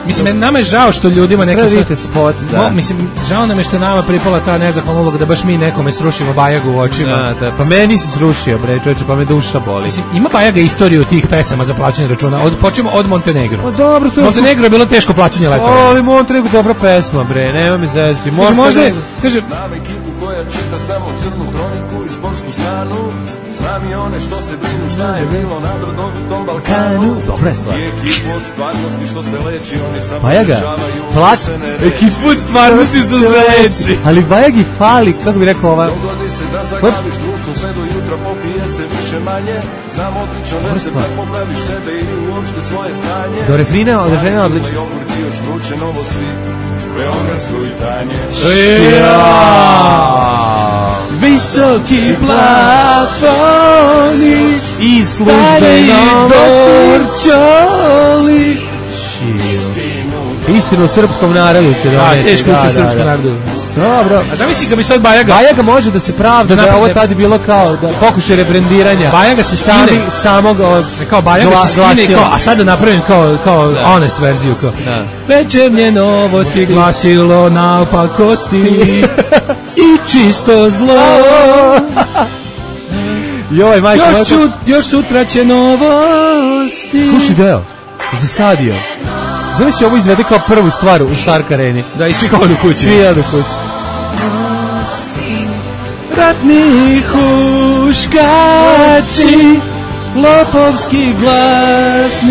Mislim, nama je žao što ljudima neka spot, mislim, žao nam je što nama pripala ta nezahvalna uloga da baš mi nekome srušimo Bajagu u očima. Da, pa meni si srušio, bre, čovječe, pa me duša boli. Mislim, ima Bajaga istoriju tih pesama za plaćanje računa. Počnemo od Montenegro. Pa dobro, Montenegro je bilo teško plaćanje letova. Ali Montenegro dobra pesma, bre, nema mi zezati. Možda je, kaže, znam ekipu koja čita samo crnu hroniku i sportsku stranu. Znam i one što se brinu šta je bilo na brdovitom Balkanu. Dobra je stvar. I ekipu od stvarnosti što se leči, oni samo Bajaga, plać, ekipu od stvarnosti što se leči. Ali Bajagi fali, kako bi rekao ova... Dogodi se da zaglaviš društvo sve do jutra, popije se više manje. Znam odlično recept da popraviš sebe i uopšte svoje stanje. Do refrena odlično. Jogurt i još vruće novosti, beogradsko izdanje. Visoki plafoni i službeno dorčoli. Istinu o srpskom narodu će doneti. Teško istinu o srpskom narodu. Dobro. A zamisli kad bi sad Bajaga može da se pravda da ovo tada bilo kao da pokušaj rebrendiranja. Bajaga se skine samog kao Bajaga se skine kao, a sad da napravim kao honest verziju kao. Večernje novosti glasilo naopakosti i čisto zlo. Još sutra će novosti. Slušaj deo za stadion. Znaš će ovo izvede kao prvu stvar u Stark Areni. Da, i svi odu kući. Ratni huškači, lopovski glasnici,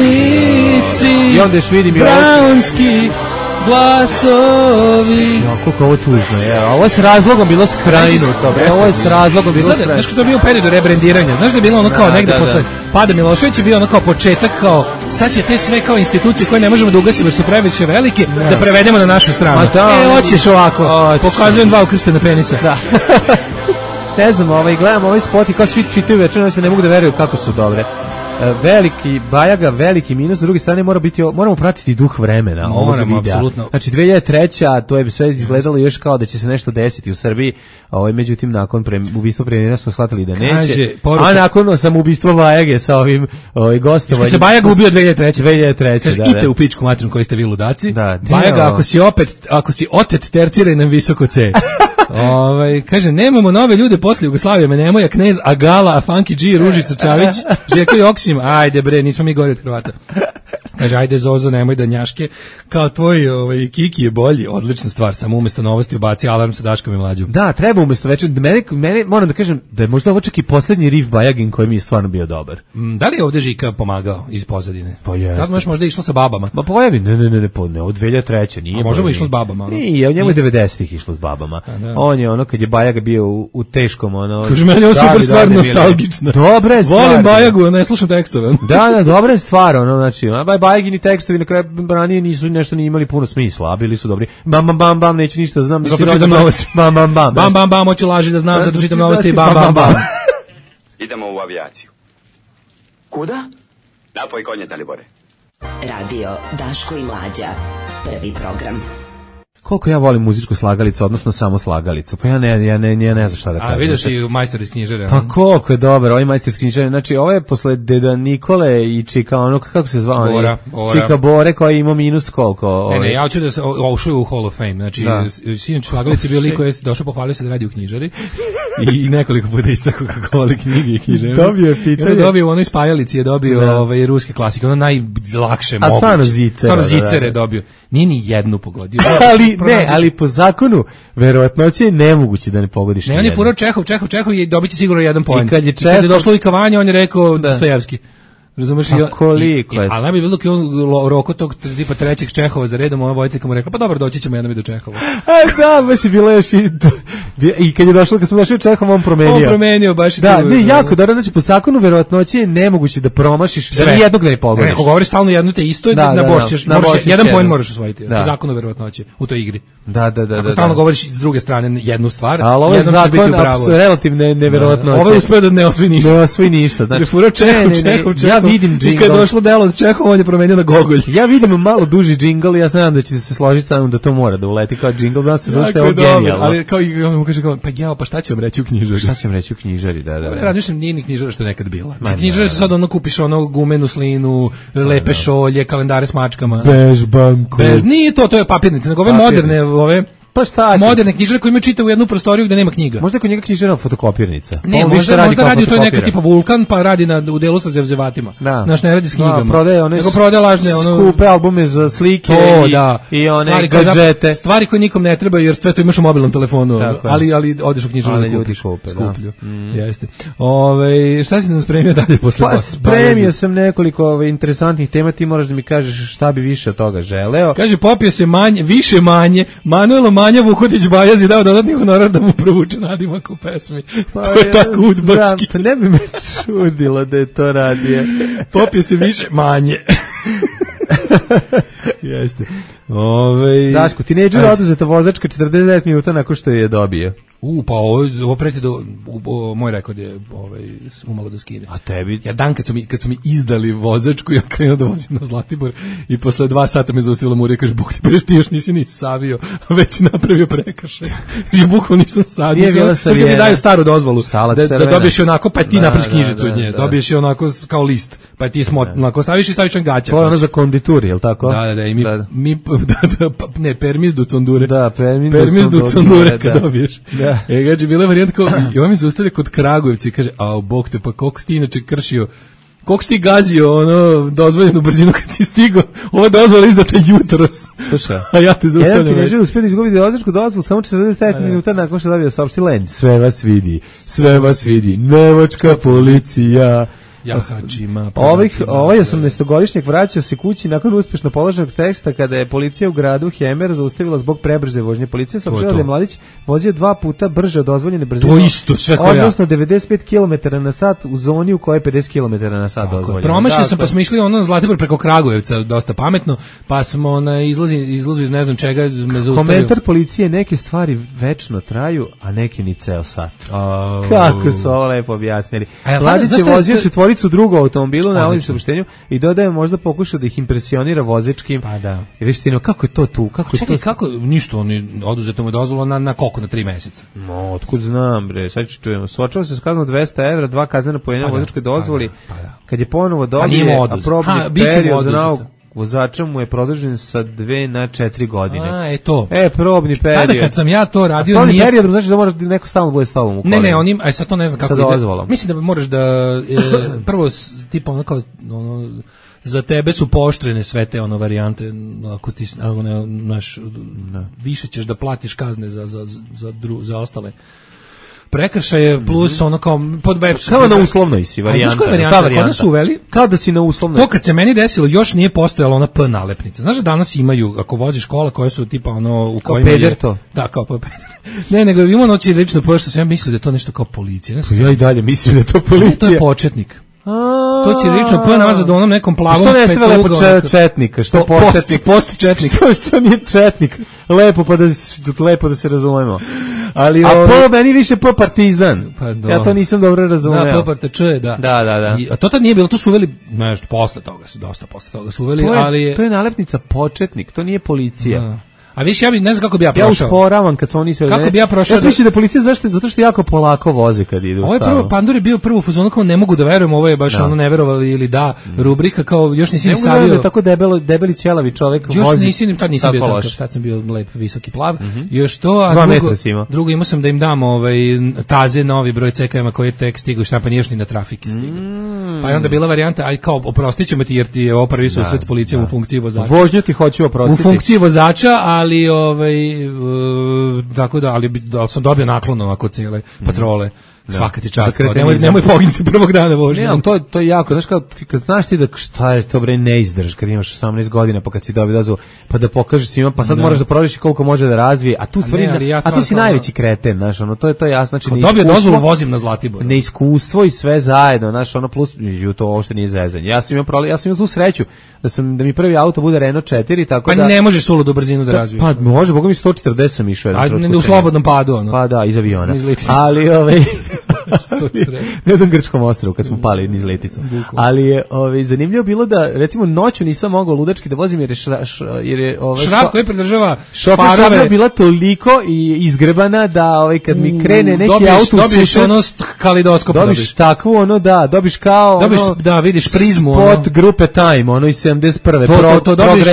i onda još vidim brownski glasovi. Kako ovo tužno je. Ovo je s razlogom bilo skrajnuto. Ovo je s razlogom bilo skrajnuto. Znaš što je bio u periodu rebrendiranja? Znaš da je bilo ono kao negde posle pada Milošević je bio ono kao početak kao sad će te sve kao institucije koje ne možemo da ugasimo jer su previše velike da prevedemo na našu stranu. Hoćeš ovako. Pokazujem 2 ukrštena penisa. Da. Ne znam, gledam ovaj spot i kao svi čitaju večer, se ne mogu da veruju kako su dobre. Veliki Bajaga, veliki minus, s druge strane moramo pratiti duh vremena ovog videa. Apsolutno. Znači 2003. to je sve izgledalo još kao da će se nešto desiti u Srbiji, međutim nakon ubistva premijera smo shvatili da neće. A nakon samoubistva Bajage sa ovim gostovanjem. Što se Bajaga ubio 2003. Kaže, idite u pičku materinu koji ste vi ludaci. Bajaga, ako si otet, terciraj nam visoko C. Kaže, nemamo nove ljude posle Jugoslavije, Nemoja, Knez, Agala, Funky G, Ružica Čavić, Željko Joksim, ajde bre, nismo mi gori od Hrvata. Kaže, ajde Zozo, nemoj da njaške, kao tvoj Kiki je bolji, odlična stvar, samo umjesto novosti ubaci alarm sa Daškom i Mlađom. Da, treba umjesto večer, mene moram da kažem da je možda ovo čak i posljednji riff Bajagin koji mi je stvarno bio dobar. Da li je ovdje Žika pomagao iz pozadine? Pa jeste. Da možda išlo sa babama? Ma pojavi, ne, od 2003. nije. A možemo išlo s babama? Nije, njemu je 90-ih išlo s babama. On je kad je Bajaga bio u teškom Kaže, meni je super stvar nostalgična. Dobra je stvar. Volim Bajagu, ne slušam tekstove. Da, dobra je stvar, znači, Bajagini tekstovi na kraju ranije nisu nešto ni imali puno smisla, a bili su dobri. Bam, neću ništa znam. Zato čitam novosti. Bam, hoću laži da znam, zato čitam novosti, bam. Idemo u avijaciju. Kuda? Napoj konje, Dalibore. Radio Daško i Mlađa, prvi program. koliko ja volim muzičku slagalicu, odnosno samo slagalicu. Pa ja ne znam šta da kažem. A vidiš i majstor iz knjižare. Pa koliko je dobar, ovaj majstor iz knjižare. Znači, ovo je posle Deda Nikole i Čika, ono, kako se zvao? Bora. Čika Bore, koji ima minus koliko? Ne, ja hoću da se ušao u Hall of Fame. Znači, sinoć slagalici bio lik koji je došao, pohvalio se da radi u knjižari i nekoliko puta istako kako voli knjige i knjižare. Dobio je pitanje. Dobio u onoj spajalici je dobio ruske klasike, ono najlakše moguće. Stvarno Zicer je dobio. Nije ni jednu pogodio. Ali po zakonu verovatnoće je nemoguće da ne pogodiš. Ne, on je furao Čehov i dobit će sigurno jedan poen. I kad je došlo i kavanje, on je rekao Dostojevski. Razumeš? Koliko je? Ali najbolje bilo kad on roko tog tipa trećeg Čehova za redom, ova vojiteljka mu rekla, pa dobro, doći ćemo jednom i do Čehova. Da, baš je bilo još i kad je došlo, kad smo došli u Čehova, on promenio. Baš i da, ne, jako dobro, znači po zakonu verovatnoće je nemoguće da promašiš, da ni jednog da ne pogodiš. Ako govoriš stalno jedno te isto, na bošćeš, jedan poen moraš osvojiti. Po zakonu verovatnoće u toj igri. Da. Ako stalno govoriš s druge strane jednu stvar, jednom će biti u pravu. Ali ovo je relativno neverovatnoće. Ovo je uspeo da ne osvoji ništa. Ne osvoji ništa, znači. Ja vidim džingl. Kad je došlo delo od Čehova, on je promenio na Gogolj. Ja vidim malo duži džingl i ja znam da ćete se složiti sa mnom da to mora da uleti kao džingl, da se zašto je ovo genijalno. Ali kao i on mu kaže pa šta će vam reći u knjižari? Šta će vam reći u knjižari, da. Razmišljam, nije ni knjižara što je nekad bila. Knjižare su sad ono kupiš ono gumenu slinu, lepe šolje, kalendare s mačkama. Bežbanku. Nije to je papirnice, nego ove moderne, ove pa šta će? Moderne knjižare koji imaju čita u jednu prostoriju gde nema knjiga. Možda kod njega knjižarna fotokopirnica. Ne, možda radi to neka tipa Vulkan, pa radi u delu sa zevzevatima. Znaš, ne radi s knjigama. Nego prodaje lažne skupe albume za slike i one gadžete. Stvari koje nikom ne trebaju, jer sve to imaš u mobilnom telefonu. Ali odeš u knjižaru da kupiš. Skuplju. Jeste. Šta si nam spremio dalje posle? Pa spremio sam nekoliko interesantnih tema, ti moraš da mi kažeš šta bi više od toga želeo. Kaže, popio se više manje, Manuelo Manja Vukotić Bajazi dao dodatni honorar da mu provuče nadimak u pesmi. To je tako udbački. Pa ne bi me čudilo da je to radio. Popio se više manje. Jeste. Daško, tinejdžer oduzeta vozačka 49 minuta nakon što je dobio. Pa ovo preti do moj rekord je umalo da skine. A tebi? Ja dan kad su mi izdali vozačku, ja krenuo da vozim na Zlatibor i posle 2 sata me zaustavila Murija, kaže, Bog ti preš, ti još nisi ni savio, već si napravio prekršaj. Že bukvalno nisam savio. Nije bila savijena. Kad mi daju staru dozvolu, da dobiješ onako, pa ti napraviš knjižicu od nje, dobiješ je onako kao list, pa ti onako staviš i staviš na gaća. To je ono za konditur, je li tako? Da, i mi ne, permis du condure. Da, permis du condure kad dobiješ. Gađe, bila je varijanta kao, i on mi zaustavlja kod Kragujevca i kaže, Bog te, pa koliko si ti inače kršio, koliko si ti gazio dozvoljenu brzinu kad si stigao, ova dozvola izdata jutros. Slušaj, a ja te zaustavljam. Jedan tinejdžer uspio da izgubi vozačku dozvolu samo 49 minuta nakon što dobio saopšti Len. Sve vas vidi, nemačka policija. Ovaj 18-godišnjak vraćao se kući nakon uspješno položenog teksta kada je policija u gradu Hemer zaustavila zbog prebrze vožnje. Policija saopštila da je mladić vozio 2 puta brže od dozvoljene brzine. To isto, sve koja. Odnosno 95 km/h u zoni u kojoj je 50 km/h dozvoljeno. Promašio sam, pa smo išli na Zlatibor preko Kragujevca, dosta pametno, pa smo na izlazu iz ne znam čega me zaustavio. Komentar policije, neke stvari večno traju, a neke ni ceo sat. Kako su ovo lepo objasnili. Mladić je vozio četvoricu drugu automobilu na ovim saopštenju i dodaje možda pokušao da ih impresionira vozačkim. Pa da. I viš ti, kako je to tu? Kako ništa, oni oduzeto mu je dozvolu na koliko, na 3 meseca. Otkud znam, bre, sad ću čujemo. Suočava se s kaznom 200 evra, 2 kaznena pojenja vozačkoj dozvoli. Kad je ponovo dobije, a probni period za novog vozača mu je produžen sa 2 na 4 godine. Probni period. Tada kad sam ja to radio, probni period znači da moraš neko stalno bude s tobom u kolima. Ne, onim, sad to ne znam kako ide. Mislim da moraš da prvo tipa ono kao za tebe su pooštrene sve te varijante, ako ti više ćeš da platiš kazne za ostale prekršaje plus ono kao pod web. Kao na uslovnoj si varijanta. Znaš koja varijanta? Kod su uveli. Kao da si na uslovnoj. To kad se meni desilo, još nije postojala ona P nalepnica. Znaš da danas imaju, ako voziš kola koje su tipa u kojima je... to? Da, kao peder. Ne, nego ima noći lično pošto sam ja mislio da je to nešto kao policija. Ja i dalje mislim da je to policija. To je početnik. To će lično P nazad onom nekom plavom petluga. Što ne stave lepo četnika? Što početnik? Post četnik. Što nije četnik? Lepo da se razumemo. A meni više po partizan. Ja to nisam dobro razumeo. Da, po partizan, da. Da. A to tad nije bilo, to su uveli, dosta posle toga su uveli, ali to je nalepnica početnik, to nije policija. A više ja ne znam kako bi ja prošao. Ja usporavam kad su oni sve. Kako bi ja prošao? Ja mislim da policija zato što jako polako voze kad idu. Ovo je prvo Pandur je bio prvo fuzonu kao ne mogu da verujem, ovo je baš ono ne verovali ili da rubrika kao još nisi ni savio. Da tako debeli ćelavi čovjek vozi. Još nisam bio takav, tad sam bio lep, visoki, plav. Još to, a drugo imao sam da im dam taze novi broj CKM-a koji je tek stigao, štampan još ni na trafike stigao. Pa je onda bila varijanta, aj kao oprostit ćemo ti jer ti je ovo prvi susret s policijom u funkciji vozača. Vožnju ti hoću oprostiti. U funkciji vozača, ali tako da, ali sam dobio naklon ovako cijele patrole. Svaka ti čast, nemoj poginuti prvog dana vožnje. Ne, to je jako, znaš kad znaš ti da šta je to bre ne izdrž kad imaš 18 godina pa kad si dobio dozvolu pa da pokažeš svima pa sad moraš da proveriš koliko može da razvije, a tu stvari a tu si najveći kreten, znaš, ono to je jasno, znači dobio dozvolu vozim na Zlatibor. Neiskustvo i sve zajedno, znaš, ono plus to uopšte nije zezanje. Ja sam imao tu sreću da mi prvi auto bude Renault 4 tako da. Pa ne možeš suludu brzinu da razviješ. Pa može, bogami 140 sam išao jedan u slobodnom padu ono. Pa da, iz aviona. Ali na jednom grčkom ostrvu kad smo pali niz leticom. Ali je zanimljivo bilo da recimo noću nisam mogao ludački da vozim jer je šraf koji pridržava šoferska bila toliko i izgrebana da kad mi krene neki auto dobiš ono kalidoskop, dobiš takvu ono dobiš kao da vidiš prizmu spot grupe Time ono iz 71. To dobiš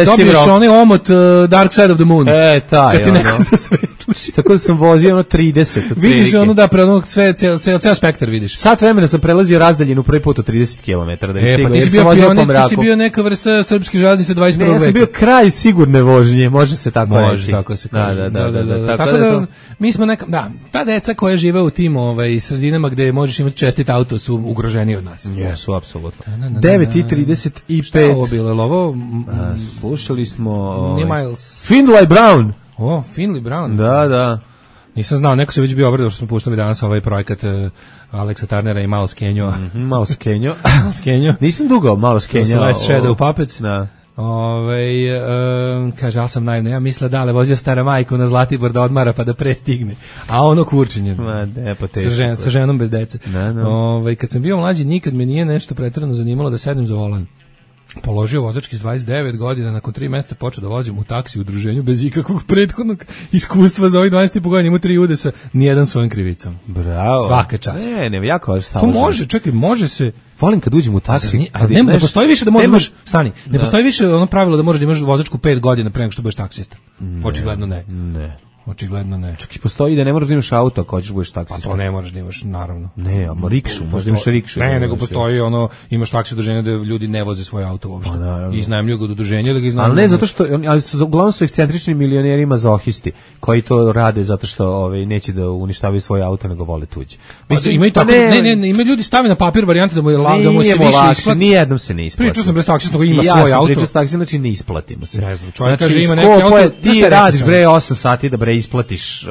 onaj omot Dark Side of the Moon. Taj kad ti neko zasvetliš. Tako da sam vozio ono 30. Vidiš ono da pre onog ceo spektar vidiš. Sat vremena sam prelazio razdaljinu prvi put od 30 km da je stigao. Ti si bio neka vrsta srpske železnice 21. veka. Ja sam bio kraj sigurne vožnje, može se tako reći. Može, tako se kaže. Da. Tako da mi smo ta deca koja žive u tim sredinama gde možeš imati čestit auto su ugroženi od nas. Jesu, apsolutno. 9:35. Šta je ovo bilo? Ovo slušali smo Finlay Brown. Finlay Brown. Da. Nisam znao, neko se već bio obradao što smo puštali danas ovaj projekat Aleksa Tarnera i Malo Skenjo. Malo Skenjo. Nisam dugo Malo Skenjo. Last Shadow Puppets. Da. Kaže, ja sam naivno, ja mislila da, ali vozio stara majku na Zlatibor da odmara pa da prestigne. A ono kurčenje. Sa ženom bez dece. Kad sam bio mlađi, nikad me nije nešto pretjerano zanimalo da sednem za volan. Položio vozački s 29 godina, nakon 3 mjeseca počeo da vozim u taksi u udruženju bez ikakvog prethodnog iskustva za ovih 20 godina, imao 3 udesa, nijedan svojom krivicom. Bravo. Svaka čast. Ne, jako vaš to može, čekaj, može se. Volim kad uđem u taksi. Ne postoji više da možeš, ne postoji više ono pravilo da možeš da imaš vozačku 5 godina pre nego što budeš taksista. Očigledno ne. Očigledno ne. Čak i postoji da ne moraš da imaš auto ako hoćeš budeš taksista. Pa to ne moraš da imaš, naravno. Ne, a rikšu, možeš da imaš rikšu. Ne, nego postoji imaš taksi udruženje da ljudi ne voze svoje auto uopšte. I iznajmljuju ga od udruženja da ga iznajmljuju. Ali ne zato što, uglavnom su ekscentrični milioneri mazohisti koji to rade zato što neće da uništavaju svoje auto nego vole tuđe. Mislim, ima i tako, ima ljudi stave na papir varijante da mu se više isplati. Nijednom se ne isplati. Pričao sam bez taksista koji ima svoj auto. Pričao sam taksista, znači ne isplatimo se. Ne znam, čovjek kaže ima neki auto. Ti radiš 8 sati da isplatiš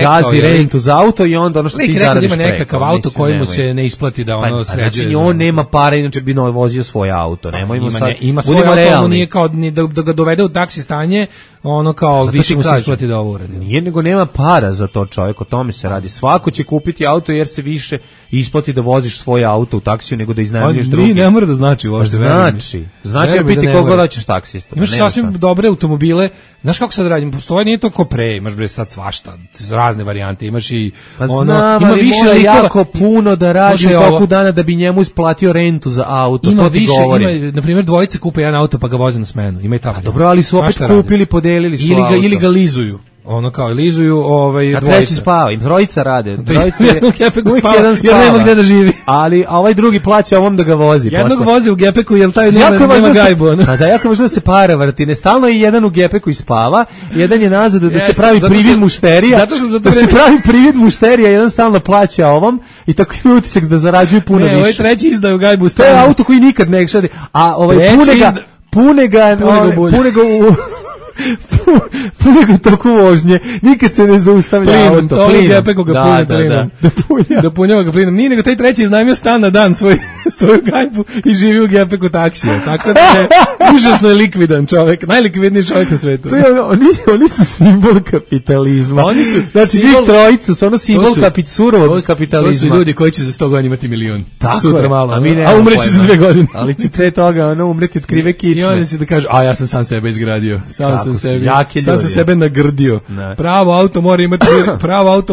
gazdi rentu za auto i onda ono što ti zaradiš preko. Ima nekakav auto koji mu se ne isplati da sređuje. Znači on nema para, inače bi vozio svoj auto. Ima svoj auto, nije kao da ga dovede u taksi stanje, ono kao više mu se isplati da ovo uradi. Nije, nego nema para za to, čovjek, o tome se radi. Svako će kupiti auto jer se više isplati da voziš svoj auto u taksiju nego da iznajmljuješ drugi. Ne mora da znači uopšte. Znači da biti koliko hoćeš taksista. Imaš sasvim dobre automobile. Znaš kako sad radim? Postoji, nije to ko pre, imaš bre sad svašta, razne varijante, imaš i ima više jako puno da radi u toku dana da bi njemu isplatio rentu za auto. Ima više, na primjer dvojice kupe jedan auto pa ga voze na smenu. Ima i tako. Dobro, ali su opet kupili, podelili su auto. Ili ga lizuju. Ono kao lizuju dvojica. A treći spava, im trojica rade. Trojica u gepeku spava, jer nema gdje da živi. A ovaj drugi plaća ovom da ga vozi. Jednog vozi u gepeku, jer taj nema gajbu. Da, jako možda se para vrti. Ne stalno je jedan u gepeku i spava, jedan je nazad da se pravi privid mušterija. Da se pravi privid mušterija, jedan stalno plaća ovom i tako ima utisak da zarađuje puno više. Ne, ovaj treći izdaju gajbu. To je auto koji nikad ne šadi. A pune ga nego toku vožnje, nikad se ne zaustavlja auto. Plinom, gepeku ga pune plinom. Da punjava ga plinom. Nije nego taj treći iznajmio stan na dan svoj svoju gajbu i živi u gepeku taksija. Tako da je užasno je likvidan čovjek, najlikvidniji čovjek na svetu. Oni su simbol kapitalizma. Oni su, znači, njih trojica su ono simbol surovog kapitalizma. To su ljudi koji će za 100 godina imati milion. Tako sutra je. malo. A umreći za 2 godine. Ali će pre toga umreti od krive kičme. I oni će da kažu, a ja sam sam sebe izgradio. Sam sam sebe nagrdio. Ne. Pravo auto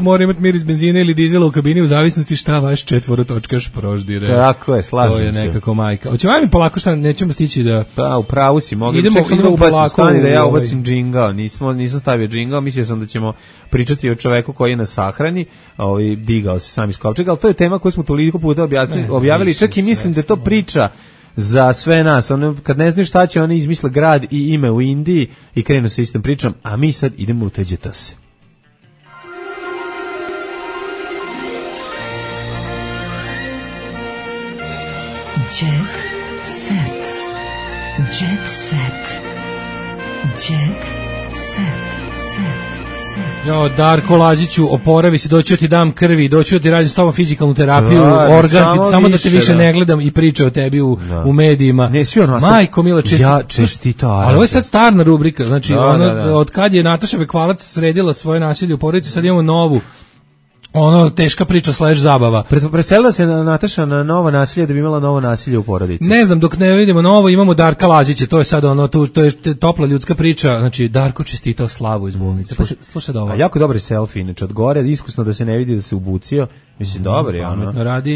mora imati mir iz benzina ili dizela u kabini u zavisnosti šta vaš četvorotočkaš proždire. Tako je, slažem se. To je nekako majka. Hoćemo mi polako šta nećemo stići da... Pa, u pravu si, idemo da ubacim polako, stani da ja ubacim džingao. Nisam stavio džingao, mislio sam da ćemo pričati o čoveku koji je na sahrani, digao se sam iz kovčega, ali to je tema koju smo toliko puta objavili, čak i mislim da je to priča za sve nas. Kad ne znaš šta će, oni izmisle grad i ime u Indiji i krenu sa istom pričom, a mi sad idemo u Teđetase. Jet set. Jet set. Jet set. Jo, Darko Laziću, oporavi se, doću ti dam krvi, doću ti radim s tobom fizikalnu terapiju, samo da te više ne gledam i priča o tebi u medijima. Ne, svi ono, majko mila, čestito. Ali ovo je sad starna rubrika, znači od kad je Nataša Bekvalac sredila svoje nasilje u porodici, sad imamo novu. Teška priča / zabava. Preselila se Nataša na novo nasilje da bi imala novo nasilje u porodici. Ne znam, dok ne vidimo novo, imamo Darka Lazića, to je sad to je topla ljudska priča, znači Darko čestitao slavu iz bolnice. Pa slušaj da ovo. Jako dobar selfie, inače od gore, iskusno da se ne vidi da se ubucio. Mislim, dobar je ono.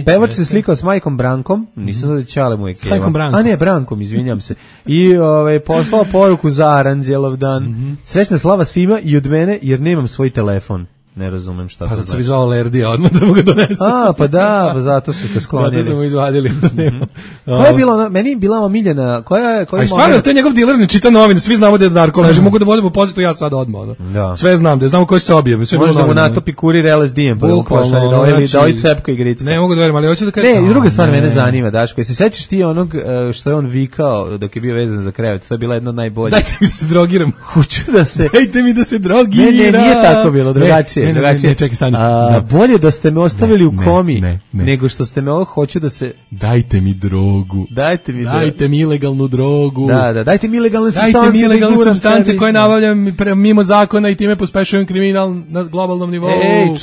Pevač se slikao s majkom Brankom, nisam da Ćale mu je keva. S majkom Brankom. A ne, Brankom, izvinjam se. I poslao poruku za Aranđelov dan. Srećna slava svima i od mene, jer nemam svoj telefon. Ne razumem šta to znači. Pa zato su izvao Lerdija, odmah da mu ga donesu. Pa da, zato su ga sklonili. Zato su mu izvadili. Koja je bila, meni je bila omiljena, a stvarno, to je njegov diler, ne čita novine, svi znamo da je Darko leži, mogu da vodimo pozitu ja sad odmah. Sve znam, da znamo koji se objave. Možda mu natopi kurir LSD-em, pa mu pošalje da ovaj cepka igrica. Ne mogu da verim, ali hoću da kažem. Ne, i druga stvar mene zanima, Daško, se sećaš ti onog što je on vikao dok je bio vezan za krevet, to je bila jedna od najboljih. Dajte mi da se drogiram. Hoću da se... Dajte mi da se drogiram. Ne, nije tako bilo, drugačije. Bolje da ste me ostavili u komi nego što ste me hoću da se... Dajte mi drogu. Dajte mi ilegalnu drogu. Dajte mi ilegalne supstance koje nabavljam mimo zakona i time pospešujem kriminal na globalnom nivou.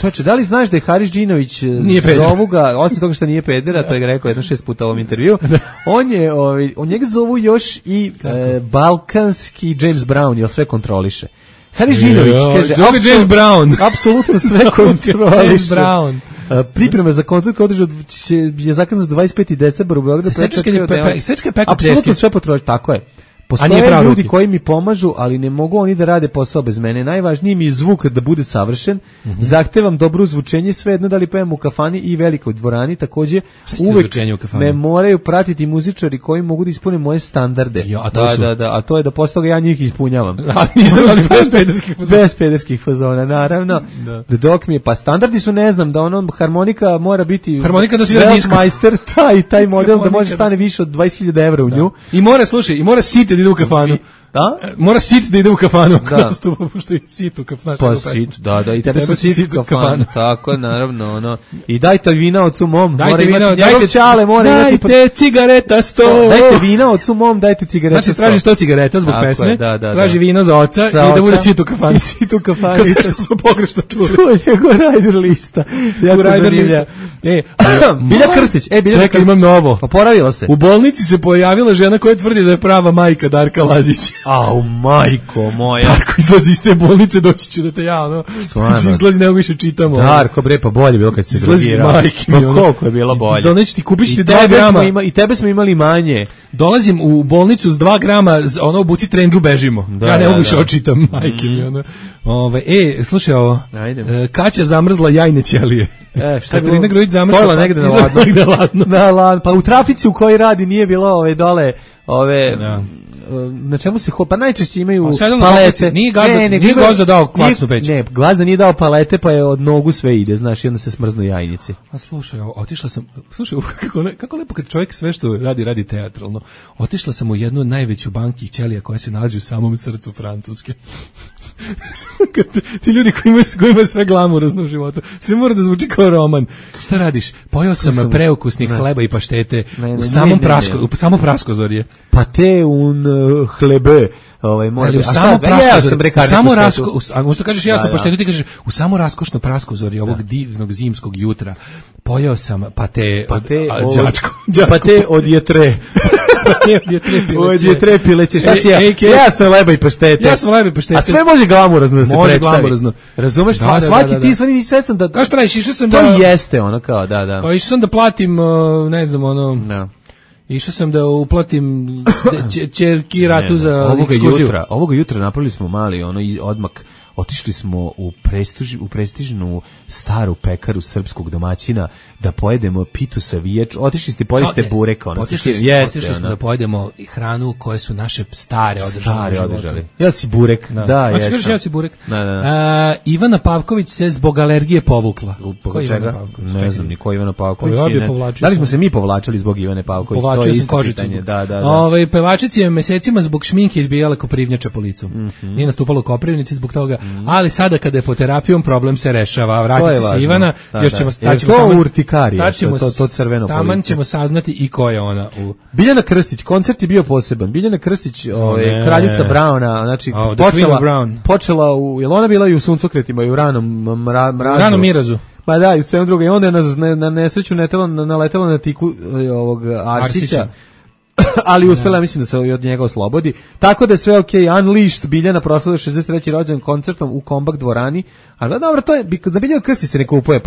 Čoče, da li znaš da je Haris Džinović zovu ga, osim toga što nije pedera, to je ga rekao 6 puta u ovom intervju, on njega zovu još i balkanski James Brown, jer sve kontroliše. Haris Džinović kaže, James Brown. Apsolutno sve kontroliše. James Brown. Priprema za koncert koji je zakazan za 25. decembar u Beogradu. Apsolutno sve potroši, tako je. Postoje ljudi koji mi pomažu, ali ne mogu oni da rade posao bez mene. Najvažniji mi je zvuk da bude savršen. Zahtevam dobro zvučenje, svejedno da li pevam u kafani i velikoj dvorani. Takođe, uvek me moraju pratiti muzičari koji mogu da ispune moje standarde. A to je da posle toga ja njih ispunjavam. Bez pederskih fazona, naravno. Dok mi je, pa standardi su, ne znam, da harmonika mora biti majster, taj model da može stane više od 20.000 evra u nju. I mora siti ide u kafanu. Da? Mora sit da ide u kafanu. Da. Pošto je sit u kafanu. Pa sit, da. I tebe su sit u kafanu. Tako, naravno, ono. I dajte vina ocu mom. Dajte cigareta 100. Dajte vina ocu mom, dajte cigareta 100. Znači, traži 100 cigareta zbog pesme. Traži vino za oca i da bude sit u kafanu. I sit u kafanu. Kao sve što smo pogrešno čuli. To je go Rider lista. Jako zanimljiva. Bilja Krstić. Čekaj, imam novo. Oporavila se. U bolnici se pojavila žena koja tvrdi da je prava majka Darka Lazić. Au, majko moja. Darko izlazi iz te bolnice, doći ću da te ja, ono. Znači, izlazi, nego više čitamo. Darko, bre, pa bolje bilo kad se drogirao. Majke mi, ono. Koliko je bilo bolje. Doneći ti, kupiš ti 2 grama. I tebe smo imali manje. Dolazim u bolnicu s 2 grama, ono, obuci trendžu, bežimo. Ja ne mogu više očitam, majke mi, ono. Slušaj ovo. Kaća zamrzla jajne ćelije. Šta je bilo? Stojila negde na ladno. Pa u trafici u kojoj radi nije bilo dole na čemu se pa najčešće imaju palete. Nije Gazda dao kvacnu peć. Ne, Gazda nije dao palete, pa je od nogu sve ide, znaš, i onda se smrznu jajnici. A slušaj, otišla sam, kako lepo kad čovjek sve što radi teatralno. Otišla sam u jednu najveću banki ćelija koja se nalazi u samom srcu Francuske. Ti ljudi koji imaju sve glamurozno u životu, sve mora da zvuči kao roman. Šta radiš? Pojeo sam preukusnih hleba i paštete u samo praskozorje. Pate un hlebe. Mora usto kažeš ja sam paštetu, ti kažeš u samo raskošno praskozorje ovog divnog zimskog jutra. Pojeo sam pate od jetre. Od jetre pileće. Šta si ja sam leba i paštete. A sve može glamurozno da se predstavi. Razumeš? Svaki ti svani nisi svestan da... Kao što radiš, išao sam da... To jeste ono kao, da. Pa išao sam da platim, ne znam, ono... Išao sam da uplatim ćerki ratu za ekskurziju. Ovoga jutra napravili smo mali odmak. Otišli smo u prestižnu staru pekaru srpskog domaćina da pojedemo pitu sa viječ. Otišli ste pojeste burek. Otišli smo da pojedemo hranu koje su naše stare održali. Ja si burek. Da, ja si burek. Ivana Pavković se zbog alergije povukla. Ko čega? Ne znam ni ko Ivana Pavković. Da li smo se mi povlačili zbog Ivane Pavković? Povlačio sam kožicu. Pevačica je mesecima zbog šminke izbijala Koprivnjača po licu. Nije nastupala u Koprivnici zbog toga. Ali sada kada je po terapijom problem se rešava. Vratit se Ivana, još ćemo to crveno police. Taman ćemo saznati i ko je ona. Biljana Krstić, koncert je bio poseban. Biljana Krstić, kraljica Brauna, znači počela u, jel ona bila i u Suncokretima i u ranom mirazu. Pa da, i u svem drugo. I onda je na nesreću naletela na tiku ovog Arsića. Ali uspela, mislim da se od njega oslobodi. Tako da je sve okej. Unleashed, Biljana proslavila 63. rođendan koncertom u Kombak dvorani. Ali dobro, to je, za Biljanu Krstić se ne kupuje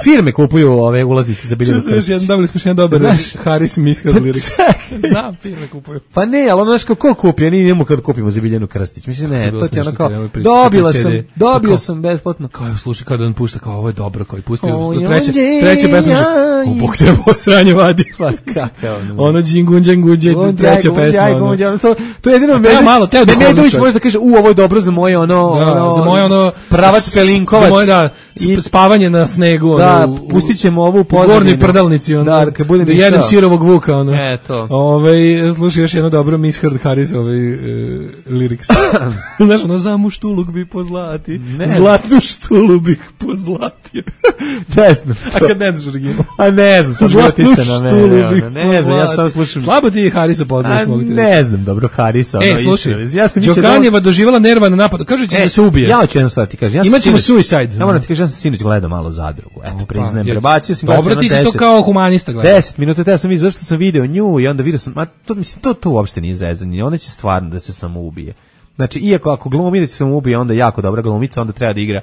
firme kupuju ove ulaznice za Biljanu Krstić. Dobili smo jedan dobar Haris Mishard lyrics. Znam, firme kupuju. Pa ne, ali ono znaš ko kupi, ja nijemo kad kupimo za Biljanu Krstić. Mislim, ne, to ti je ono kao, dobio sam besplatno. Kao je slušaj, kao da on pušta, kao ovo je dobro, kao je pustio treće pesme, Bog te sranje vadi. Ono Džingunđe, treća pesma. To je jedino Medović može da kaže, ovo je dobro za moje ono pravac Pelinkovac. I spavanje na snegu. Da, pustit ćemo ovu pozadinu. Gornji prdalnici. Da jedem sirovog vuka. Eto. Slušaj još jedno dobro Mishard Harris lyrics. Znaš, za muštuluk bi pozlati. Zlatnu štulu bih pozlatio. Ne znam. A kad ne znaš original? A ne znam. Zlatnu štulu bih pozlatio. Ne znam, ja sam slušam. Slabo ti Harisa poznaš, mogu ti reći. Ne znam, dobro, Harisa. Slušaj, Đokanjeva doživala nervan napad. Kaže će da se ubije. Ja hoću jednu stvar ti kažem. Imaćemo suicide. Ja moram ti kažem, ja sam sinoć gledao malo Zadrugu. Eto, priznajem, prebacio sam. Dobro, ti si to kao humanista gledao. 10 minuta, te ja sam vidio zašto sam video nju i onda vidio sam, to uopšte nije zezanje. Ona će stvarno da se samo ubije. Znači, iako ako glumi da će se samo ubije, onda jako dobra glumica, onda treba da igra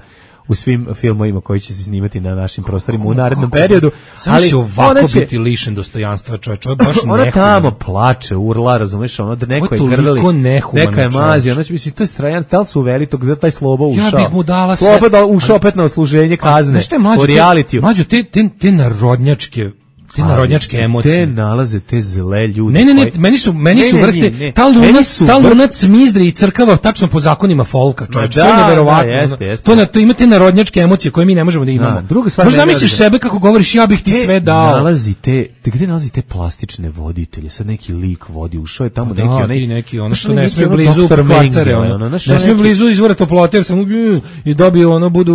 u svim filmovima koji će se snimati na našim prostorima u narednom periodu. Ali će ovako biti lišen dostojanstva, čovječ, ovo je baš nehuman. Ona tamo plače, urla, razumeš, ono da neko je grli, neka je mazio, znači mislim, to je strajan, tel su uveli tog, da taj Slobo ušao. Ja bih mu dala sve. Slobo ušao opet na odsluženje kazne, po realitiju. Mađo, te narodnjačke emocije. Te nalaze te zle ljude. Ne, meni su vrhte. Ta lunac mizdri i crkava tačno po zakonima folka, čovječ. To je neverovatno. To ima te narodnjačke emocije koje mi ne možemo da imamo. Možda zamisliš sebe kako govoriš, ja bih ti sve dao. Gde nalazi te plastične voditelje? Sad neki lik vodi, ušao je tamo neki ono što ne smije blizu kvacare. Ne smije blizu izvora toplote, jer sam i dobio budu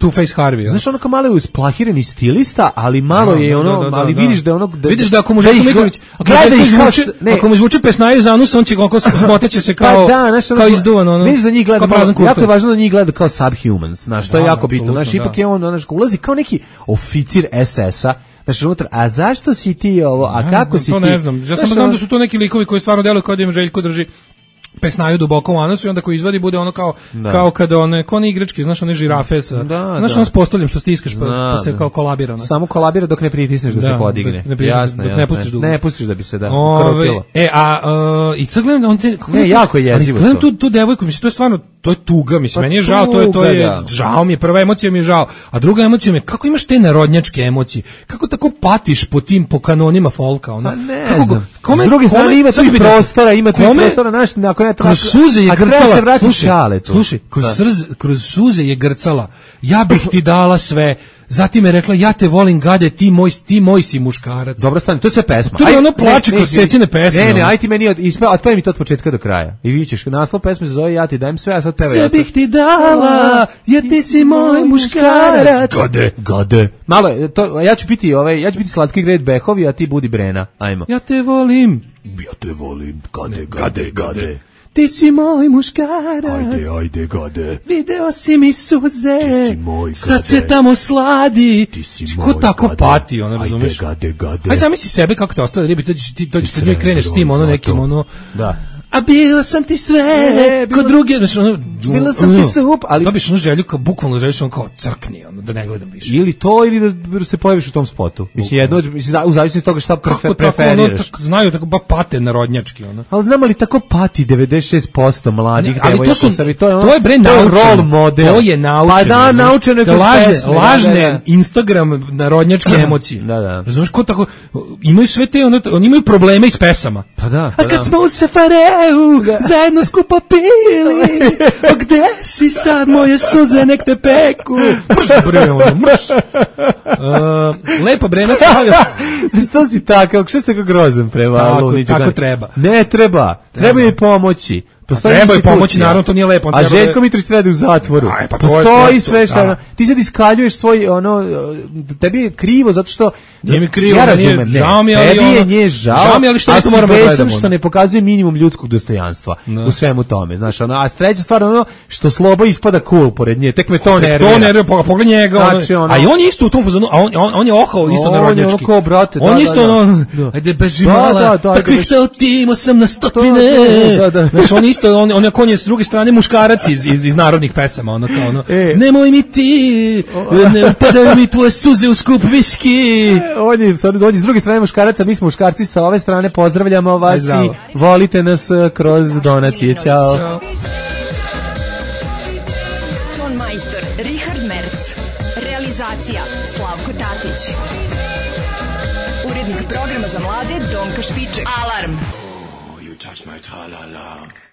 Two-Face Harvey. Znaš, ono kao malo je usplahirani stilista, ali malo je ono, ali vidiš da vidiš da ako mu Željko Mitrović ako mu zvuči pesnaju za anus, on će smoteće se kao izduvan vidiš da njih gleda, jako je važno da njih gleda kao subhumans, znaš, to je jako bitno, znaš, ipak je on ulazi kao neki oficir SS-a. Znači, unutra, a zašto si ti ovo, a kako si ti? To ne znam, ja samo znam da su to neki likovi koji stvarno deluju kao da im Željko drži pesnaju duboko u anusu i onda ko izvadi bude ono kao kada one igračke, znaš, one žirafe sa, znaš, ono s postoljem što stiskaš pa se kao kolabira. Samo kolabira dok ne pritisneš da se podigne. Jasno, dok ne pustiš dugo. Ne pustiš da bi se ukrotilo. I sad gledam da on te... jako je jezivo to. Gledam tu devojku, mislim, to je stvarno, to je tuga, mislim, meni je žao, to je žao mi je, prva emocija mi je žao, a druga emocija mi je, kako imaš te narodnjačke emocije, kako tako patiš po kanonima folka, ono. Ne znam. S druge strane ima tu prostora, znaš, ako ne treba... Kroz suze je grcala, slušaj, kroz suze je grcala, ja bih ti dala sve, zatim je rekla, ja te volim gade, ti moj si muškarac. Dobro, stani, to je sve pesma. To je ono plače kroz cecine pesme. Ne, aj ti meni otpaj mi to od početka do kraja. I vi ćeš, naslov pesme se zove Ja ti dajem sve, a sad peva sve bih ti dala, jer ti si moj muškarac. Gade. Malo, ja ću biti slatki Gret Behovi, a ti budi Brena. Ajmo. Ja te volim, gade. Ti si moj muškarac. Ajde, gade. Video si mi suze. Ti si moj, sad se tamo sladi. Ti si ko tako pati, ono, razumeš? Gade. Aj zamisli sebe kako te ostale ribi, dođeš kod njoj, kreneš s tim, ono, nekim, ono... Da. A bila sam ti sve, kod druge, znači, ono... Bila sam ti sup, ali... Dobiš ono želju, bukvalno želiš ono kao crkni, ono, da ne gledam više. Ili to, ili da se pojaviš u tom spotu. Mislim, jedno, u zavisnosti toga šta preferiraš. Kako znaju, tako ba pate narodnjački, ono. Ali znam li tako pati 96% mladih devojaka. To je bre naučeno. To je role model. To je naučeno. Pa da, naučeno je kroz pesme. Lažne Instagram narodnjačke emocije. Da. Razumiješ, ko tako, imaju sve te, oni imaju probleme iz pesama. Pa da. A kad smo u Safareu, zajedno skupo pili, gde si sad, moje suze nek te peku. Mrš, bre, ono, mrš. Lepa Brena stavio. To si takav, što ste tako grozan prema Luniću? Tako treba. Ne treba, treba mi pomoći. Treba je pomoći, naravno, to nije lepo. A Željko Mitrović treba u zatvoru. Postoji sve što... Ti sad iskaljuješ svoj, tebi je krivo, zato što... Nije mi krivo, ja razumem, žao mi, ali tebi je nje žao, ali što to moramo gledamo. A si besan što ne pokazuje minimum ljudskog dostojanstva u svemu tome, znaš, a treća stvar, što Slobo ispada cool pored nje, tek me to nervira. To nervira, pogledaj njega, a i on je isto u tom fazonu, a on je ohao isto narodnjački. On je isto ajde beži mala, takvih te otimo sam na stotine. Znaš, on isto, on je s druge strane muškarac iz narodnih pesama, ono kao ono, nemoj mi ti, ne padaju mi tvoje suze u skup viski. On je s druge strane muškaraca, mi smo muškarci sa ove strane, pozdravljamo vas i volite nas kroz donacije. Ćao. Ton majstor Richard Merc. Realizacija Slavko Tatić. Urednik programa za mlade Donka Špiček. Alarm. You touch my tra-la-la.